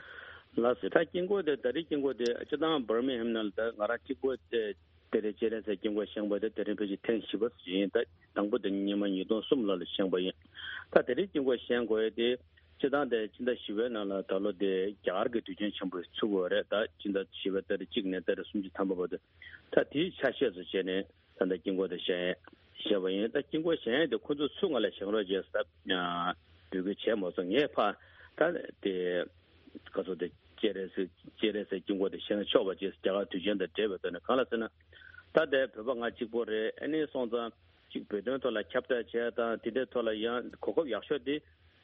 ལགས་སོ། ད་དཀྱིལ་འཁོར་དེ། ད་རེས་དཀྱིལ་འཁོར་དེ་སྤྱིར་བཏང་བྷར་མིང་ཧམ་ནང་ལ་ད་ང་རང་གཅིག་པོ་དེ། དེ་རིང་སྤྱན་རས་གཟིགས་དཀྱིལ་འཁོར་བཞེངས་པ་དེ་དེ་རིང་ཕལ་ཆེར་ཐེངས་བཞི་པ་ཡིན། ད་དང་པོ་དེ་ཉི་མ་ཉིས་སྟོང་གསུམ་ལོ་ལ་བཞེངས་པ་ཡིན། ད་དེ་རིང་དཀྱིལ་འཁོར་བཞེངས་དགོས་ཡ་དེ་སྤྱིར་བཏང་དེ་ཕྱི་ཟླ་བཞི་པའི་ནང་ལ་ད་ལོ་དེ་རྒྱ་གར་གྱི་དུས་ཆེན་ཆེན་པོ་ཚུགས་ཡོད་རེད། ད་ཕྱི་ཟླ་བཞི་པའི་ཏ་རིག་གཅིག་ནས་ཏ་རིག་སུམ་ཅུ་ཐམ་པ་བར་དུ། ད་དེའི་ཆ་ཤས་སུ་བྱས་ནས་ད་ལྟ་དཀྱིལ་འཁོར་དེ་བཞེངས་བཞེངས་པ་ཡིན། ད་དཀྱིལ་འཁོར་བཞེངས་ཡ་དེ་ཁོ་ཚོ་ཚུར་ང་ལ་བཞེངས་རོགས་བྱས་ཟེར་ད་འབོད་སྐུལ་བྱས་མ་སོང་། ངས་ཕར་ད་དེ། ག་ཚོད་དེ། སྤྱན་རས་གཟིགས། སྤྱན་རས་གཟིགས་དཀྱིལ་འཁོར་དེ་བཞེངས་ཆོག་པ་བྱས། རྒྱ་གར་དུས་ཆེན་དང་འབྲེལ་བའི་ཐོག་ནས། གང་ལ་ཟེར་ན། ད་ལྟའི་བོད་པ་ང་གཅིག་པོ་རེད། ཨ་ནི་སོང་ཙང་གཅིག་བོད་དོན་ཐོག་ལ་ཁྱབ་བསྒྲགས་བྱས་དང་། དེ་འདྲའི་ཐོག་ལ་ཡང་གོ་སྐབས་ཡག་ཤོས་དེ་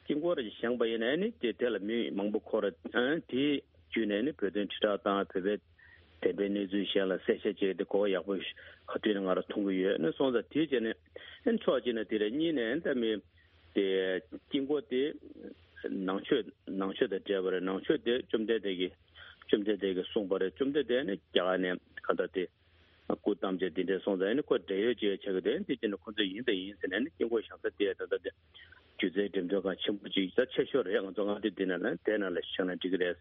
དཀྱིལ་འཁོར་རེ་བཞེངས་པ་ཡིན་ན། ཨ་ནི་དེ་དེ་ལ་མི་མང་པོ་འཁོར། ཨ། དེ་བརྒྱུད་ནས་ཨ་ནི་བོད་དོན་དྲིལ་བསྒྲགས་དང་། བོད་པའི་བདེན་པའི་གནས་ཚུལ་གཞན་ལ་གསལ་བཤད་བྱས་ཏེ་གོ་སྐབས་ཡག་པོ་ག་དུས་ནས་ང་རང་མཐོང་གི་ཡོད། ཨ་ནི་སོང་ཙང་དེ་བྱས་ནས་ཨ་ནི་ཕྱོགས་གཅིག་ནས་དེ་རེད། གཉིས་ནས་ཨ་ནི་ད་མི། དེ་དཀྱིལ་འཁོར་དེ་ ནང་ཆོས་ནང་ཆོས་དང་འབྲེལ་བ་རེད། ནང་ཆོས་དེ་བཅོམ་ལྡན་འདས་ཀྱིས་བཅོམ་ལྡན་འདས་ཀྱིས་གསུངས་པ་རེད། བཅོམ་ལྡན་འདས་ནི་རྒྱ་གར་ནས་ག་ད་དེ་སྐུ་བལྟམས་བྱས་དེ་འདྲས་སོང་ཙང་ནི་ཁོ་འབྲེལ་ཡོད་ཅིག་ཆགས་ཀྱི་འདུག་དེ་བྱས་ནས་ཁོ་ཚོས་ཡིན་དང་ཡིན་ཟེར་ནས་ནི་དཀྱིལ་འཁོར་བཞེངས་ས་དེ་ད་ལྟ་དེ་སྒྱུ་རྩལ་འགྲེམས་སྟོན་ཁང་ཆེན་པོ་ཅིག་ད་ཆེ་ཤོས་རེད། ང་ཚོ་མངའ་སྡེ་འདི་ནང་ལ་དེ་ནང་ལ་བཞེངས་ན་འགྲིག་གི་རེད།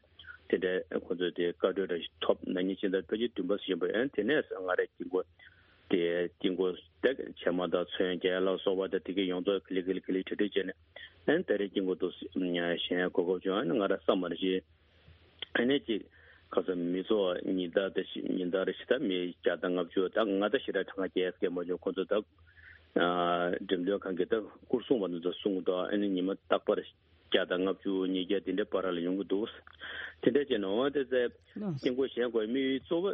དེ་འདྲས་ཁོ་ཚོས་དེ་བཀའ་འཁྲོལ་འདྲ་ཞིག་ཐོབ་ན་ཉིན་ཕྱི་ཟླ་ཕལ་ཆེར་བདུན་པ་ཟིན་པ་ཡིན། དེ་ནས་ང་རའི་དཀྱིལ་འཁོར་དེ་དཀྱིལ་འཁོར་དེ་བྱེ་མ་དང་ཚོན་རྒྱན་ལ་སོགས་པ་དང་དེ་གའི་ཡོངས་རྫོགས་ཀི་ལི་ཀི་ལི་ཀི་ལི་བྲིས་བྲིས་བྱས་ནས་ཨན་ད་རེས་དཀྱིལ་འཁོར་དུ་བཞེངས་གོ་སྐབས་བྱུང་། ཨ་ནི་ང་ར་བསམ་པར་བཞེས། ཨ་ནི་ཅིག་ཁ་སང་མི་ཚོགས་ཉིན་ལྟར་དེ་ཉིན་ལྟར་ཞེ་དྲག་མི་བརྒྱ་དང་ལྔ་བཅུ་ད་ང་ད་ཞེ་དྲག་གྲངས་ཀ་རྒྱས་སྐད་མ་བྱུང་། ཁོ་ཚོ་ད་འགྲེམས་སྟོན་ཁང་གི་ད་སྐུ་སྲུང་བ་ཚོ་གསུང་དོ། ཨ་ནི་ཉི་མ་རྟག་པར་བརྒྱ་དང་ལྔ་བཅུ་ཉིས་བརྒྱ་དེ་འདྲའི་བར་ལ་ཡོང་གི་འདུག་དེ་འདྲ་བྱས་ནས་འོ་དེ་ཚེ་དཀྱིལ་འཁོར་བཞེངས་དགོས་དམིགས་ཡུལ་གཙོ་བོ་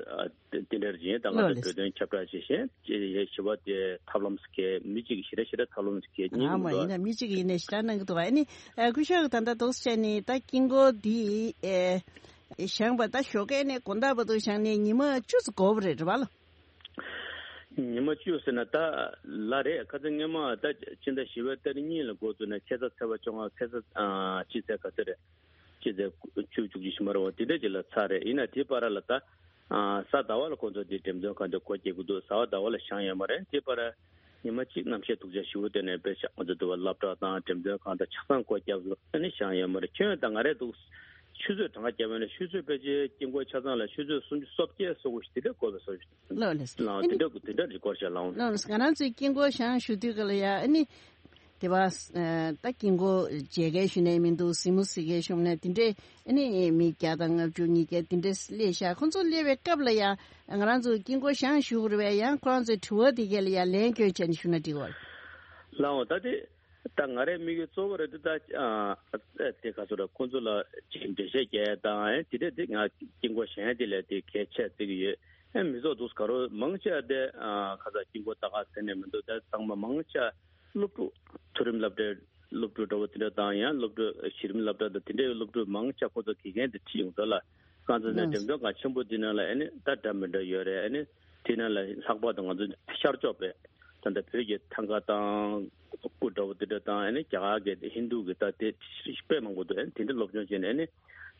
དེ་འདྲ་ཡིན། ད་ང་ཚོ་བོད་དོན་ཁྱབ་བསྒྲགས་བྱེད་བཞིན་ཞི་བ་དེ་ཐབས་ལམ་ཟེར་མཁན་མི་གཅིག་གིས་ཞེ་དྲག་ཞེ་དྲག་ཐབས་ལམ་ཟེར་མཁན་གཉིས་ཀྱི་མི་འདུག་ཡིན་ན་མི་གཅིག་ཡིན་ནས་ཞེ་དྲག་གནང་གི་འདུག་ཨ་ནི་སྐུ་ཞབས་ད་ལྟ་འདུག་སེ་བྱས་ནས་ད་དཀྱིལ་འཁོར་འདི་བཞེངས་པ་ད་ཞོགས་ཀས་ནས་དགོང་དག་བར་དུ་བཞེངས་ནས་ཉི་མ་བཅུ་ཙམ་འགོར་བ་རེད། རེད་པ་ལགས། ཉི་མ་བཅུ་ཟེར་ན་ད་ལ་རེད། ཁ་སང་སྔོན་མ་ད་ཕྱི་ཟླ་བཞི་པའི་ཏ་རིག་གཉིས་ལ་འགོ་བཙུགས་ནས་ཁ་སང་ཚེས་པ་བཅོ་ལྔ་ཁ་སང་ཨ་སྤྱི་ཚེས་ག་ཚོད་རེད། སྤྱི་ཚེས་བཅུ་བཅུ་གཅིག་ཞིག་མ་རེད་པ། དེ་འདྲ་ཅིག་ལ་ཚར་རེད། ཡིན་ན་དེའི་བར་ལ་ད་ཨ་གཟའ་ཟླ་བ་ལ་ཁོང་ཚོ་དེ་འགྲེམས་སྟོན་ཁང་དེ་སྒོ་རྒྱག་གི་འདུག་གཟའ་པ་ཟླ་བ་ལ་བཞེངས་ཡོད་མ་རེད། དེའི་བར་ཉི་མ་གཅིག་གནམ་གཤིས་སྡུག་ཅག་ཞེ་པོ་དེ་ནས་དཔེ་ཆ་ང་ཚོ་དུ་བ་སློབ་གྲྭ་དང་འགྲེམས་སྟོན་ཁང་དང་ཆ་ཚང་སྒོ་རྒྱབ་ཟིན། ཨ་ནི་བཞེངས་ཡོད་མ་རེད། ཁྱོན་ད་ང་རེད་འདུག་ཆུ་ཚོད་གྲངས་ཀ་བརྒྱབ་པ་ཡིན་ན་ཆུ་ཚོད་ཕལ་ཆེར་དཀྱིལ་འཁོར་ཆ་ཚང་ལ་ཆུ་ཚོད་སུམ་ཅུ་སོ་བརྒྱད་སོ་དགུ་ཞིག་དེ་འདྲ་འགོར་བའི་བཟོ་ཞིག་ལགས་ལགས་སོ། ལའང་དེ་འདྲ་དེ་འདྲ་རེ་སྐོར་བཤད་ལའང་། ལགས་ལགས་སོ། ང་རང་ཚོའི་དཀྱིལ་འཁོར་བཞེངས་བཞུགས་དུས་ག་ལ་ཡ་ཨ་ནི་དེ་བ་ད་དཀྱིལ་འཁོར་མཇལ་མཁན་ཞུ་ནས་མི་འདུག་གཟིགས་མོ་གཟིགས་མཁན་ཞུ་ནས་དེ་འདྲས་ཨ་ནི་མི་བརྒྱ་དང་ལྔ་བཅུ་ཉིས་བརྒྱ་དེ་འདྲས་སླེབས་ཤག་ཁོང་ཚོ་སླེབས་པའི་སྐབས་ལ་ཡ་ང་རང་ཚོ་དཀྱིལ་འཁོར་བཞེངས་བཞུགས་རེད་པས། ཡང་ཁོ་རང་ཚོའི་དྲི་བ་དེ་ག་ལ་ཡ་ལན་སྐྱོན་བྱས་ནས་ཞུ་ན་འགྲིག་གི་རེད། ལའང་ད་དེ། ད་ང་རའི་དམིགས་ཡུལ་གཙོ་བོ་རེད་དེ། ད་ཨ་དེ་ག་ཚོད་རེད། ཁོང་ཚོ་ལ་ཅིག་འགྲེལ་བཤད་རྒྱག་ཡ་དང་ཨེ་དེ་འདྲས་དེ་ང་དཀྱིལ་འཁོར་བཞེངས་ཡ་དེ་ལས་དེ་གལ་ཆེ་བརྩི་གི་ཡོད། ཨེ་མི་ཚོགས་འདུག་ག་རོ་མང་ཆེ་བ་དེ་ཨ་ཁ་ཚ་དཀྱིལ་འཁོར་ལྟ་ག་ཟེར་ནས་མི་འདུག་ད་ཚང་མ་མང་ཆེ་བ་སློབ་ཕྲུག་མཐོ་རིམ་སློབ་གྲྭའི་སློབ་ཕྲུག་འདྲ་བོ་དེ་འདྲ་དང་ཡང་སློབ་ཕྲུག་གཞི་རིམ་སློབ་གྲྭ་དང་དེ་འདྲའི་སློབ་ཕྲུག་མང་ཆེ་བ་ཁོ་ཚོ་དགེ་རྒན་དེ་ཁྲིད་ཡོང་ཚོད་ལ་ཁ་ཚ་ནས་འགྲེམས་སྟོན་ཁང་ཆེན་པོ་དེ་ནང་ལ་ཨེ་ནི་ད་འདྲ་མི་འདྲ་ཡོད་རེད། ཨེ་ནི་དེ་ནང་ལ་ལྷག་པར་དུ་ང་ཚོ་ཤར་ཕྱོགས་པའི། ད་ལྟ་བོད་ཀྱི་ཐང་ག་དང་སྐུ་འདྲ་བོ་དེ་འདྲ་དང་ཨ་ནི་རྒྱ་གར་གྱི་ཧིན་རྡུ་གི་ད་དེ་དཔེ་མང་པོ་འདུག་ཨ་ནི་དེ་འདྲ་སློབ་སྦྱོང་བྱས་ནས་ཨ་ནི་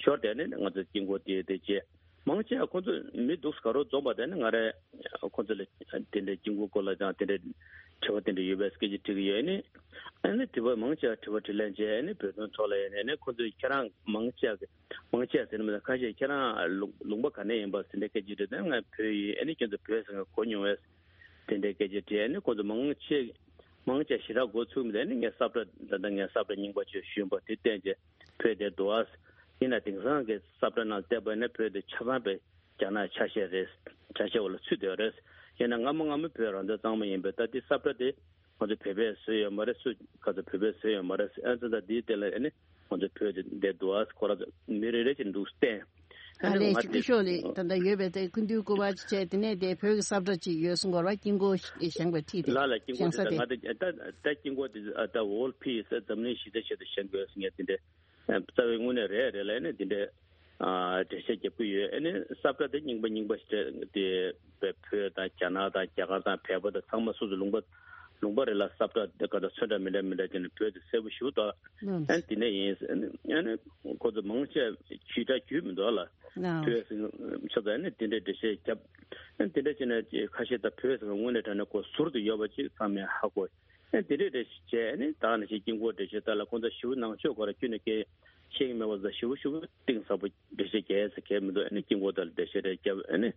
ཞོར་དེ་ཨ་ནི་ང་ཚོ་དཀྱིལ་འཁོར་དེ་དེ་བྱས་མང་ཆེ་བ་ཁོང་ཚོ་མི་འདུག་ག་རོ་འཛོམས་པ་དེ་ཨ་ནི་ང་རེ་ཁོང་ཚོ་ལ་དེ་འདྲའི་དཀྱིལ་འཁོར་སྐོར་ལ་ཀྱང་དེ་འདྲའི་དྲི་བ་དེ་འདྲ་ཡོད་པའི་སྐད་ཆ་དྲིས་ཀྱི་ཡོད། ཨ་ནི་ཨ་ནི་དྲི་བ་མང་ཆེ་བ་དྲི་བ་དྲིས་ལན་བྱས་ཨ་ནི་བོད་དོན་ཐོག་ལ་ཡིན་ནའི་ཨ་ནི་ཁོང་ཚོས་ཁྱེད་རང་མང་ཆེ་བ་གི་མང་ཆེ་བ་ཟེར་ན་མི་འདུག་ཁ་ཤས་ཁྱེད་རང་ལུང་ལུང་པ་ག་ནས་ཡིན་པ་ཟེར་འདྲའི་སྐད་ཆ་དྲིས་དུས་ང་བོད་ཡིན། ཨ་ནི་ཁྱོད་ཚོ་བོད་ཟེར་མཁན་གོ་མྱོང་བས། དེ་འདྲའི་སྐད་ཆ་དྲིས། ཨ་ནི་ཁོང་ཚོ་མང་ཆེ་མང་ཆེ་ཞེ་དྲག་འགོ་ཚུགས་མི་འདུག་ཨ་ནི་ངས་ས་བཀྲ་ད་ལྟ་ངས་ས་བཀྲ་རྙིང་པ་ཅིག་ཞུས་པ་དེ་བསྟན་བྱས་བོད་དེར་འདུག་ཨ། ཡིན་ན་དེང་སང་གི་ས་བཀྲ་ནང་བལྟས་པ་ཡིན་ན་བོད་དེ་ཆ་ཚང་པའི་རྒྱ་ནག་ཆ་ཤས་རེད། ཆ་ཤས་འོག་ལ་ཚུད་བསྡད་ཡོད་རེད། ཡིན་ན་སྔ་མོ་སྔ་མོ་བོད་རང་བཙན་གཙང་མ་ཡིན་པའི་ད་དེ་ས་བཀྲ་དེ་ང་ཚོ་བོད་པས་བཟོས་ཡོད་མ་རེད། སུ་ག་ཚོད་བོད་པས་བཟོས་ཡོད་མ་རེད། ཨ་ཙི་ད་དེའི་སྟེང་ལ་ཨ་ནི་ང་ཚོ་བོད་དེ་བསྡད་འདུག་ཨ། ཁོ་རང་ཚོ་མི་རེ་རེ་བཞིན་འདུག་བསྟན། ཨ་ནི་ལས་ང་སྐུ་ཞབས་ལས་ད་ལྟ་ཡོད་པའི་དེ་སྐུ་མདུན་སྐུ་པར་ཅིག་བྱས། དེ་ནས་དེ་བོད་ཀྱི་ས་བཀྲ་ཅིག་ཡོད་གསུང་གི་ཡོད་རེད་པ། དཀྱིལ་འཁོར་བཞེངས་པའི་འཁྲིས་དེ། ལ་ལ་དཀྱིལ་འཁོར་བཞེངས་ས་དེ་དེ། ང་ད་ད་ད་དཀྱིལ་འཁོར་དེ་ད་World Peace འཛམ་གླིང་ཞི་བདེ་ཆེད་དུ་བཞེངས་དགོས་ཟེར་མཁན་དེ་འདྲ་རྩ་བའི་དངོས་གནས་རེད་རེད་ལ་ཨ་ནི་དེ་འདྲ་འགྲེལ་བཤད་རྒྱབ་ཀྱི་ཡོད། ཨ་ནི་ས་བཀྲ་དེ་རྙིང་པ་རྙིང་པ་ཞིག་རེད་དེ། བོད་དང་རྒྱ་ནག་དང་རྒྱ་གར་དང་བལ་པོ་དང་ཚང་མ་སོ་སོ་ལུང་པ་ལུང་པ་རེ་ལ་ས་བཀྲ་དེ་ག་ད་ཚོན་ཁྲ་མི་འདྲ་མི་འདྲ་བྱས་ནས་བོད་དེ་གསལ་པོ་ཞེ་པོ་འདུག་ཨ་ནི་དེ་ནས་ཡིན། ཨ་ནི་ཁོ་ཚོ་མང་ཆེ་བ་ཇུས་ཁྲ་རྒྱུས་མི་འདུག་ལ། བོད་ཟེར་ཆ་ཚང་ཨ་ནི་དེ་འདྲའི་འགྲེལ་བཤད་རྒྱབ། ཨ་ནི་དེ་འདྲ་བྱས་ནས་ཁ་ཤས་ད་བོད་ཟེར་བ་དངོས་གནས་དྲང་གནས་ཁོ་ཟུར་དུ་ཡོད་པ་ཅིག་ཚང་མས་ཧ་གོ། ཨ་ནི་དེ་འདྲའི་འགྲེལ་བཤད་བྱས། ཨ་ནི་ད་ནང་བཞིན་དཀྱིལ་འཁོར་འགྲེལ་བཤད་ད་ལ་ཁོང་ཚོ་ཞེ་པོ་ནང་ཆོས་སྐོར་ལ་ཁྱོན་ནས་སྐད་ཤེས་ཀྱི་མེད་པ་ཟ་ཞེ་པོ་ཞེ་པོ་གཏིང་ཟབ་པོ་འགྲེལ་བཤད་རྒྱག་ཡ་ཟེར་མཁན་མི་འདུག་ཨ་ནི་དཀྱིལ་འཁོར་ཐད་ལ་འགྲེལ་བཤད་རེ་བརྒྱབ། ཨ་ནི་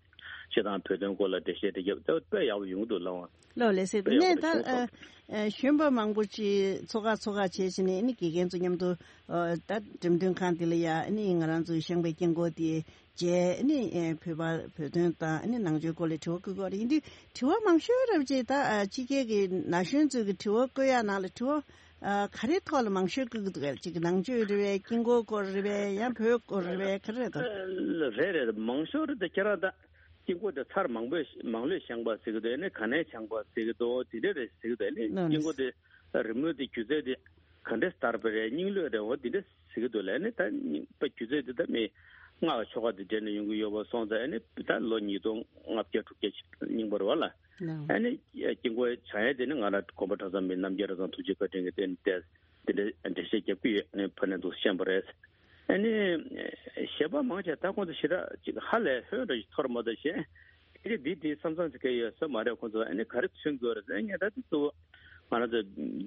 སྤྱི་བཏང་བོད་དོན་སྐོར་ལ་འགྲེལ་བཤད་རེ་བརྒྱབ། ད་དཔེ་ཡག་པོ་ཡོང་གི་འདུག་ལགས། ལགས་ལགས་སེ། དེ་དཔེ་ཡག་པོ་ནས་ད་རེད་ཤག་ཨ་གཞོན་པ་མང་པོ་ཅིག་ཚོགས་ཁག་ཚོགས་ཁག་བྱས་བྱས་ནས་ཨ་ནི་དགེ་རྒན་ཚོ་མཉམ་དུ་ཨ་ད་འགྲེམས་སྟོན་ཁང་འདི་ལ་ཡ་ཨ་ནི་ང་རང་ཚོའི་བཞེངས་པའི་དཀྱིལ་འཁོར་དེ་མཇལ། ཨ་ནི་ཨ་བོད་པ་བོད་དོན་དང་ཨ་ནི་ནང་ཆོས་སྐོར་ལ་དྲི་བ་བཀོད་ཀྱི་ཡོད་རེད། ཡིན་དུས་དྲི་བ་མང་ཤོས་རབ་ཅིག་ད་ཨ་ཕྱི་རྒྱལ་གྱི་ན་གཞོན་ཚོས་ཀྱི་དྲི་བ་བཀོད་ཡག་ནང་ལ་དྲི་བ། ཨ་ག་རེ་ཐོག་ལ་མང་ཤོས་བཀོད་ཀྱི་འདུག་གས། ཅིག་ནང་ཆོས་རེད་པས། དཀྱིལ་འཁོར་སྐོར་རེད་པས། ཡང་བོད་སྐོར་རེད་པས། ག་རེ་རེད་འདུག་རེད་རེད། མང་ཤོས་རེད་དེ། ཁྱེད་རང་ད་དཀྱིལ་འཁོར་དེ་ཚར་མང་པོས་མང་ལོས་བཞེངས་པ་ཟེར་གྱི་འདུག་ཨ་ནི་ག་ནས་བཞེངས་པ་ཟེར་གྱི་འདུག་དེ་འདྲ་རེད་ཟེར་གྱི་འདུག་ཨ་ནི་དཀྱིལ་འཁོར་དེ་རི་མོ་དེ་སྒྱུ་རྩལ་དེ་ག་འདྲས་དར་བ་རེད། རྙིང་ལོས་རེད། འོ་དེ་འདྲ་ཟེར་གྱི་འདུག་ལ། ཨ་ནི་ད་རྙིང་པ་སྒྱུ་རྩལ་དེ་ད་མི་སྔགས་ཆོ་ག་དེ་འདྲ་ནས་ཡོང་གི་ཡོད་པ་སོང་ཙང་། ཨ་ནི་ད་ལོ་ཉིས་སྟོང་ལྔ་བརྒྱ་དྲུག་བརྒྱ་རྙིང་པ་རེད་པ་ལ། ཨ་ནི་དཀྱིལ་འཁོར་བཞེངས་ཡ་དེ་ནི་ང་རང་གོམ་པ་གྲྭ་ཚང་མི་རྣམ་རྒྱལ་གྲྭ་ཚང་ཐུགས་རྗེ་བཀའ་དྲིན་གྱིས་བརྟེན་ཏེ་ དེ་འདྲའི་འགྲེལ་བཤད་རྒྱབ་ཀྱི་ཡོད་ནས་ཕར་ནས་འདུག་བཤད་པ་རེད། ཨ་ནི་གཞས་པ་མང་ཆེ་ད་ཁོང་ཚོ་ཞེ་དྲག་ཅིག་ཧ་ལས་ཧོན་འདྲ་ཞིག་ཐོར་མ་གཏོགས་གཞན་དེ་འདི་འདི་བསམ་བསམ་ཟེར་མཁན་ཡོད་ས་མ་རེད། ཁོང་ཚོ་ཨ་ནི་ག་རེ་མཚོན་དགོས་རེད་ཟེར་ངས་ད་དེ་གཙོ་བོ་ང་རང་ཚོ་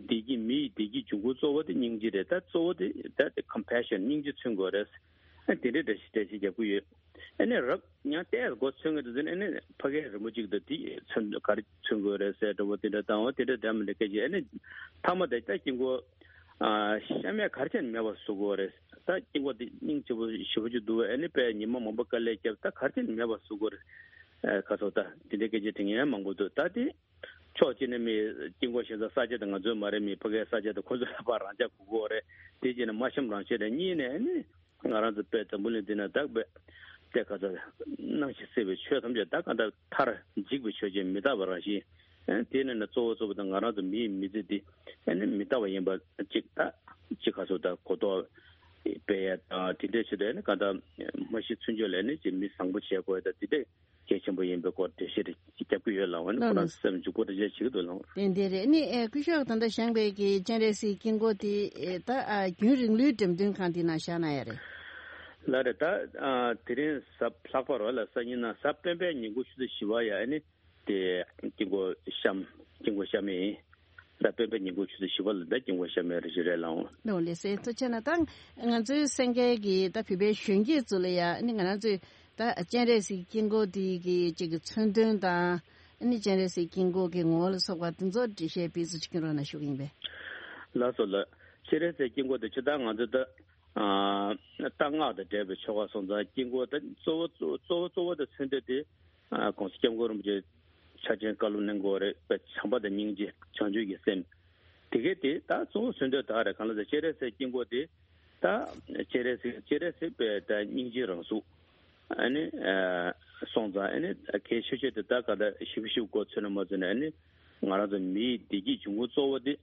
བདེ་སྐྱིད་མི་ཡི་བདེ་སྐྱིད་འབྱུང་ཁུངས་གཙོ་བོ་དེ་སྙིང་རྗེ་རེད། ད་གཙོ་བོ་དེ་ད་དེ་ཀམ་པེ་ཤན་སྙིང་རྗེ་མཚོན་དགོས་རེད། ཨ་དེ་འདྲའི་འགྲེལ་བཤད་འགྲེལ་བཤད་རྒྱབ་ཀྱི་ཡོད། ཨ་ནི་རབ་ཡང་ཏོག་ཙམ་མགོ་ཚོས་ངེས་འདུག་ཟེར་ནས་ཨ་ནི་ཕ་གིའི་རི་མོ་གཅིག་དང་དེ་མཚོན་ག་རེ་མཚོན་དགོས་རེད་ཟེར་འདྲ་བོ་དེ་འདྲ་དང་བ་དེ་འདྲ་འདྲ་མི་འདྲ་སྐད་ཆ། ཨ་ནི་མཐའ་མ་དེ་ད་དཀྱིལ་འཁོར་ཨ་ཤ་མེད་ག་རེ་བྱས་ནས་མེད་པ་བཟོ་དགོས་རེད། ད་དཀྱིལ་འཁོར་དེ་སྙིང་རྗེ་པོ་ཞེ་པོ་ཅིག་འདུག་ཨ་ནི་དཔེ་ཉི་མ་མང་པོ་དཀའ་ལས་བརྒྱབ། ད་ག་རེ་བྱས་ནས་མེད་པ་བཟོ་དགོས་རེད། ཨ་ཁ་སོ་ད་དེ་འདྲའི་སྐད་ཆ་དྲི་མཁན་མང་པོ་འདུག་ད་དེ་ཕྱོགས་གཅིག་ནས་མི་དཀྱིལ་འཁོར་ཞེ་ས་ས་ཆ་དེ་ང་ཚོའི་མ་རེད། མི་ཕ་གིའི་ས་ཆ་དེ་ཁོ་ཚོའི་ལ་ཕར་རང་འཇགས་དགོས་ཀྱི་ཡོད་རེད། དེ་བྱས་ནས་མ་གཤམ་རང་བཤད་རེད། གཉིས་ནས་ཨ་ནི་ང་རང་ཚོ་དཔེ་འཛམ་བུ་གླིང་འདི་ན་བདག་པས་དེ་ག་ཚ་སྣང་ཞིང་སྲིད་པའི་ཆོས་ཐམས་ཅད་ད་ག་འདྲ་མཐར་འཇིག་པའི་ཆོས་ཅན་མི་རྟག་པ་རང་བཞིན། ཨ་དེ་ནས་ནི་གཙོ་བོ་གཙོ་བོ་དང་ང་རང་ཚོ་མི་ཡི་མི་ཚེ་འདི་ཨ་ནི་མི་རྟག་པ་ཡིན་པ་གཅིག་ད་གཅིག་ག་ཚོད་ད་གོ་རྟོགས་སྤེལ་ཡ་དང་དེ་འདྲའི་ཆེད་དུ་ཨ་ནི་ག་འདྲ་མ་ཤི་ཚུན་ཆད་ལ་ཨ་ནི་ཅིག་མི་བཟང་པོ་བྱེད་དགོས་ཡ་ད་དེ་འདྲའི་གལ་ཆེན་པོ་ཡིན་པའི་སྐོར་འགྲེལ་བཤད་རྒྱབ་ཀྱི་ཡོད་ལགས། ཨ་ནི་ཁོ་རང་སེམས་འཇུག་པོ་འགྲེལ་བཤད་བྱེད་ཀྱི་འདུག་ལགས། ཏན་ཏན་རེད། ཨ་ནི་ཨེ་སྐུ་ཞབས་ད་ལྟ་བཞེངས་པའི་གི་སྤྱན་རས་གཟིགས་དཀྱིལ་འཁོར་དེ་ཨེ་ད་ཨ་རྒྱུན་རིང་ལུས་འགྲེམས་སྟོན་ཁང་དེ་ནང་བཞག་གནང་ཡ་རེད། ལགས་རེད། ད་ཨ་དེ་རིང་གཟའ་ལྷག་པ་རེད་ལ་སང་ཉིན་ན་གཟའ་སྤེན་པའི་ཉིན་གུང་ཆུ་ཚོད་བཞི་པ་ཡ་ཨ་ནི་དེ་དཀྱིལ་འཁོར་བཤམས་དཀྱིལ་འཁོར་བཤམས་ཡིན། ད་སྤེན་པའི་ཉིན་གུང་ཆུ་ཚོད་བཞི་པ་ལ་ད་དཀྱིལ་འཁོར་བཤམས་ཡ་རེ་ཞིག་རེད་ལགས། ལགས་ལགས་སེ་ཐུགས་རྗེ་ཆེ་གནང་། ད་ང་ཚོའི་གསན་མཁན་གྱི་ད་བོད་པའི་གཞོན་སྐྱེས་ཚོ་ལ་ཡ་ཨ་ནི་ང་རང་ཚོའི་ད་སྤྱན་རས་གཟིགས་དཀྱིལ་འཁོར་དེ་གི་ཅིག་གི་མཚོན་དོན་དང་ཨ་ནི་སྤྱན་རས་གཟིགས་དཀྱིལ་འཁོར་གྱི་ངོ་བོ་ལ་སོགས་པ་དེ་ཚོ་འགྲེལ་བཤད་སྤེལ་གསུང་བྱེད་ཀྱི་རོགས་གནང་ཞུ་གི་ཡིན་པས། ལགས་སོ་ལགས། སྤྱན་རས་གཟིགས་དཀྱིལ་འཁོར་དེ་ཇི་ལྟར་ང་ཚོ་ད་ཨ་གཏང་སྔགས་དང་འབྲེལ་བའི་ཆོ་ག་སོང་ཙང་དཀྱིལ་འཁོར་དེ་གཙོ་བོ་གཙོ་བོ་གཙོ་བོ་གཙོ་བོ་དང་མཚོན་དོན་དེ་ཨ་གོང་ས་སྐྱབས་མགོན་རིན་པོ་ཆེ་ཕྱག་ཆེན་བཀའ་སློབ་གནང་དགོས་རེད་པས། བྱམས་པ་དང་སྙིང་རྗེ་བྱང་ཆུབ་ཀྱི་སེམས། དེ་གས་དེ་ད་གཙོ་བོ་མཚོན་དོན་དག་རེད། གང་ལ་ཟེར་སྤྱན་རས་གཟིགས་དཀྱིལ་འཁོར་དེ་ད་སྤྱན་རས་གཟིགས་སྤྱན་རས་གཟིགས་པའི་ད་སྙིང་རྗེའི་རང་གཟུགས་ཨ་ནི་ཨ་སོང་ཙང་ཨ་ནི་གལ་ཆེ་ཤོས་དེ་ད་ག་ད་ཞིབ་ཞིབ་གོ་ཚོད་ན་མ་ཚོད་ན་ཨ་ནི་ང་རང་ཚོ་མི་ཡི་བདེ་སྐྱིད་འབྱུང་ཁུངས་གཙོ་བོ་དེ་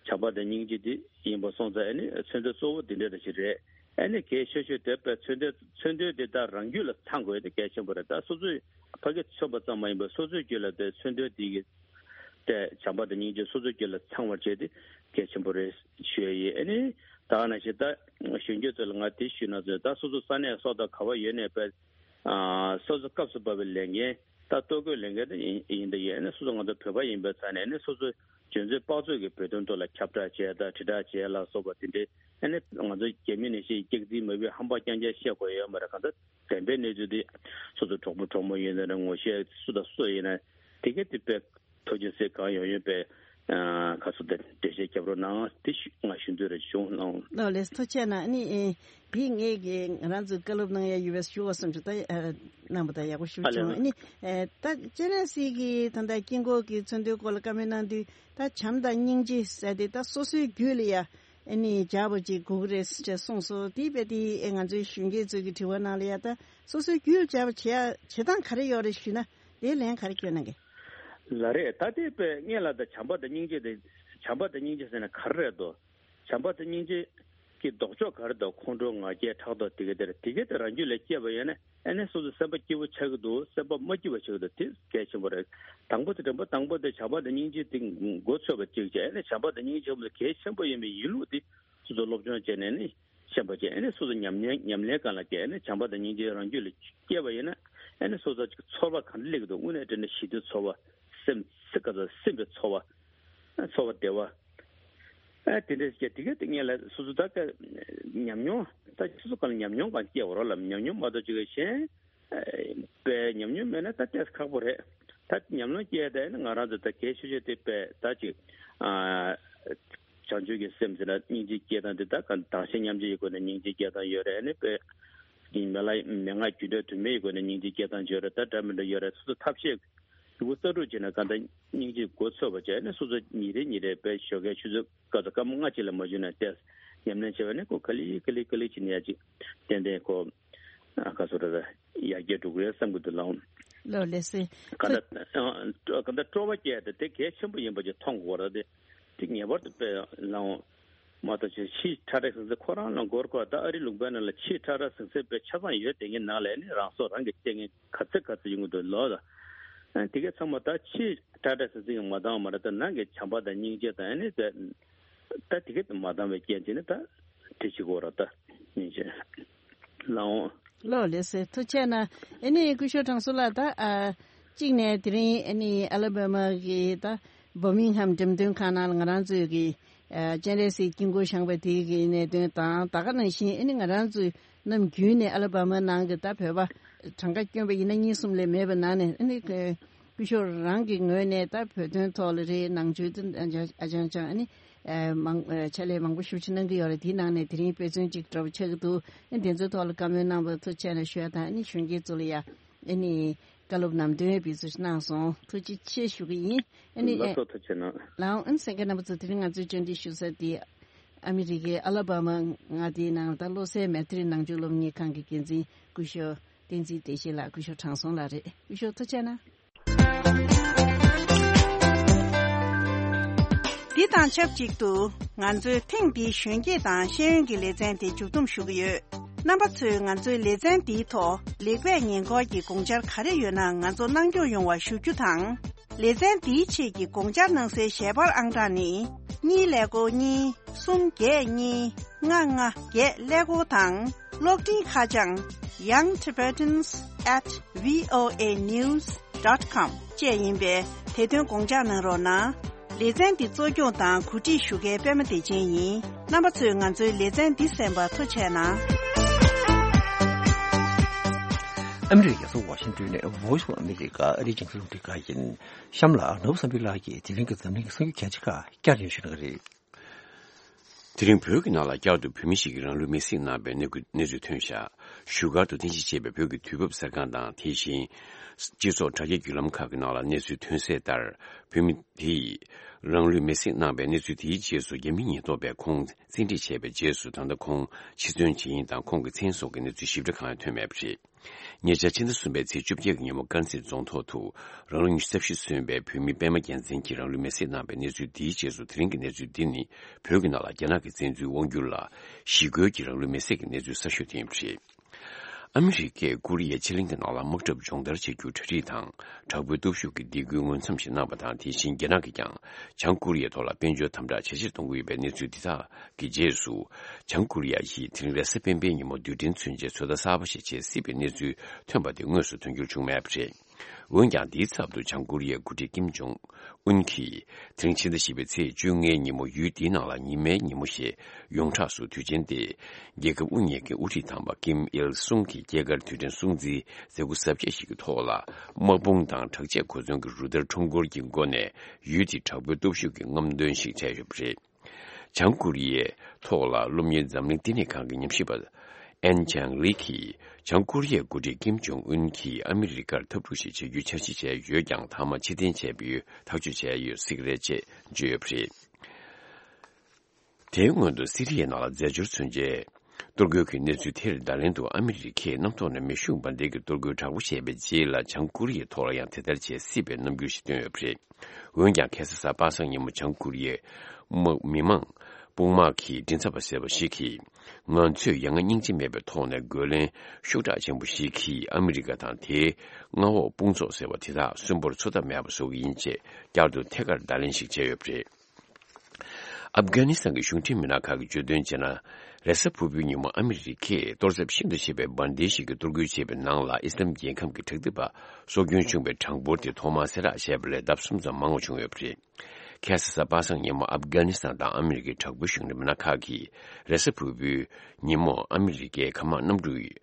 བྱམས་པ་དང་སྙིང་རྗེ་དེ་ཡིན་པ་སོང་ཙང་ཨ་ནི་མཚོན་དོན་གཙོ་བོ་དེ་འདྲ་ཞིག་རེད། ཨ་ནི་གལ་ཆེ་ཤོས་དེ་དཔེ་མཚོན་དོན་མཚོན་དོན་དེ་ད་རང་རྒྱུད་ལ་ཚང་དགོས་དེ་གལ་ཆེན་པོ་རེད། ད་སོ་སོའི་ཕ་གི་མཚོན་པ་ཙམ་མ་ཡིན་པར་སོ་སོའི་རྒྱུད་ལ་དེ་མཚོན་དོན་དེ་གི་དེ་བྱམས་པ་དང་སྙིང་རྗེ་སོ་སོའི་རྒྱུད་ལ་ཚང་བར་བྱས་ཏེ་གལ་ཆེན་པོ་རེད་ཞུ་ཡ་ཡིན། ཨ་ནི་ད་ག་ནང་བཞིན་ད་གཞོན་སྐྱེས་ཚོ་ལ་ང་དེ་ཞུས་ན་ཚོད་ད་སོ་སོ་ས་གནས་སོགས་དང་ག་བ་ཡོད་ནས་དཔེ་ཨ་སོ་སོ་སྐབས་སུ་བབས་པའི་ལས་འགན་ད་ལྟོ་གོས་ལས་འགན་དེ་ཡིན་ཡིན་ད་ཡིན། ཨ་ནི་སོ་སོ་ང་ཚོ་བོད་པ་ཡིན་པའི་ཆ་ནས་ཨ་ནི་སོ་སོའི་འཇོན་ཚོད་དཔག་ཚོད་ཀྱི་བོད་དོན་ཐོག་ལ་ཁྱབ་བསྒྲགས་བྱས་དང་དྲིལ་བསྒྲགས་བྱས་ལ་སོགས་པ་དེ་འདྲའི་ཨ་ནི་ང་ཚོ་རྒྱ་མི་ནང་བཞིན་སྐྱག་རྫུན་མ་བུའི་ཧམ་པ་རྐྱང་རྐྱང་བཤད་དགོས་ཡོད་མ་རེད། གང་ལྟར་བདེན་པའི་གནས་ཚུལ་དེ་སོ་སོ་གྲོགས་པོ་གྲོགས་མོ་ཡིན་ན་རེད། ངོ་ཤེས་སུ་དང་སུ་ཡིན་ན་དེ་གས་དེ་དཔེ་ཐུགས་རྗེ་ཆེ་གང་ཡོང་ཡོད་པའི་ཁ་སོ་དེ་འགྲེལ་བཤད་རྒྱབ་རོགས་གནང་དེ་ཞུ་ང་ཞུ་འདོད་རེ་བྱུང་ལགས། ལགས་ལགས་ཐུགས་རྗེ་ཆེ་གནང་། ཨ་ནི་ཨེ་འདི་ངས་ཀྱི་ང་རང་ཚོའི་བཀའ་སློབ་གནང་ཡ་ཡོད་པས་ཞུ་བ་བསམ་ཞུ་ད་ཨ་གནང་བ་ད་ཡག་པོ་ཞུ་ཨ་ལས་བྱུང་། ལགས། ཨ་ནི་ཨེ་ད་སྤྱན་རས་གཟིགས་ཀྱི་ད་ལྟ་དཀྱིལ་འཁོར་གྱི་མཚོན་དོན་སྐོར་ལ་བཀའ་མོལ་གནང་དུས་ད་བྱམས་དང་སྙིང་རྗེ་ཟེར་དེ་ད་སོ་སོའི་རྒྱུད་ལ་ཡ་ཨ་ནི་སྦྱར་བ་ཅིག་དགོས་ཀྱི་རེད་ཟེར་གསུངས་སོང་། དེ་དཔེ་དེ་ཨེ་ང་ཚོའི་གཞོན་སྐྱེས་ཚོ་གི་དྲི་བ་ནང་ལ་ཡ་ད་སོ་སོའི་རྒྱུད་ལ་སྦྱར་བ་བྱེད་ཡ་བྱེད་སྟངས་ག་རེ་ཡོད་རེད་ཞུས་ན་དེ་ལན་ག་རེ་སྐྱོན་གནང་གི། ལགས་རེད། ད་དེ་དཔེ་སྔོན་ལ་ད་བྱམས་པ་དང་སྙིང་རྗེ་དེ་བྱམས་པ་དང་སྙིང་རྗེ་ཟེར་ན་ག་རེ་རེད་དོ། བྱམས་པ་དང་སྙིང་རྗེ་གི་ལྡོག་ཕྱོགས་ག་རེ་དང་ཁོང་ཁྲོ་ང་རྒྱལ་ཕྲག་དོག་དེ་ག་དེ་རེད། དེ་ག་དེ་རང་རྒྱུད་ལ་སྐྱེས་པ་ཡིན་ན་ཨ་ནི་སོ་སོ་སེམས་པ་སྐྱིད་པོ་ཆགས་ཀྱི་འདུག་སེམས་པ་མ་སྐྱིད་པ་ཆགས་ཀྱི་འདུག་དེ་གལ་ཆེན་པོ་རེད། དང་པོ་དེ་དང་པོ་དང་པོ་དེ་བྱམས་པ་དང་སྙིང་རྗེ་དེ་མགོ་ཚོས་པ་གཅིག་བྱས་ཨ་ནི་བྱམས་པ་དང་སྙིང་རྗེ་གལ་ཆེན་པོ་ཡིན་པའི་ཡིན་ལུགས་དེ་སོ་སོ་སློབ་སྦྱོང་བྱས་ནས་ནི་ཤེས་པ་བྱས་ཨ་ནི་སོ་སོ་ཉམས་ལེན་ཉམས་ལེན་སྒང་ལ་བསྐྱལ་ཨ་ནི་བྱམས་པ་དང་སྙིང་རྗེ་རང་རྒྱུད་ལ་སྐྱེས་པ་ཡིན་ན་ཨ་ནི་སོ་སོ་ཚོར་བ་ག་འདྲ་སླེབས་ཀྱི་འདུག་དངོས་གནས་དྲན་ན་ཞི་བདེའི་ཚོར་བ་སེམས་སེམས་ཀ་ཚོར་སེམས་པའི་ཚོར་བ། ཚོར་བ་བདེ་བ། ཨ་དེ་འདྲ་ཞིག་དེ་ག་དེ་ངས་ལ་སོ་སོ་ད་ཀ་ཉམས་མྱོང་ད་སོ་སོ་གང་ལ་ཉམས་མྱོང་གང་སྐྱེ་བ་རོགས་ལ་ཉམས་མྱོང་མ་གཏོགས་ཅིག་གཞན་པའི་ཉམས་མྱོང་མེད་ན་ད་ཏོག་ཙམ་ཁག་པོ་རེད། ད་ཉམས་མྱོང་སྐྱེ་དེ་ནི་ང་རང་ཚོ་ད་གལ་ཆེ་ཤོས་དེ་པས་ད་ཅིག་ཨ་བྱང་ཆུབ་ཀྱི་སེམས་ཟེར་ན་སྙིང་རྗེ་སྐྱེ་སྟངས་དེ་ད་གང་དག་ཞིང་མཉམ་བརྗེ་ཡི་སྒོ་ནས་སྙིང་རྗེ་སྐྱེ་སྟངས་ཡོད་རེད། ཨ་ནི་པས་མི་ལ་མི་ང་རྒྱུ་འབྲས་དུ་མའི་སྒོ་ནས་སྙིང་རྗེ་སྐྱེ་སྟངས་ཡོད་རེད། ད་འདྲ་མི་འདྲ་ཡོད་རེད། སོ་སོ་ཐབས་ཤེས། ཡུ་གུ་རྩ་དྲུག་བྱས་ན་གང་ལྟར་སྙིང་རྗེ་མགོ་ཚོས་པ་བྱས་ནས་སོ་སོ་ཉིན་རེ་ཉིན་རེ་དཔེ་ཞོགས་ཀས་ཆུ་ཚོད་སྐར་ཚོད་སྐར་མ་ལྔ་གཅིག་ལ་མ་འཇུས་ན་ཏེ་ཉམས་ལེན་བྱས་པ་ནི་ཁོ་ག་ལེ་ག་ལེ་ག་ལེ་བྱས་ནས་ཡ་ཅིག་ཏན་ཏན་ཁོ་ཨ་ག་སོ་ར་ཡར་རྒྱས་འགྲོ་གི་རེད་བསམ་གི་འདུག་ལགས། ལགས་ལགས་སེ། གང་ལྟར་གང་ལྟར་སྤྲོ་བ་སྐྱེ་ཡ་དེ་དེ་གལ་ཆེན་པོ་ཡིན་པ་ཅིག་མཐོང་དགོས་རེད་དེ། དེ་ངེས་པར་དུ་དཔེ་ལའང་མ་གཏོགས་ཆེ་ཕྱིའི་ཁྲ་ཁྲ་ཟིང་ཟིང་ཁོ་རང་ལ་མགོར་ཁོ་ད་ཨ་རི་ལུང་པའི་ནང་ལ་ཕྱིའི་ཁྲ་ཁྲ་ཟིང་ཟིང་དཔེ་ཆ་ཚང་ཡོད་དེ་ངའི་ནང་ལ་ནི་རང་སྲོག་རང་གིས་བཅད་མཁན་ག་ཚད་ག་ཚད་ཡོང་གི་འདུག་ལོ་ད། དེ་གས་ཚང་མ་ད་ཕྱིའི་ཁྲ་ཁྲ་ཟིང་ཟིང་གིས་མ་འདང་བ་མ་རེད། ད་ནང་གི་བྱམས་པ་དང་སྙིང་རྗེ་དང་ཨ་ནི་དེ་ ད་དེ་ག་མ་འདང་བའི་རྐྱེན་བྱས་ནས་ད་དེ་བྱེད་དགོས་ར་ད་ཡིན་ཅེ་ལའོ། ལོ་ལེ་སེ་ཐུགས་རྗེ་ཆེ་གནང་། ཨ་ནི་སྐུ་ཞབས་དྲང་སྲོང་ལགས། ད་ཨ་གཅིག་ནས་དེ་རིང་ཨ་ནི་ཨ་ལ་བྷ་མ་གི་ད་བྷར་མིང་ཧམ་འགྲེམས་སྟོན་ཁང་ནང་ལ་ང་རང་ཚོའི་གི་ཨ་སྤྱན་རས་གཟིགས་དཀྱིལ་འཁོར་བཞེངས་པ་དེའི་གི་གནད་དོན་དང་། ད་ག་ནང་བཞིན་ཨ་ནི་ང་རང་ཚོའི་ནམ་རྒྱུན་ནས་ཨ་ལ་བྷ་མ་ནང་གི་ད་བོད་པ་གྲངས་ཀ་བསྐྱོན་པ་ཡིན་ན་གཉིས་གསུམ་ལས་མེད་པ་ནང་ནས་ཨ་ནི་སྐུ་ཞབས་རང་གི་ངོས་ནས་ད་བོད་དོན་ཐོག་ལ་རེད། ནང་ཆོས་དེ་ཨ་ཅང་ཅང་ཨ་ནི་ཨ་མང་ཨ་ཕྱག་ལས་མང་པོ་ཞེ་པོ་ཅིག་གནང་གི་ཡོད་རེད། དེའི་ནང་ནས་དེ་རིང་དཔེ་མཚོན་གཅིག་འདྲ་པོ་ཆགས་ཀྱི་འདུག་ཨ་ནི་དེ་ཚོའི་ཐོག་ལ་བཀའ་མོལ་གནང་བར་ཐུགས་རྗེ་ཆེ་གནང་ཞུ་ཡ་དང་། ཨ་ནི་གཞོན་སྐྱེས་ཚོ་ལ་ཡ་ཨ་ནི་བཀའ་སློབ་ལམ་སྟོན་ཡ་དེ་ཚོ་ཞིག་གནང་སོང་། ཐུགས་རྗེ་ཆེ་ཞུ་གི་ཡིན། ཨ་ནི་ལགས་སོ། ཐུགས་རྗེ་གནང་། ལའོ། ཨ་ནི་གསན་མཁན་རྣམ་པ་ཚོ། དེ་རིང་ང་ཚོའི་བཅར་འདྲི་ཞུ་ས་དེ་ཨ་མི་རི་ཀའི་ཨ་ལ་བྷ་མ་མངའ་སྡེའི་ནང་ད་བློ་གསལ་མེ་ཏྲི་ནང་ཆོས་སློབ་གཉེར་ཁང་གི་འགན་འཛིན་སྐུ་ཞབས་བསྟན་འཛིན་བདེ་ཆེན་ལགས། སྐུ་ཞབས་དྲང་སྲོང་ལགས་རེད། སྐུ་ཞབས་ཐུགས་རྗེ་གནང་། འདི་དང་ཆབས་ཅིག་ཏུ་ང་ཚོའི་ཐེངས་འདིའི་གཞོན་སྐྱེས་དང་ཤེས་ཡོན་གྱི་ལེ་ཚན་དེ་མཇུག་བསྡོམས་ཞུ་གི་ཡོད། རྣམ་པ་ཚོས་ང་ཚོའི་ལེ་ཚན་འདིའི་ཐོག་ལེགས་སྤེལ་ཉེས་འགོག་གི་དགོངས་འཆར་ག་རེ་ཡོད་ན་ང་ཚོ་གནང་སྐྱོང་ཡོང་བ་ཞུ་རྒྱུ་དང་། ལེ་ཚན་འདིའི་ཆེད་ཀྱི་དགོངས་འཆར་གནང་སའི་ཞལ་པར་ཨང་གྲངས་ནི། གཉིས་ཀླད་ཀོར་གཉིས། གསུམ་བརྒྱད་གཉིས། ལྔ་ལྔ་བརྒྱད་ཀླད་ཀོར་དང་། གློག་འཕྲིན་ཁ་བྱང་young tibetans at voa news dot com བཅས་ཡིན་པས། དེ་དོན་དགོངས་འཇགས་གནང་རོགས་གནང་། ལེ་ཚན་འདི་གཙོ་སྐྱོང་དང་གོ་སྒྲིག་ཞུ་མཁན་པད་མ་བདེ་ཆེན་ཡིན། རྣམ་པ་ཚོས་ང་ཚོའི་ལེ་ཚན་འདི་གསན་པར་ཐུགས་རྗེ་གནང་། ཨ་མི་རི་ཀའི་རྒྱལ་ས་ཝ་ཤིང་ཏོན་ནས་Voice of America ཨ་རིའི་རྒྱང་སྲིང་རླུང་འཕྲིན་ཁང་ཡིན། གཤམ་ལ་ནོར་བུ་བསམ་འཕེལ་ལགས་ཀྱིས་དེ་རིང་གི་འཛམ་གླིང་གི་གསར་འགྱུར་གལ་ཆེ་ཁག་བསྐྱར་ཞིབ་ཞུ་གནང་གི་རེད། དེ་རིང་བོད་ཀྱི་ནང་ལ་བསྐྱར་དུ་བོད་མི་ཞིག་གིས་རང་ལུས་མེར་སྲེག་གནང་བའི་གནས་སྐུ་གནས་ཚུལ་ཐོན་ཤག་བཞུགས་སྒར་དུ་རྟེན་གཞི་བྱས་པའི་བོད་ཀྱི་དུས་བབ་གསར་ཁང་དང་། དེ་བཞིན་སྤྱི་ཚོགས་དྲ་རྒྱའི་བརྒྱུད་ལམ་ཁག་གི་ནང་ལ་གནས་ཚུལ་ཐོན་གསལ་ལྟར། བོད་མི་དེ་ཡིས་རང་ལུས་མེར་སྲེག་གནང་བའི་གནས་ཚུལ་དེའི་རྗེས་སུ། རྒྱ་མི་ཉེན་རྟོག་པས་ཁོང་བཙན་ཁྲིད་བྱས་པའི་རྗེས་སུ། ད་ལྟ་ཁོང་འཆི་གསོན་བྱེད་ཡུལ་དང་ཁོང་གི་མཚན་སོགས་ཀྱི་གནས་ཚུལ་ཞིབ་ཕྲ་གང་ཡང་ཐོན་མེད་པ་རེད། ཉེ་ཆར་ཕྱི་ཟླ་གསུམ་པའི་ཚེས་བཅོ་བརྒྱད་ཀྱི་ཉིན་མོ་དཀར་མཛེས་རྫོང་ཐོག་ཏུ་རང་ལོ་ཉི་ཤུ་རྩ་བཞི་སོན་པའི་བོད་མི་པད་མ་རྒྱལ་མཚན་གྱིས་རང་ལུས་མེར་སྲེག་གནང་བའི་གནས་ཚུལ་འདིའི་རྗེས་སུ། དེ་རིང་གི་གནས་ཚུལ་འདི་ནི་བོད་ཀྱི་ནང་ལ་རྒྱ་ནག་གི་བཙན་འཛུལ་དབང་སྒྱུར་ལ་ཞི་རྒོལ་གྱིས་རང་ལུས་མེར་སྲེག་གི་གནས་ཚུལ་གསར་ཤོས་དེ་ཡིན་པ་རེད། ཨ་མི་རི་ཀས་ཀོ་རི་ཡའི་ཕྱེད་གླིང་གི་ནང་ལ་དམག་འཁྲབ་སྦྱོང་བརྡར་བྱ་རྒྱུ་གྲ་སྒྲིག་དང་། དྲག་པོའི་སྟོབས་ཤུགས་ཀྱི་སྡིགས་སྐུལ་མངོན་མཚམས་ཤིག་གནང་བ་དང་། དེ་བཞིན་རྒྱ་ནག་གིས་ཀྱང་བྱང་ཀོ་རི་ཡའི་ཐོག་ལ་དཔལ་འབྱོར་དམ་དྲག་ཇེ་ཆེར་གཏོང་གི་ཡོད་པའི་གནས་ཚུལ་འདི་དག་གི་རྗེས་སུ། བྱང་ཀོ་རི་ཡ་ཡིས་དེ་རིང་རེས་གཟའ་སྤེན་པའི་ཉིན་མོ་རྡུལ་ཕྲན་མཚོན་ཆའི་ཚོད་ལྟ་གསར་པ་ཞིག་བྱེད་སྲིད་པའི་གནས་ཚུལ་ཐོན་པ་དེ་དངོས་སུ་དོན་འགྱུར་བྱུང་མེད་པ་རེད། འོན་ཀྱང་། དེའི་ཚབ་ཏུ་བྱང་ཀོ་རི་ཡའི་འགོ་ཁྲིད་ཀིམ་ཇོང་ཨུན་གྱིས་དེ་རིང་ཕྱི་ཟླ་བཞི་པའི་ཚེས་བཅོ་ལྔའི་ཉིན་མོ་ཡུལ་དེའི་ནང་ལ་ཉི་མའི་ཉིན་མོ་ཞེས་ཡོངས་གྲགས་སུ་དུས་ཆེན་ཏེ། རྒྱལ་ཁབ་དབུ་བརྙེས་ཀྱི་དབུ་ཁྲིད་དམ་པ་ཀིམ་ཨིལ་སུང་གི་སྐྱེས་སྐར་དུས་དྲན་སྲུང་བརྩིའི་མཛད་སྒོ་གཟབ་རྒྱས་ཤིག་གི་ཐོག་ལ། དམག་དཔུང་དང་དྲག་ཆས་གོ་མཚོན་གྱི་རུ་སྟར་ཁྲོམ་སྐོར་གྱི་སྒོ་ནས་ཡུལ་དེའི་དྲག་པོའི་སྟོབས་ཤུགས་ཀྱི་རྔམ་སྟོན་ཞིག་སྤྲད་ཡོད་པ་རེད། བྱང་ཀོ་རི་ཡའི་ཐོག་ལ་སློབ་གཉེར་འཛམ་གླིང་བསྟི་གནས་ཁང་གི་ཉམས་ཞིབ་པ་ཨན་ཅང་ལི་གིས། བྱང་ཀོ་རི་ཡའི་འགོ་ཁྲིད་ཀིམ་ཇོང་ཨུན་གྱིས་ཨ་མི་རི་ཀར་འཐབ་འཁྲུག་ཞིག་བྱ་རྒྱུའི་འཆར་གཞི་བྱས་ཡོད་ཀྱང་། མཐའ་མ་ཕྱིར་འཐེན་བྱས་པའི་ཐག་གཅོད་བྱས་ཡོད་སྲིད་ཀྱི་རེད་ཅེས་བརྗོད་ཡོད་པ་རེད། དེའི་སྔོན་དུ་སི་རི་ཡའི་ནང་ལ་རྫས་སྦྱོར་མཚོན་ཆའི་གཏོར་རྒོལ་གྱི་གནས་ཚུལ་དེར་བརྡ་ལན་དུ། ཨ་མི་རི་ཀས་གནམ་ཐོག་ནས་མེ་ཤུགས་འབར་མདེལ་གྱི་གཏོར་རྒོལ་དྲག་པོ་བྱས་པའི་རྗེས་ལ། བྱང་ཀོ་རི་ཡའི་ཐོག་ལ་ཡང་དེ་ལྟར་བྱེད་སྲིད་པའི་རྣམ་འགྱུར་ཞིག་བཏོན་ཡོད་པ་རེད། འོན་ཀྱང་། ཁ་སང་གཟའ་པ་སངས་ཉིན་མོ་བྱང་ཀོ་རི་ཡའི་དམག་མི་མང་དཔུང་དམག་གི་མགྲིན་ཚབ་པ་ཟེར་བ་ཞིག་གིས། ང་ཚོས་ཡ་ང་སྙིང་རྗེ་མེད་པའི་ཐོག་ནས་རྒོལ་ལན་ཤུགས་དྲག་ཆེན་པོ་ཞིག་གིས་ཨ་མི་རི་ཀ་དང་དེའི་མངའ་འོག་དཔུང་ཚོགས་ཟེར་བ་དེ་དག་གསོན་པོར་འཚོ་ཐབས་མེད་པ་བཟོ་གི་ཡིན་ཅེས་བསྐྱར་དུ་ཐད་ཀར་བརྡ་ལན་ཞིག་བྱས་ཡོད་པ་རེད། ཨབ་གྷ་ནི་སི་ཐན་གྱི་གཞུང་འབྲེལ་མི་སྣ་ཁག་གིས་བརྗོད་དོན་བྱས་ན། རེས་གཟའ་ཕུར་བུའི་ཉིན་མོ་ཨ་མི་རི་ཀས་གཏོར་ཚབས་ཤིན་ཏུ་ཆེ་བའི་འབར་མདེལ་ཞིག་གིས་གཏོར་རྒོལ་བྱས་པའི་ནང་ལ། ཨི་སི་ལམ་རྒྱལ་ཁམས་ཀྱི་དྲག་འཐབ་པ་སྲོག་སྐྱོན་བྱུང་བའི་གྲངས་འབོར་དེ་ཐོག་མར་གསལ་བསྒྲགས་བྱས་པ་ལས་ལྡབ་གསུམ་ཙམ་མང་བ་བྱུང་ཡོད་པ་རེད། ཁ་སང་གཟའ་པ་སངས་ཉིན་མོ་ཨབ་གྷ་ནི་སི་ཐན་དང་ཨ་མི་རི་ཀའི་དྲག་པོའི་གཞུང་འབྲེལ་མི་སྣ་ཁག་གིས། རེས་གཟའ་ཕུར་བུའི་ཉིན་མོ་ཨ་མི་རི་ཀའི་མཁའ་དམག་གནམ་གྲུས་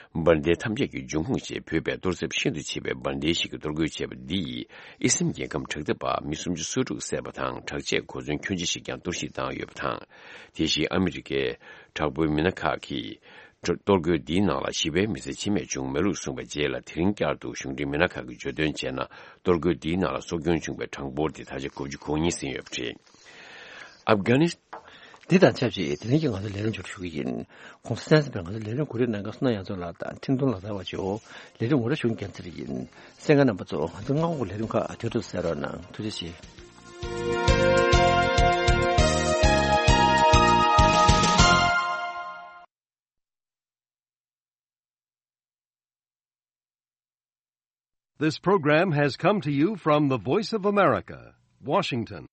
འབར་མདེལ་ཐམས་ཅད་ཀྱི་འབྱུང་ཁུངས་ཞེས་འབོད་པའི་གཏོར་ཚབས་ཤིན་ཏུ་ཆེ་བའི་འབར་མདེལ་ཞིག་གིས་གཏོར་རྒོལ་བྱས་པ་འདིས་ཨི་སི་ལམ་རྒྱལ་ཁམས་དྲག་འཐབ་པ་མི་སུམ་ཅུ་སོ་དྲུག་བསད་པ་དང་། དྲག་ཆས་གོ་མཚོན་ཁྱོན་ཆེ་ཞིག་ཀྱང་གཏོར་བཤིག་བཏང་ཡོད་པ་དང་། དེ་བཞིན་ཨ་མི་རི་ཀའི་དྲག་པོའི་མི་སྣ་ཁག་གིས། གཏོར་རྒོལ་འདིའི་ནང་ལ་ཞི་བའི་མི་ཚེ་འཆི་རྨས་བྱུང་མེད་ལུགས་གསུངས་པའི་རྗེས་ལ། དེ་རིང་བསྐྱར་དུ་གཞུང་འབྲེལ་མི་སྣ་ཁག་གིས་བརྗོད་དོན་བྱས་ན། གཏོར་རྒོལ་འདིའི་ནང་ལ་སྲོག་སྐྱོན་བྱུང་བའི་གྲངས་འབོར་དེ་ད་ཆ་དགུ་བཅུ་གོ་གཉིས་ཟིན་ཡོད་པ་རེད། ཨབ་གྷ་ནི། འདི་དང་ཆབས་ཅིག་དེ་རིང་གི་ང་ཚོའི་ལས་རིམ་མཇུག་སྒྲིལ་ཞུ་གི་ཡིན། གོང་ས་གསན་གཟིགས་པའི་ང་ཚོའི་ལས་རིམ་གོ་སྒྲིག་གནང་མཁན་བསོད་ནམས་དབྱངས་མཚོ་ལགས་དང་ཁྲིན་ཏུང་ལགས་ཚར་བ་ཇོ། ལས་རིམ་ངོ་ར་ཞུ་མཁན་ཚེ་རིང་ཡིན། གསན་མཁན་རྣམ་པ་ཚོ། ང་ཚོའི་མངའ་འོག་གི་ལས་རིམ་ཁག་དུས་ཐོག་གསན་རོགས་གནང་། ཐུགས་རྗེ་ཆེ། This program has come to you from the Voice of America, Washington.